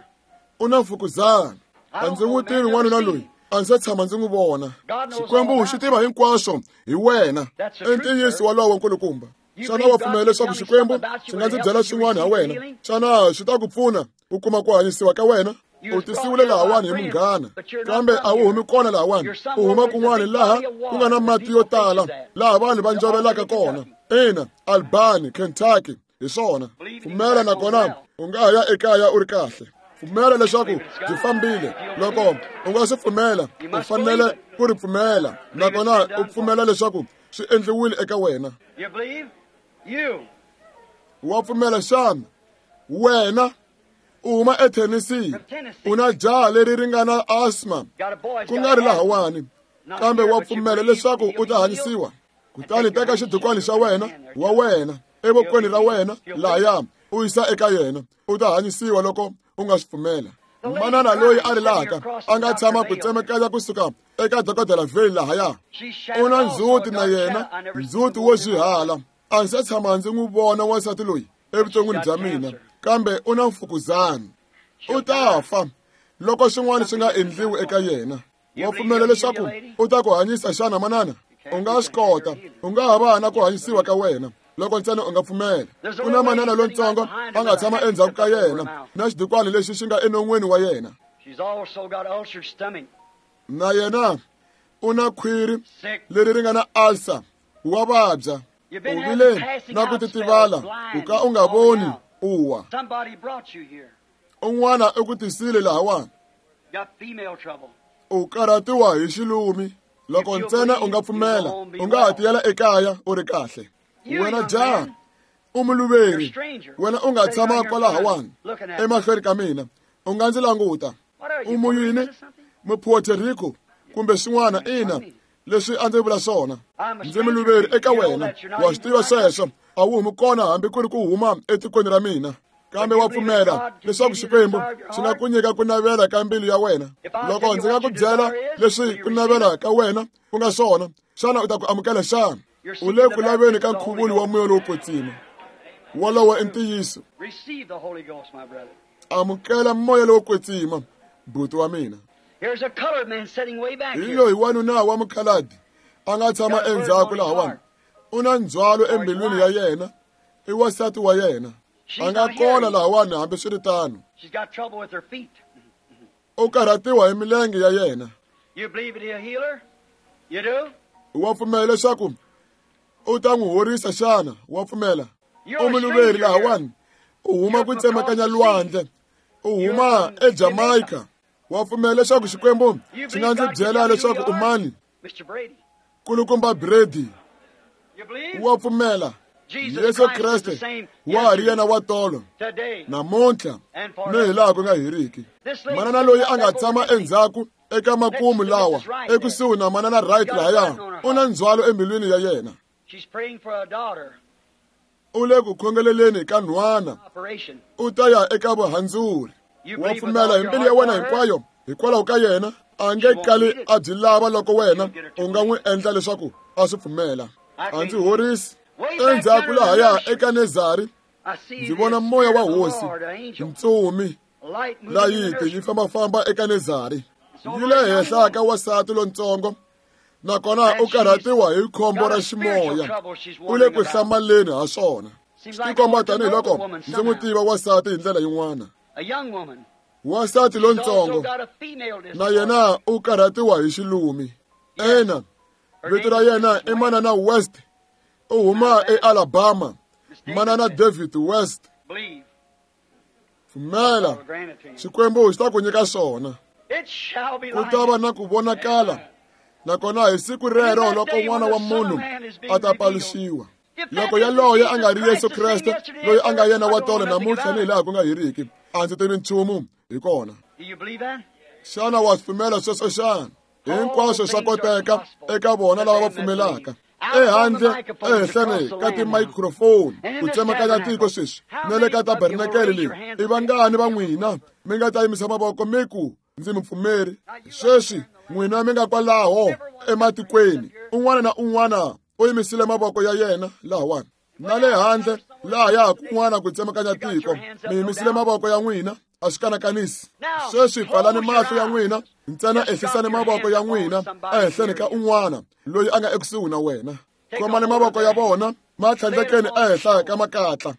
u na mfukuzana. A ndzi n'wi tivi n'wanuna loyi, a ndzi se tshama ndzi n'wi vona. Xikwembu xi tiva hinkwaswo hi wena. I ntiyiso wolowo nkulukumba. Xana wa pfumela leswaku Xikwembu xi nga ndzi byela swin'wana ha wena? Xana xi ta ku pfuna ku kuma ku hanyisiwa ka wena? U tisiwile lahawani hi munghana, kambe a wu humi kona lahawani. U huma kun'wana laha ku nga na mati yo tala, laha vanhu va njovelaka kona. Ina, Albany, Kentucky, hi swona. Pfumela nakona u nga ha ya ekaya u ri kahle. Pfumela leswaku byi fambile. Loko u nga swi pfumela, u fanele ku ri pfumela, nakona u pfumela leswaku swi endliwile eka wena. Wa pfumela xana? Wena u huma eTennessee, u na jaha leri ri nga na asthma, ku nga ri lahawani, kambe wa pfumela leswaku u ta hanyisiwa. Kutani teka xidukwani xa wena wa wena evokweni ra wena lahaya, u yisa eka yena, u ta hanyisiwa loko u nga swi pfumela. Manana loyi a rilaka a nga tshama ku tsemekanya kusuka eka dokodela Vale lahaya, u na ndzhuti na yena, ndzhuti wo swihala. A ndzi se tshama ndzi n'wi vona wansati loyi evuton'wini bya mina, kambe u na mfukuzana. U ta fa loko swin'wana swi nga endliwi eka yena. Wa pfumela leswaku u ta ku hanyisa xana manana? U nga swi kota, u nga ha va na ku hanyisiwa ka wena loko ntsena u nga pfumela. Ku na manana lontsongo a nga tshama endzhaku ka yena na xidukwani lexi xi nga enon'wini wa yena. Na yena u na khwiri leri ri nga na ulcer, wa vabya. U vile na ku titivala ku ka u nga voni u wa. Un'wana u ku tisile lahawani. U karhatiwa hi xilumi. Loko ntsena u nga pfumela, u nga ha tiyela ekaya u ri kahle. Wena jaha, u muluveri. Wena u nga tshama kwalahawani emahlweni ka mina, u nga ndzi languta. U muyini? Mupuerto Rico kumbe swin'wana. Ina, leswi a ndzi vula swona. Ndzi muluveri eka wena. Wa swi tiva sweswo. A wu humi kona hambi ku ri ku huma etikweni ra mina, kambe wa pfumela leswaku Xikwembu xi nga ku nyika ku navela ka mbilu ya wena. Loko ndzi nga ku byela leswi ku navela ka wena ku nga swona, xana u ta ku amukela xana? U le ku laveni ka nkhuvulo wa moya lowo kwetsima. Wolowo i ntiyiso. Amukela moya lowo kwetsima, buti wa mina. Hi loyi wanuna wa mukhaladi a nga tshama endzhaku lahawani. U na ndzhwalo embilwini ya yena, i wansati wa yena. A nga kona lahawani hambiswiritano. U karhatiwa hi milenge ya yena. Wa pfumela leswaku u ta n'wi horisa xana? Wa pfumela? U muluveri lahawani, u huma ku tsemakanya lwandle, u huma eJamaica. Wa pfumela leswaku Xikwembu xi nga ndzi byela leswaku u mani? Kulukumba Brady. Wa pfumela? Yesu Kreste wa ha ri yena wa tolo, namuntlha, ni hi laha ku nga heriki. Manana loyi a nga tshama endzhaku eka makumu lawa, ekusuhi na manana Wright lahaya, u na ndzhwalo embilwini ya yena. U le ku khongeleleni ka nhwana, u ta ya eka vuhandzuri. Wa pfumela hi mbilu ya wena hinkwayo hikwalaho ka yena? A nge kali a byi lava loko wena u nga n'wi endla leswaku a swi pfumela. A ndzi horisi. Endzhaku lahaya eka Nezari, ndzi vona moya wa hosi, ntsumi layiti yi fambafamba eka Nezari. Yi le henhla ka wansati lontsongo, nakona u karhatiwa hi khombo ra ximoya. U le ku hlamaleni ha swona. Swi tikomba tanihiloko ndzi n'wi tiva wansati hi ndlela yin'wana. Wansati lontsongo na yena u karhatiwa hi xilumi. Ena, vito ra yena i Manana West. U huma eAlabama. Manana David West. Pfumela, Xikwembu xi ta ku nyika swona. Ku ta va na ku vonakala, nakona hi siku rero loko N'wana wa Munhu a ta paluxiwa. Loko yaloye a nga ri Yesu Kreste loyi a nga yena wa tolo namuntlha ni hi laha ku nga heriki, a ndzi tivi nchumu hi kona. Xana wa swi pfumela sweswo xana? Hinkwaswo swa koteka eka vona lava va pfumelaka. Ehandle ehenhleni ka timicrophone ku tsemakanya tiko sweswi na le ka tabernakele leyi, i vangani va n'wina mi nga ta yimisa mavoko mi ku ndzi mupfumeri? Sweswi n'wina mi nga kwalaho ematikweni, un'wana na un'wana u yimisile mavoko ya yena lahawani. Na le handle lahaya kun'wana ku tsemakanya tiko, mi yimisile mavoko ya n'wina, a swi kanakanisi. Sweswi pfalani mahlo ya n'wina ntsena, ehlisani mavoko ya n'wina ehenhleni ka un'wana loyi a nga ekusuhi na wena. Khomani mavoko ya vona ma tlhandlekeni ehenhla ka makatla.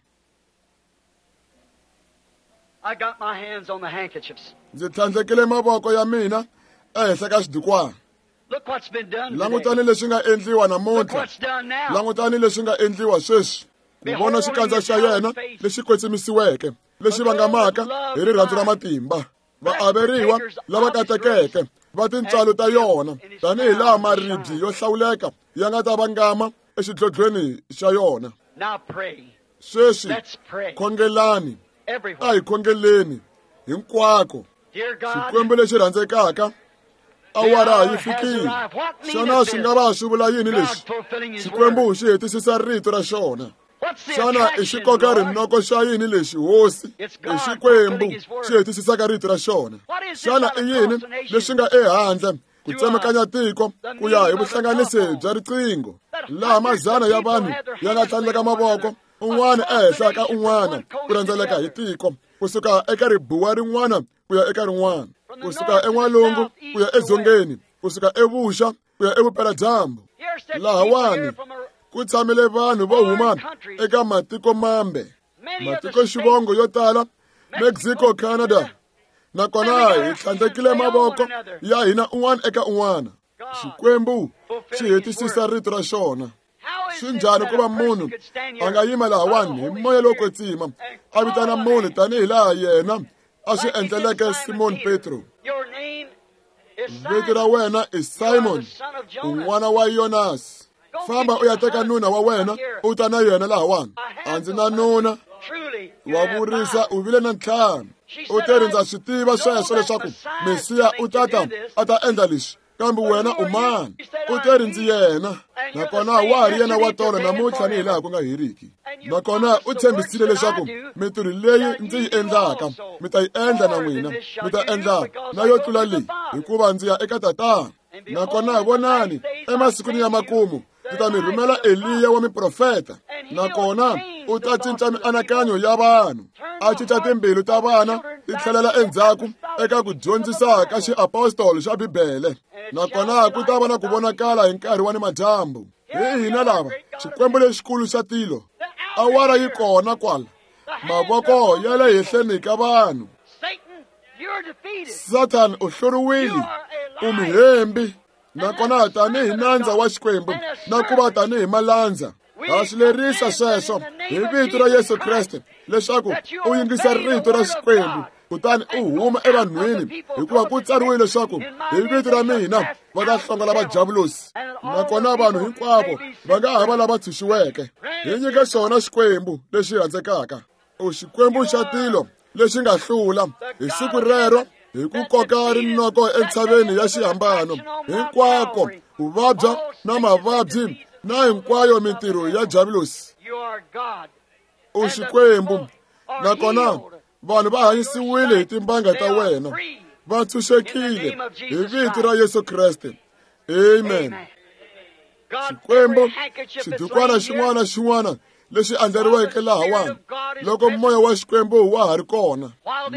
Ndzi tlhandlekile mavoko ya mina ehenhla ka xidukwana. Langutani leswi nga endliwa namuntlha. Langutani leswi nga endliwa sweswi. Ku vona xikandza xa yena lexi kwetsimisiweke, lexi vangamaka hi rirhandzu ra matimba. Vaaveriwa lava katekeke va tintswalo ta yona, tanihi laha maribye yo hlawuleka ya nga ta vangama exidlodlweni xa yona. Sweswi khongelani, a hi khongeleni hinkwako. Xikwembu lexi rhandzekaka, awara yi fikile. Xana swi nga va swi vula yini leswi? Xikwembu xi hetisisa rito ra xona. Xana i xikoka rinoko xa yini lexi, Hosi? I Xikwembu xi hetisisaka rito ra xona. Xana i yini leswi nga ehandle ku tsemakanya tiko ku ya hi vuhlanganisi bya riqingho, laha mazana ya vanhu ya nga tlhandleka mavoko un'wana ehenhla ka un'wana ku rhendzeleka hi tiko, kusuka eka ribuwa rin'wana ku ya eka rin'wana, kusuka en'walungu ku ya edzongeni, kusuka evuxa ku ya evupeladyambu? Lahawani ku tshamile vanhu vo huma eka matiko mambe, matiko xivongo yo tala, Mexico, Canada, nakona hi tlhandlekile mavoko ya hina un'wana eka un'wana. Xikwembu xi hetisisa rito ra xona. Swi njhani ku va munhu a nga yima lahawani hi moya lowo kwetsima a vitana munhu tanihi laha yena a swi endleleke Simon Petro? Vito ra wena i Simon, un'wana wa Yonasi. Famba u ya teka nuna wa wena u ta na yena lahawani. A ndzi na nuna. Wa vurisa, u vile na ntlhanu. U te ri ndza swi tiva sweswo leswaku Mesiya u ta ta a ta endla leswi, kambe wena u mani? U te ri ndzi yena, nakona wa ha ri yena wa tolo namuntlha ni hi laha ku nga heriki. Nakona u tshembisile leswaku mintirho leyi ndzi yi endlaka mi ta yi endla na n'wina, mi ta endla na yo tlula leyi, hikuva ndzi ya eka Tatana. Nakona vonani, emasikwini ya makumu ndzi ta mi rhumela Eliya wa miprofeta, nakona U ta cinca mianakanyo ya vanhu, a cinca timbilu ta vana ti tlhelela endzhaku eka ku dyondzisa ka xiapostolo xa Bibele. Nakona ku ta va na ku vonakala hi nkarhi wa nimadyambu. Hi hina lava, Xikwembu lexikulu xa tilo, awara yi kona kwala, mavoko ya le hehleni ka vanhu. Satan u hluriwile, u muhembi. Nakona tanihi nandza wa Xikwembu na ku va tanihi malandza, ha swi lerisa sweswo hi vito ra Yesu Kreste leswaku u yingisa rito ra Xikwembu kutani u huma evanhwini, hikuva ku tsariwile leswaku hi vito ra mina va ta hlongola vajavulosi. Nakona vanhu hinkwavo va nga ha va lava tshunxiweke. Hi nyike xona Xikwembu lexi rhandzekaka. U Xikwembu xa tilo lexi nga hlula hi siku rero hi ku koka rinoko entshaveni ya xihambano, hinkwako ku vabya na mavabyi na hinkwayo mintirho ya javulosi. U Xikwembu, nakona vanhu va hanyisiwile hi timbanga ta wena, va tshunxekile hi vito ra Yesu Kreste. Amen. Xikwembu, xidukwana xin'wana na xin'wana lexi andlariweke lahawani, loko moya wa Xikwembu wa ha ri kona,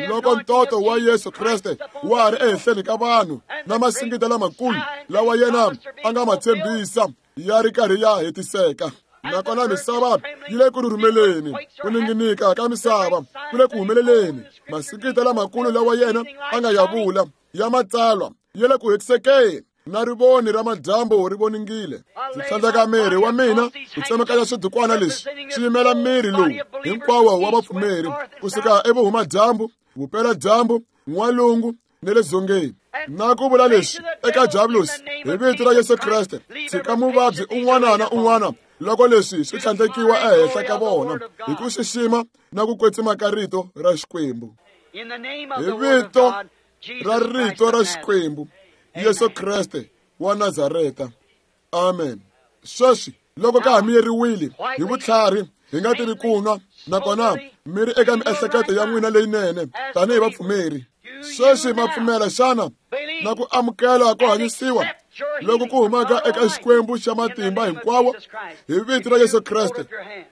loko ntoto wa Yesu Kreste wa ha ri ehenhleni ka vanhu na masingita lamakulu lawa yena a nga ma tshembisa ya ri karhi ya hetiseka. Nakona misava yi le ku rhurhumeleni, ku ninginika ka misava ku le ku humeleleni. Masingita lamakulu lawa yena a nga ya vula ya matsalwa ya le ku hetisekeni, na rivoni ra madyambu ri voningile. Ndzi tlhandleka miri wa mina ku tsemakanya swidukwana leswi swi yimela miri lowu hinkwawo wa vapfumeri kusuka evuhumadyambu, vupeladyambu, n'walungu ni le dzongeni. Na ku vula leswi eka javulosi hi vito ra Yesu Kreste, tshika muvabyi un'wana na un'wana loko leswi swi tlhandlekiwa ehenhla ka vona hi ku xixima na ku kwetsima ka rito ra Xikwembu. Hi vito ra rito ra Xikwembu, Yesu Kreste wa Nazareta. Amen. Sweswi loko ka ha miyeriwile hi vutlhari, hi nga tivi ku nwa, nakona mi ri eka miehleketo ya n'wina leyinene tanihi vapfumeri. Sweswi ma pfumela xana na ku amukela ku hanyisiwa loko ku humaka eka Xikwembu xa matimba hinkwawo hi vito ra Yesu Kreste?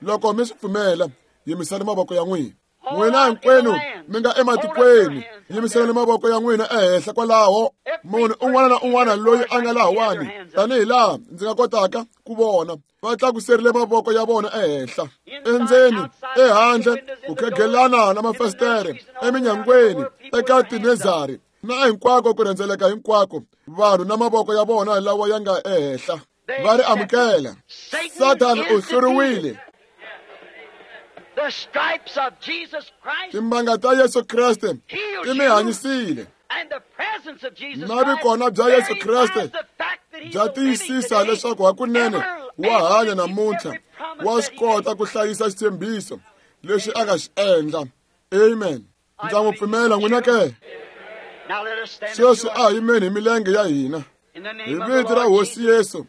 Loko mi swi pfumela, yimisani mavoko ya n'wina. N'wina hinkwenu mi nga ematikweni, yimiselani mavoko ya n'wina ehenhla kwalaho. Munhu un'wana na un'wana loyi a nga lahawani, tanihi laha ndzi nga kotaka ku vona, va tlakuserile mavoko ya vona ehenhla, endzeni, ehandle, ku khegelana na mafasitere, eminyangweni, eka tinezari na hinkwako ku rhendzeleka hinkwako, vanhu na mavoko ya vona lawa ya nga ehenhla va ri amukela. Satan u hluriwile. Timbanga ta Yesu Kreste ti mi hanyisile, na vikona bya Yesu Kreste bya tiyisisa leswaku hakunene wa hanya namuntlha, wa swi kota ku hlayisa xitshembiso lexi a nga xi endla. Amen. Ndza n'wi pfumela n'wina ke. Sweswi a hi yimeni hi milenge ya hina hi vito ra Hosi Yesu,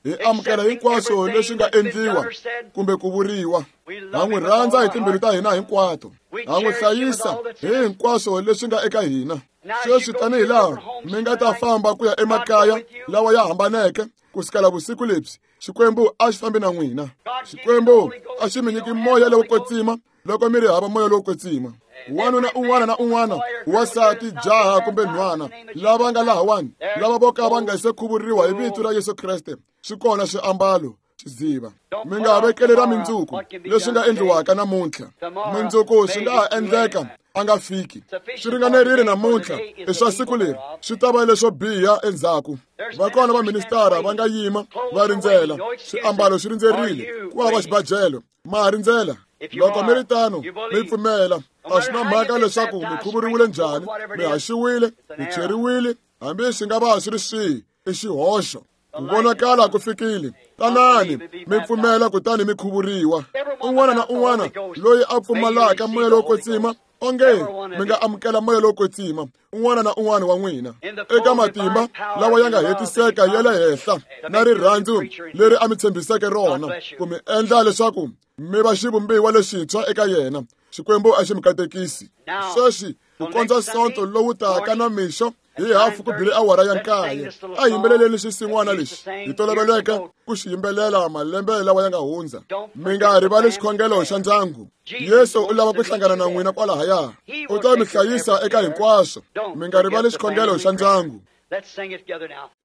hi amukela hinkwaswo leswi nga endliwa kumbe ku vuriwa. Ha n'wi rhandza hi timbilu ta hina hinkwato, ha n'wi hlayisa hi hinkwaswo leswi nga eka hina. Sweswi tanihi laha mi nga ta famba ku ya emakaya lawa ya hambaneke ku sukela vusiku lebyi, Xikwembu a xi fambi na n'wina. Xikwembu a xi mi nyiki moya lowo kwetsima loko mi ri hava moya lowo kwetsima. Wanuna un'wana na un'wana, wansati, jaha kumbe nhwana, lava nga lahawani, lava vo ka va nga se khuvuriwa hi vito ra Yesu Kreste, swi kona swiambalo xidziva. Mi nga vekeli ra mindzuku leswi nga endliwaka namuntlha. Mindzuku swi nga ha endleka a nga fiki. Swi ringanerile namuntlha, i swa siku leri, swi ta va leswo biha endzhaku. Va kona vaministara va nga yima va rindzela, swiambalo swi rindzerile, ku hava xibajelo, ma ha rindzela. Loko mi ri tano, mi pfumela, a swi na mhaka leswaku mi khuvuriwile njhani, mi haxiwile, mi cheriwile, hambi swi nga va swi ri swihi, i xihoxo. Ku vonakala ku fikile. Tanani mi pfumela kutani mi khuvuriwa. Un'wana na un'wana loyi a pfumalaka moya lowo kwetsima, onge mi nga amukela moya lowo kwetsima, un'wana na un'wana wa n'wina, eka matimba lawa ya nga hetiseka ya le henhla na rirhandzu leri a mi tshembiseke rona ku mi endla leswaku mi va xivumbiwa lexintshwa eka yena. Xikwembu a xi mi katekisi. Sweswi ku kondza Sonto lowu taka na mixo, Hi hafu ku bile awara ya 9. A yimbeleleni xisin'wana lexi hi toloveleke ku xi yimbelela malembe lawa ya nga hundza. Mi nga rivali xikhongelo xa ndyangu. Yesu u lava ku hlangana na n'wina kwalahaya. U ta mi hlayisa eka hinkwaswo. Mi nga rivali xikhongelo xa ndyangu.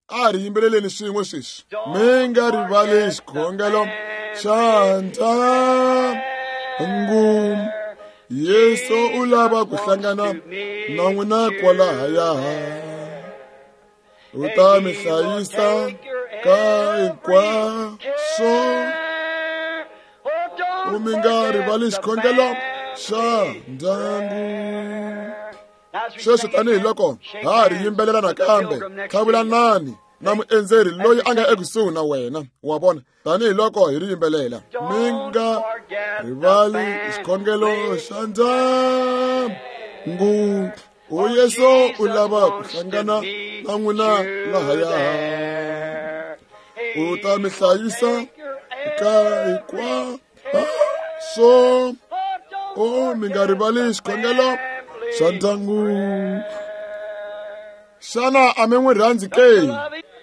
A ri yimbeleleni swin'we sweswi. Mi nga rivali xikhongelo xa ndyangu. Yesu u lava ku hlangana na n'wina kwalahaya. U ta mi hlayisa ka hinkwaswo. U mi nga rivali xikhongelo xa ndyangu. Sweswi tanihiloko ha ri yimbelela nakambe, tlhavulanani na muendzeri loyi a nga ekusuhi na wena. Wa vona, tanihiloko hi ri yimbelela. Mi nga rivali xikhongelo xa ndyangu. O Yesu u lava ku hlangana na n'wina lahaya. U ta mi hlayisa eka hinkwaswo. O mi nga rivali xikhongelo xa ndyangu. Xana a mi n'wi rhandzi ke?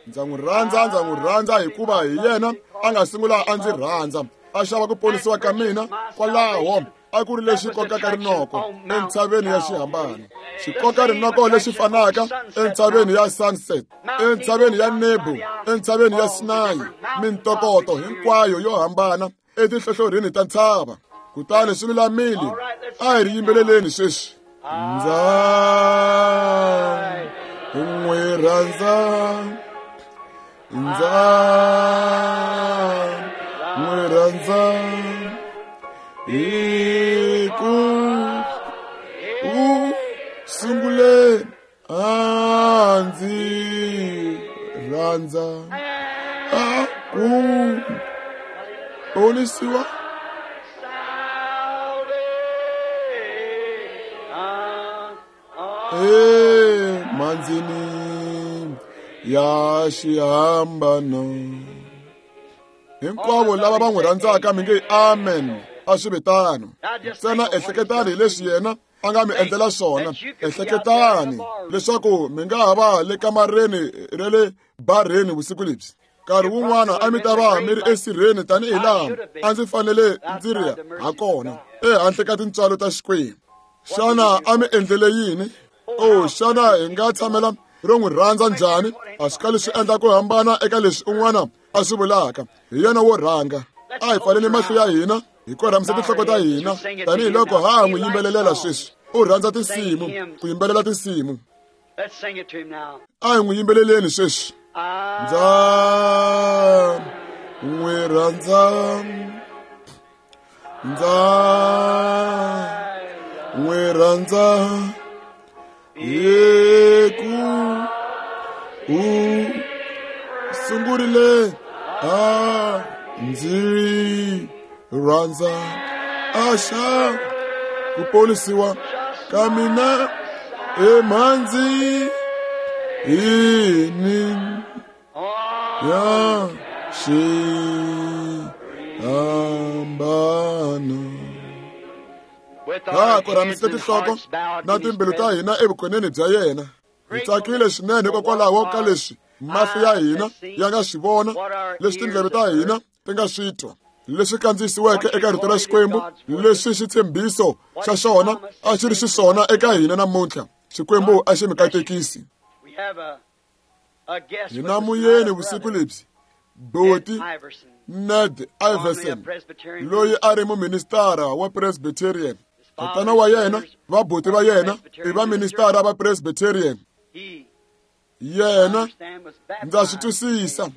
Ndza n'wi rhandza, ndza n'wi rhandza hikuva hi yena a nga sungula a ndzi rhandza. A xava ku ponisiwa ka mina kwalaho a ku ri lexi kokaka rinoko entshaveni ya xihambano. Xikoka rinoko lexi fanaka entshaveni ya Sunset, entshaveni ya Nebo, entshaveni ya Sinai, mintokoto hinkwayo yo hambana etihlohlorhini ta ntshava. Kutani swi lulamile. A hi ri yimbeleleni sweswi. Ndza n'wi rhandza, ndza n'wi rhandza hi ku u sungule a ndzi rhandza a ku ponisiwa. Manzini ya xihambano. Hinkwavo lava va n'wi rhandzaka mi nge amen. A swi ve tano. Ntsena ehleketani hi leswi yena a nga mi endlela swona. Ehleketani leswaku mi nga ha va le kamareni ra le barheni vusiku lebyi. Nkarhi wun'wana a mi ta va mi ri esirheni tanihi laha a ndzi fanele ndzi ri ha kona ehandle ka tintswalo ta Xikwembu. Xana a mi endlele yini? O xana hi nga tshamela ro n'wi rhandza njhani? A swi kali swi endla ku hambana eka leswi un'wana a swi vulaka. Hi yena wo rhanga. A hi pfaleni mahlo ya hina hi korhamisa tinhloko ta hina tanihiloko ha n'wi yimbelelela sweswi. U rhandza tinsimu, ku yimbelela tinsimu. A hi n'wi yimbeleleni sweswi. Ndza n'wi rhandza, ndza n'wi rhandza hi ku u sungurile a ndzi rhandza. A xa ku ponisiwa ka mina emhandzini ya xihambano. Ha korhamisile tinhloko na timbilu ta hina evukoneni bya yena. Hi tsakile swinene hikokwalaho ka leswi mahlo ya hina ya nga swi vona, leswi tindleve ta hina ti nga swi twa, leswi kandziyisiweke eka rito ra Xikwembu, leswi xitshembiso xa xona a xi ri xiswona eka hina namuntlha. Xikwembu a xi mi katekisi. Hi na muyeni vusiku lebyi, Boti Ned Iverson, loyi a ri muministara wa Presbyterian. Tatana wa yena, vabuti va yena i vaministara va Presbyterian. Yena, ndza swi twisisa,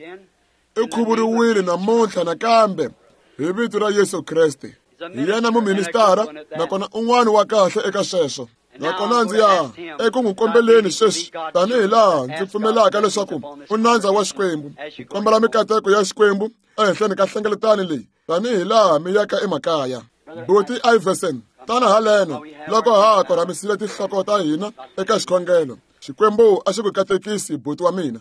i khuvuriwile namuntlha nakambe hi vito ra Yesu Kreste. Hi yena muministara nakona un'wana wa kahle eka sweswo. Nakona ndzi ya eku n'wi kombeleni sweswi tanihi laha ndzi pfumelaka leswaku u nandza wa Xikwembu. Kombela mikateko ya Xikwembu ehenhleni ka hlengeletano leyi tanihi laha mi yaka emakaya. Boti Iverson, tana haleno loko ha korhamisile tinhloko ta hina eka xikhongelo. Xikwembu a xi ku katekisi, buti wa mina.